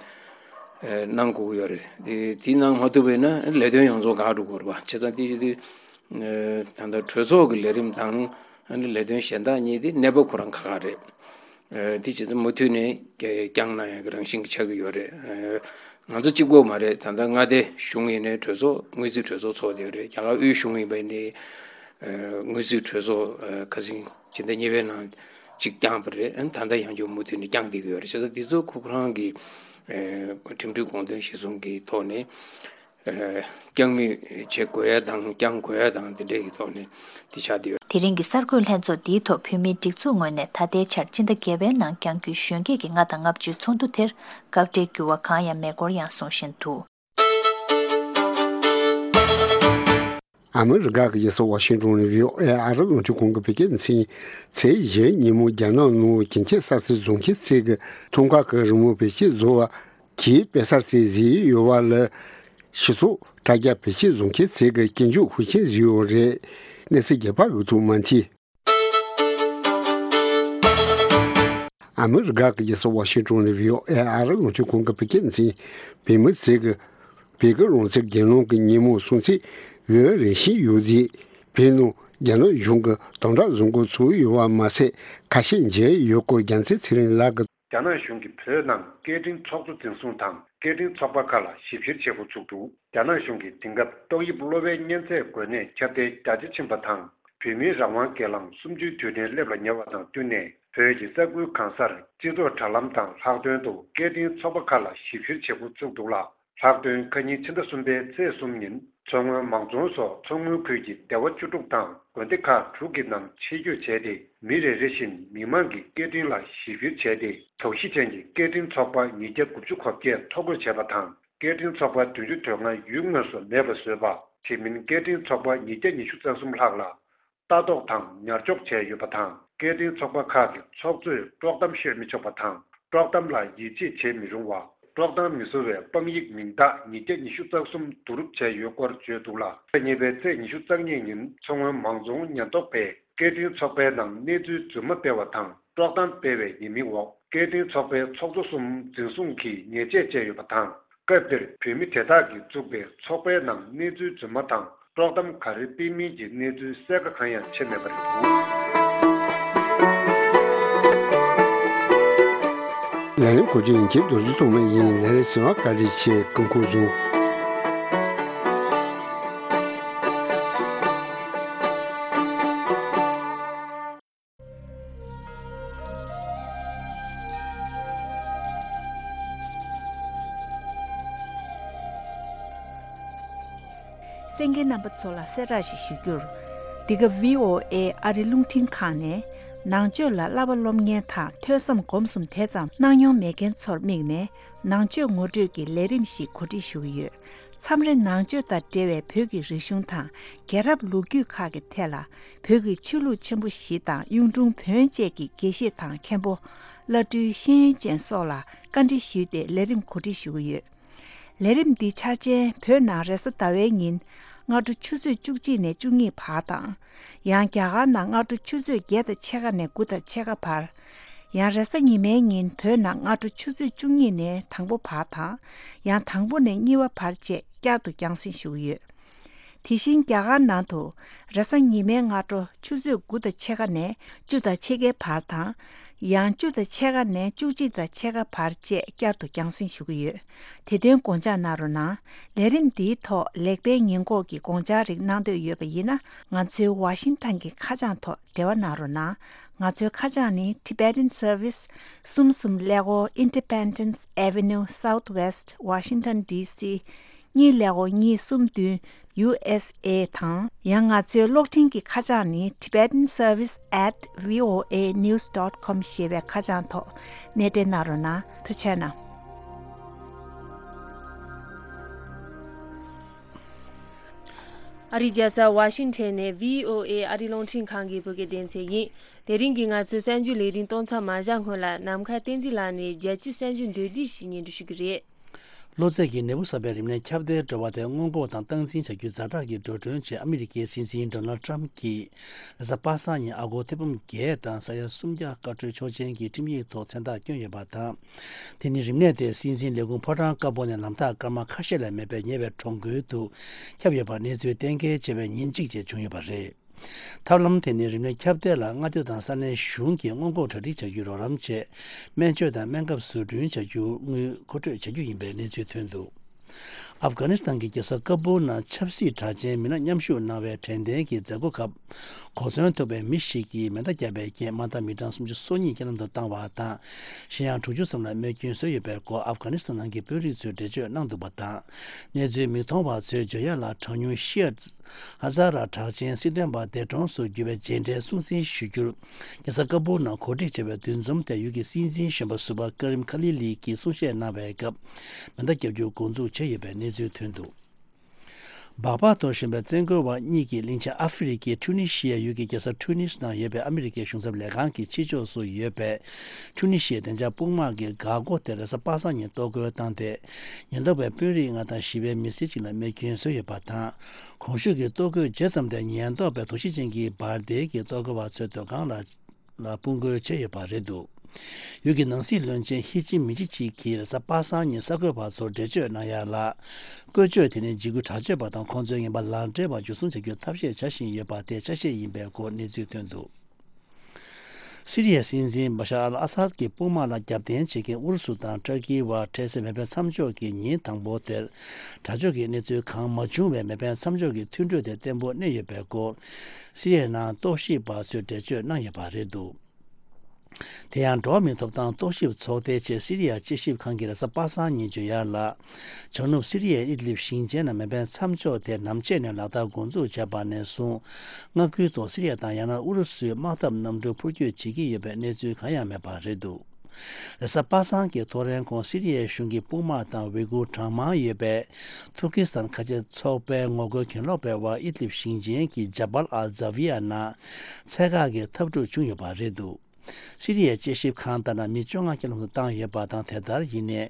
ཨ་གནང་དགོས་ཀྱི་ཡོད་རེད། དེ་དེ་གནང་མ་ཐུབ་པ་ཡིན་ན་ལས་དོན་ཡོངས་རྫོགས་འགག་འགྲོ་གི་རེད་པ། བྱས་ཙང་དེ་དེ་ཨ་ད་ལྟ་གྲོས་ཚོགས་ཀྱི་ལས་རིམ་དང་ཨ་ནི་ལས་དོན་གཞན་དག་གཉིས་དེ་གནས་བབ་ཁོ་རང་ཁག་ཁག་རེད། ཨ་དེ་བྱས་ཙང་མུ་མཐུད་ནས་བསྐྱངས་གནང་ཡག་གི་རང་བཞིན་གྱི་ཆགས་ཀྱི་ཡོད་རེད། ཨ་ང་ཚོ་གཅིག་པོ་མ་རེད། ད་ལྟ་མངའ་སྡེ་གཞུང་ཡིན་ནའི་གྲོས་ཚོགས་དངུལ་རྩིས་གྲོས་ཚོགས་ཚོགས་བསྡད་ཡོད་རེད། རྒྱ་གར་དབུས་གཞུང་ཡིན་པ་ཡིན་ནའི་ཨ་དངུལ་རྩིས་གྲོས་ཚོགས་ཨ་ཁ་སང་ཕྱི་ཟླ་གཉིས་པའི་ནང་གཅིག་བསྐྱངས་པ་རེད། ཨ་ད་ལྟ་ཡང་བསྐྱར་མུ་མཐུད་ནས་བསྐྱངས་བསྡད་ཀྱི་ཡོད་རེད། བྱས་ཙང་འདི་ཚོ་ཁོ་རང་གི་ཨ་ཁྲིམས་སྒྲིག་གོང་དོན་གཞིར་བཟུང་གི་ཐོག་ནས། ཨ་བསྐྱང་མུས་བྱེད་དགོས་ཡ་དང་བསྐྱང་དགོས་ཡ་དང་དེ་འདྲའི་གི་ཐོག་ནས་དེ་ཆགས་བསྡད་ཡོད། དེ་རིང་གི་གསར་འགོད་ལྷན་ཚོགས་འདིའི་ཐོག་བོད་མིའི་སྒྲིག་འཛུགས་ངོས་ནས་ད་ལྟའི་ཆར་སྤྱི་ཟླ་བརྒྱད་པའི་ནང་བསྐྱང་རྒྱུའི་གཞོན་སྐྱེས་ཀྱི་ལྔ་དང་ལྔ་བཅུའི་ཚོགས་འདུ་དེར་སྐབས་འབྲེལ་འགྱུར་བ་གང་ཡང་མེད་སྐོར་ཡང་གསུང་བཞིན་འདུག་ཨ་མི་རི་ཀ་གི་རྒྱལ་ས་ཝ་ཤིང་ཏོན་ནས་བྷི་ཨོ་ཨེ་ཨ་རི་རླུང་འཕྲིན་ཁང་གི་བོད་སྐད་སྡེ་ཚན་ཚེས་བཞི་ཉིན་མོ་རྒྱ་ནག་ནང་གྱེན་ཆས་གསར་ཚེས་བཟོ་མཁན་ཚོས་ཀྱི་འཁྲུངས་སྐར་གྱི་རི་མོ་བེད་སྤྱོད་བཟོ་བ། གིས་དཔེ་གསར་རྩེ་བཟོས་ཡོད་པ་ལ། སྤྱི་ཚོགས་དྲ་རྒྱ་བེད་སྤྱོད་བཟོ་མཁན་ཚོས་ཀྱི་སྐྱོན་བརྗོད་ཤུགས་ཆེན་བཟོས་ཡོད་རེད། གནས་ཚུལ་རྒྱས་པ་འོད་ཐུག་མ་མཐིལ། ཨ་མི་རི་ཀ་གི་རྒྱལ་ས་ཝ་ཤིང་ཏོན་ནས་བྷི་ཨོ་ཨེ་ཨ་རི་རླུང་འཕྲིན་ཁང་གི་བོད་སྐད་སྡེ་ཚན་བོད་མི་ཚོས་ཀྱི་བོད་ཀྱི་རང་བཙན་སྒེར་ལངས་ཀྱི་ཉིན་མོ་སྲུང་བརྩི་འོས་རེ་བཞིན་ཡོད་དེ། བོད་ནང་རྒྱ་ནག་གཞུང་གི་དམ་དྲག་བཟོ་འགོ་ཚུགས་ཡོད་པ་མ་ཟད། ཁ་ཤས་མཇལ་ཡོད་སྐོར་རྒྱལ་མཚན་ཚེ་རིང་ལགས་ཀྱིས། རྒྱ་ནག་གཞུང་གིས་བོད་ནང་སྐད་འཕྲིན་ཚོགས་གཙོ་འཛིན་བཟུང་དང་སྐད་འཕྲིན་ཚོགས་པ་ཁག་ལ་ཞིབ་བཤེར་བྱེད་འགོ་ཚུགས་འདུག་རྒྱ་ནག་གཞུང་གིས་དེང་སྐབས་ཏོག་དབྱིབས་གློ་བའི་གཉན་ཚད་འགོས་ནད་ཁྱབ་གདལ་རྒྱ་ཆེ་ཕྱིན་པ་དང་། བོད་མིའི་རང་དབང་སྒེར་ལངས་གསུམ་བཅུའི་དུས་དྲན་སླེབས་ལ་ཉེ་བ་དང་བསྟུན་ནས། བོད་ཀྱི་ས་ཁུལ་གང་སར་སྤྱི་ཚོགས་དྲ་ལམ་དང་ལྷག་དོན་དུ་སྐད་འཕྲིན་ཚོགས་པ་ཁག་ལ་ཞིབ་བཤེར་བྱེད་འགོ་ཚུགས་འདུག་ལ། ལྷག་དོན་ཁ་ཉིན་ཕྱི་ཟླ་གསུམ་པའི་ཚེས་གསུམ་ཉིན། མཚོ་སྔོན་མང་རྫོང་སོགས་མཚོ་སྔོན་ཁུལ་གྱི་སྡེ་བ་བཅུ་དྲུག་དང་དགོན་སྡེ་ཁག་དྲུག་གི་ནང་ཆེད་བསྐྱོད་བྱས་ཏེ། མི་རེ་རེ་བཞིན་མི་མང་གི་སྐད་འཕྲིན་ལ་ཞིབ་བཤེར་བྱས་ཏེ། དོགས་གཞི་ཅན་གྱི་སྐད་འཕྲིན་ཚོགས་པ་ཉིས་བརྒྱ་དགུ་བཅུ་གོ་བརྒྱད་ཐོ་འགོད་བྱས་པ་དང་། སྐད་འཕྲིན་ཚོགས་པ་བདུན་ཅུ་དོན་ལྔ་ཡུལ་དངོས་སུ་མེད་པ་བཟོས་པ། དེ་མིན་སྐད་འཕྲིན་ཚོགས་པ་ཉིས་བརྒྱ་ཉི་ཤུ་རྩ་གསུམ་ལྷག་ལ། ལྟ་རྟོག་དང་ཉར་འཇོག་བྱས་ཡོད་པ་དང་། སྐད་འཕྲིན་ཚོགས་པ་ཁག་གི་ཚོགས་གཙོས་དཀྲོག་གཏམ་བཤད་མི་ཆོག་པ་དང་། དཀྲོག་གཏམ་ལ་ཡིད་ཆེས་བྱེད་མི་རུང་བ། དཀྲོག་གཏམ་མི་བཟོ་བའི་དཔང་ཡིག་མིང་རྟགས་ཉིས་བརྒྱ་ཉི་ཤུ་རྩ་གསུམ་བསྡུ་རུབ་བྱས་ཡོད་སྐོར་བརྗོད་འདུག་ལ། ཉེ་བའི་ཚེས་ཉི་ཤུ་རྩ་གཉིས་ཉིན་མཚོ་སྔོན་མང་རྫོང་ཉེན་རྟོག་པས་སྐད་འཕྲིན་ཚོགས་པའི་ནང་གནས་ཚུལ་རྫུན་མ་སྤེལ་བ་དང་། དཀྲོག་གཏམ་སྤེལ་བའི་ཉེས་མིང་འོག་སྐད་འཕྲིན་ཚོགས་པའི་ཚོགས་གཙོ་གསུམ་འཛིན་བཟུང་གིས་ཉེས་ཆད་བཅད་ཡོད་པ་དང་། སྐབས་དེར་བོད་མི་དེ་དག་གིས་བཙུགས་པའི་ཚོགས་པའི་ནང་གནས་ཚུལ་རྫུན་མ་དང་དཀྲོག་གཏམ་ག་རེ་སྤེལ་མིན་གྱི་གནས་ཚུལ་གསལ་ཁ་གང་ཡང་ཕྱེ་མེད་པ་རེད་འདུག་ལས་རིམ་གོ་སྒྲིག་ཡིན་གྱི་རྡོ་རྗེ་ཐོགས་མེད་ཡིན། ལས་རིམ་གསན་པར་བཀའ་དྲིན་ཆེ། སྐུ་ཁམས་བཟང་། གསན་མཁན་རྣམ་པ་ཚོ་ལ་གསལ་བསྒྲགས་ཤིག་ཞུ་རྒྱུར། འདི་ག་བྷི་ཨོ་ཨེ་ཨ་རི་རླུང་འཕྲིན་ཁང་ནས་ནང་ཆོས་ལ་བསླབ་པ་སློབ་གཉེར་དང་ཐོས་བསམ་སྒོམ་གསུམ་དེ་ཙམ་གནང་མྱོང་མེད་མཁན་ཚོར་དམིགས་ནས་ནང་ཆོས་ངོ་སྤྲོད་ཀྱི་ལས་རིམ་ཞིག་གོ་སྒྲིག་ཞུ་གི་ཡོད། མཚམས་རེ་ནང་ཆོས་དང་འབྲེལ་བའི་བོད་ཀྱི་རིག་གཞུང་དང་རྒྱལ་རབས་ལོ་རྒྱུས་ཁག་གི་ཐད་ལ་བོད་ཀྱི་ཆོས་ལུགས་ཆེན་པོ་བཞི་དང་གཡུང་དྲུང་བོན་བཅས་ཀྱི་དགེ་བཤེས་དང་མཁན་པོ། བླ་སྤྲུལ་ཤེས་ཡོན་ཅན་སོགས་ལ་བཀའ་འདྲི་ཞུས་ཏེ་ལས་རིམ་གོ་སྒྲིག་ཞུ་གི་ཡོད། ལས་རིམ་འདིའི་འཆར་ཅན་བོད་ནང་རེས་གཟའ་ཟླ་བའི་ཉིན་སྔ་དྲོ་ཆུ་ཚོད་བཅུ་གཅིག་ནས་བཅུ་གཉིས་བར་དང་། ཡང་རྒྱ་གར་ནང་སྔ་དྲོ་ཆུ་ཚོད་བརྒྱད་དང་ཕྱེད་ཀ་ནས་དགུ་དང་ཕྱེད་ཀ་བར། ཡང་རེས་གཟའ་ཉི་མའི་ཉིན་བོད་ནང་སྔ་དྲོ་ཆུ་ཚོད་བཅུ་གཉིས་ནས་དང་པོ་བར་དང་། ཡང་དང་པོ་ནས་གཉིས་པ་བར་བཅས་བསྐྱར་དུ་རྒྱང་སྲིང་ཞུ་གི་ཡོད། དེ་བཞིན་རྒྱ་གར་ནང་དུ་རེས་གཟའ་ཉི་མའི་སྔ་དྲོ་ཆུ་ཚོད་དགུ་དང་ཕྱེད་ཀ་ནས་བཅུ་དང་ཕྱེད་ཀའི་བར་དང་། ཡང་བཅུ་དང་ཕྱེད་ཀ་ནས་བཅུ་གཅིག་དང་ཕྱེད་ཀ་བར་བཅས་བསྐྱར་དུ་རྒྱང་སྲིང་ཞུ་གི་ཡོད། དེ་དོན་དགོངས་འཇགས་གནང་རོགས་གནང་། ལས་རིམ་འདིའི་ཐོག་ལེགས་སྤེལ་ཉེས་འགོག་གི་དགོངས་འཆར་རིགས་གནང་འདོད་ཡོད་པ་ཡིན་ན། ང་ཚོའི་ཝ་ཤིང་ཊོན་གྱི་ཁ་བྱང་ཐོག་འབྲེལ་བ་གནང་རོགས་གནང་། ང་ཚོའི་ཁ་བྱང་ནི། Tibetan Service། གསུམ་གསུམ་ཀླད་ཀོར། Independence Avenue Southwest Washington D C གཉིས་ཀླད་ཀོར་གཉིས་གསུམ་བདུན། U S A དང་། ཡང་ང་ཚོའི་གློག་འཕྲིན་གྱི་ཁ་བྱང་ནི། Tibetan Service at V O A news dot com ཞེས་པའི་ཁ་བྱང་ཐོག་གནས་འབྲེལ་གནང་རོགས་གནང་། ཐུགས་རྗེ་གནང་། ཨ་རིའི་རྒྱལ་ས་ཝ་ཤིང་ཊོན་ནས་V O A ཨ་རིའི་རླུང་འཕྲིན་ཁང་གི་བོད་སྐད་སྡེ་ཚན་ཡིན། དེ་རིང་གི་ང་ཚོའི་གསར་འགྱུར་ལས་རིམ་གཏོང་མཚམས་མ་བཞག་སྔོན་ལ། ནམ་མཁའ་བསྟན་འཛིན་ལགས་ནས་རྒྱལ་སྤྱིའི་གསར་འགྱུར་མདོར་བསྡུས་ཤིག་སྙན་སྒྲོན་ཞུ་གི་རེད། གློ་ཚད་ཀྱི་ནད་འབུ་གསར་པའི་རིམས་ནད་ཁྱབ་གདལ་འགྲོ་བ་དེ་སྔོན་འགོག་དང་སྟངས་འཛིན་བྱ་རྒྱུའི་ཛ་དྲག་གི་འགྲོ་གྲོན་ཆེད་ཨ་མི་རི་ཀའི་སྲིད་འཛིན་ཌོ་ནལ་ཊམ་གྱིས་རེས་གཟའ་པ་སངས་ཉིན་ཨ་སྒོར་ཐེར་འབུམ་བརྒྱད་དང་ས་ཡ་སུམ་བརྒྱ་བཀའ་འཁྲོལ་ཆོག་མཆན་གྱི་ཁྲིམས་ཡིག་ཐོག་མཚན་རྟགས་བསྐྱོན་ཡོད་པ་དང་། དེ་ནི་རིམས་ནད་དེ་སྲིད་འཛིན་ལས་ཁུངས་ཕོ་བྲང་དཀར་པོ་ནས་ལམ་ཐག་སྐར་མ་ཁ་ཤས་ལས་མེད་པའི་ཉེ་བའི་གྲོང་ཁུལ་དུ་ཁྱབ་ཡོད་པར་གནས་ཚུལ་གཏན་འཁེལ་བྱས་པའི་ཉིན་གཅིག་རྗེས་བྱུང་ཡོད་པ་རེད། ཐབས་ལམ་དེ་ནི་རིམས་ནད་ཁྱབ་གདལ་ལ་མངའ་སྡེ་དང་ས་གནས་གཞུང་གིས་སྔོན་འགོག་གྲ་སྒྲིག་བྱ་རྒྱུའི་རོགས་རམ་ཆེད། སྨན་བཅོས་དང་སྨན་ཁབ་བཟོ་སྐྲུན་བྱ་རྒྱུར་དངུལ་མཁོ་སྤྲོད་བྱ་རྒྱུ་ཡིན་པའི་གནས་ཚུལ་ཐོན་འདུག་ཨབ་གྷ་ནི་སི་ཐན་གྱི་རྒྱལ་ས་ཀ་བུལ་ནང་ཆབ་སྲིད་དྲག་ཅན་མི་སྣ་མཉམ་ཞུགས་གནང་བའི་དྲན་རྟེན་གྱི་མཛད་སྒོ་སྐབས། གོ་མཚོན་ཐུག་པའི་མི་ཞིག་གིས་མེ་མདའ་བརྒྱབ་པའི་རྐྱེན་དམག་འཐབ་མི་གྲངས་སུམ་ཅུ་སོ་གཉིས་རྐྱེན་ལམ་དུ་བཏང་བ་དང་། གཞན་ཡང་དྲུག་ཅུ་ཙམ་ལ་རྨས་སྐྱོན་བཟོས་ཡོད་པའི་སྐོར་ཨབ་གྷ་ནི་སི་ཐན་ནང་གི་དཔོན་རིགས་ཚོས་འགྲེལ་བརྗོད་གནང་འདུག་པ་དང་། གནས་ཚུལ་མིག་མཐོང་བ་ཚོས་བརྗོད་ཡག་ལ། གྲངས་ཉུང་ཤི་ཡ་ཧ་ཛ་ར་དྲག་ཅན་སྲིད་དོན་པ་འདས་གྲོངས་སུ་གྱུར་བའི་རྗེས་དྲན་སྲུང་བརྩི་ཞུ་རྒྱུར། རྒྱལ་ས་ཀ་བུལ་ནང་གོ་སྒྲིག་བྱས་པའི་འདུ་འཛོམས་དེར་ཡུལ་གྱི་སྲིད་འཛིན་གཞོན་པ་ཟུར་པ་ཀ་རིམ་ཁ་ལི་ལི་གིས་གསུང་བཤད་གནང་བའི་སྐབས། མེ་མདའ་བརྒྱབ་རྒྱུ་འགོ་འཛུགས་བྱས་ཡོད་པའི་གནས་ཚུལ་ཐོན་འདུག་སྦག་སྦག་ཏུ་བཞོན་པའི་བཙོན་རྒོལ་བ་གཉིས་ཀྱིས་གླིང་ཆེན་ཨ་ཧྥེ་རི་ཁའི་ཁྲུ་ནི་ཤི་ཡའི་ཡུལ་གྱི་རྒྱལ་ས་ཁྲུ་ནིས་ནང་ཡོད་པའི་ཨ་མི་རི་ཀའི་གཞུང་ཚབ་ལས་ཁང་གི་ཕྱི་ཕྱོགས་སུ་ཡོད་པའི་ཁྲུ་ནི་ཤི་ཡའི་བདེ་འཇགས་དཔུང་དམག་གི་འགག་སྒོ་དེ་རེས་གཟའ་པ་སངས་ཉིན་གཏོར་རྒོལ་བཏང་སྟེ། ཉེན་རྟོག་པས་དཔོན་རིགས་ལྔ་དང་ཞི་བའི་མི་སེར་གཅིག་ལ་རྨས་སྐྱོན་བཟོས་ཡོད་པ་དང་། གོང་ཞུས་ཀྱི་གཏོར་རྒོལ་བྱས་ཙམ་དེ་ཉེན་རྟོག་པས་དོགས་གཞི་ཅན་གྱི་འབར་མདེལ་གྱིས་གཏོར་རྒོལ་བ་ཚོའི་སྡོད་ཁང་ལ། ལ་དཔུང་རྒོལ་བྱས་ཡོད་པ་རེད་འདུག་ཡུལ་གྱི་ནང་སྲིད་བློན་ཆེན་ཧི་ཅི་མི་ཅི་ཅིག་གིས་རེས་གཟའ་པ་སངས་ཉིན་གསར་འགོད་པ་ཚོར་འགྲེལ་བརྗོད་གནང་ཡ་ལ། བཀོལ་སྤྱོད་དེ་ནི་འཇིགས་སྐུལ་དྲག་སྤྱོད་པ་དང་ཁོང་ཚོའི་ངན་པ་ལག་འབྲེལ་བ་འཇུ་བཟུང་བྱ་རྒྱུའི་ཐབས་ཤེས་བྱ་བཞིན་ཡོད་པ་དེ་ཆ་ཤས་ཡིན་པའི་སྐོར་གནས་ཚུལ་ཐོན་འདུག་སི་རི་ཡའི་སྲིད་འཛིན་བ་ཤར་ཨལ་ཨ་སཱད་ཀྱི་དཔུང་དམག་ལ་རྒྱབ་རྟེན་བྱེད་མཁན་ཨུ་རུ་སུ་དང་ཏུར་ཀི་བར་འཕྲལ་སེལ་མེ་འཕེན་མཚམས་འཇོག་གི་ཉིན་དང་པོ་དེར། དྲག་སྤྱོད་ཀྱི་གནས་ཚུལ་གང་མ་བྱུང་བས་མེ་འཕེན་མཚམས་འཇོག་གི་མཐུན་གྲོས་དེ་བརྟན་པོ་གནས་ཡོད་པའི་སྐོར། སི་རི་ཡའི་ནང་རྟོག་ཞིབ་པ་ཚོས་འགྲེལ་བརྗོད་གནང་ཡོད་པ་རེད་འདུག་དེ་ཡང་འགྲོ་བ་མིའི་ཐོབ་ཐང་རྟོག་ཞིབ་ཚོགས་སྡེ་ཆེད་སི་རི་ཡ་དཔྱད་ཞིབ་ཁང་གིས་རེས་གཟའ་པ་སངས་ཉིན་བརྗོད་ཡ་ལ། བྱང་ནུབ་སི་རི་ཡའི་ཨིད་ལིབ་ཞིང་ཆེན་ནང་མེ་འཕེན་མཚམས་འཇོག་དེ་ནམ་ཕྱེད་ནས་ལག་བསྟར་འགོ་འཛུགས་བྱས་པ་ནས་བཟུང་། མངའ་ཁུལ་དུ་སི་རི་ཡ་དང་ཡང་ན་ཨུ་རུ་སུའི་དམག་འཐབ་གནམ་གྲུ་འཕུར་སྐྱོད་བྱེད་ཀྱི་ཡོད་པའི་གནས་ཚུལ་གང་ཡང་མེད་པ་རེད་འདུག་རེས་གཟའ་པ་སངས་ཀྱི་ཐོ་རེངས་གོང་སི་རི་ཡའི་གཞུང་གི་དཔུང་དམག་དང་ཝེ་གུར་གྲངས་མང་ཡོད་པའི་ཐུར་ཀི་སི་ཐན་ཁ་ཆེ་ཚོགས་པའི་ངོ་རྒོལ་གྱེན་ལོག་པའི་དབར་ཨིད་ལིབ་ཞིང་ཆེན་གྱི་ཇ་བལ་ཨལ་ཛ་ཝི་ཡ་ནང་ཚད་བཀག་གི་འཐབ་འཁྲུག་བྱུང་ཡོད་པ་རེད་འདུག་སི་རི་ཡའི་དཔྱད་ཞིབ་ཁང་ལྟར་ན་མི་བཅོ་ལྔ་རྐྱེན་ལམ་དུ་བཏང་ཡོད་པ་དང་། དེ་ལྟར་ཡིན་ནའི་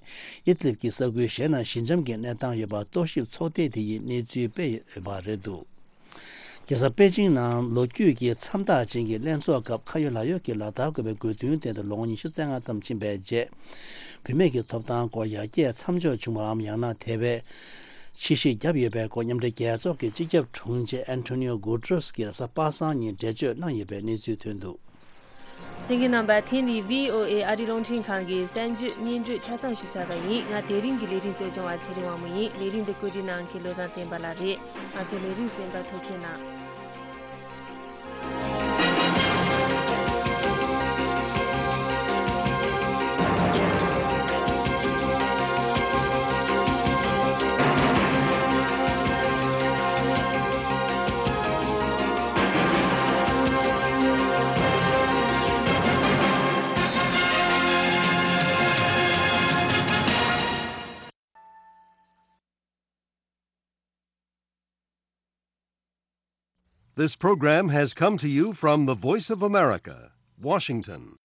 ཨིད་ལིབ་ཀྱི་ས་ཁུལ་གཞན་ན་ཞི་འཇམ་གྱི་གནས་སྟངས་ཡོད་པ་རྟོག་ཞིབ་ཚོགས་སྡེ་དེ་ཡིས་གནས་ཚུལ་སྤེལ་ཡོད་པ་རེད་འདུག་རྒྱལ་ས་པེ་ཅིང་ནང་ལོ་རྒྱུས་ཀྱི་མཚམས་རྟགས་ཅན་གྱི་ལྷན་ཚོགས་སྐབས་ཁ་ཡོད་ལག་ཡོད་ཀྱི་ལག་བསྟར་དགོས་པའི་དགོས་འདུན་བཏོན་ཏེ་ལོ་ངོ་ཉི་ཤུ་རྩ་ལྔ་ཙམ་ཕྱིན་པའི་རྗེས། བུད་མེད་ཀྱི་ཐོབ་ཐང་སྐོར་ཡར་རྒྱས་མཚམས་འཇོག་བྱུང་བའམ་ཡང་ན་དེ་བས་ཕྱིར་བཤིག་བརྒྱབ་ཡོད་པའི་སྐོར་མཉམ་འབྲེལ་རྒྱལ་ཚོགས་ཀྱི་སྤྱི་ཁྱབ་དྲུང་ཆེ་ཨན་ཐོ་ནིའོ་གུ་ཏྲོས་ཀྱིས་རེས་གཟའ་པ་སངས་ཉིན་འགྲེལ་བརྗོད་གནང་ཡོད་པའི་གནས་ཚུལ་ཐོན་འདུག་གསན་མཁན་རྣམ་པ། དེ་ནི་བྷི་ཨོ་ཨེ་ཨ་རིའི་རླུང་འཕྲིན་ཁང་གི་གསར་འགྱུར་སྙན་སྒྲོན་ཆ་ཚང་ཞུས་ཚར་བ་ཡིན། ང་དེ་རིང་གི་ལས་རིམ་གཙོ་སྐྱོང་བ་ཚེ་རིང་དབང་མོ་ཡིན། ལས་རིམ་འདི་བཀོད་སྒྲིག་གནང་མཁན་བློ་བཟང་བསྟན་པ་ལགས་རེད། ང་ཚོའི་ལས་རིམ་གསན་པར་ཐུགས་རྗེ་གནང་། This program has come to you from the Voice of America, Washington.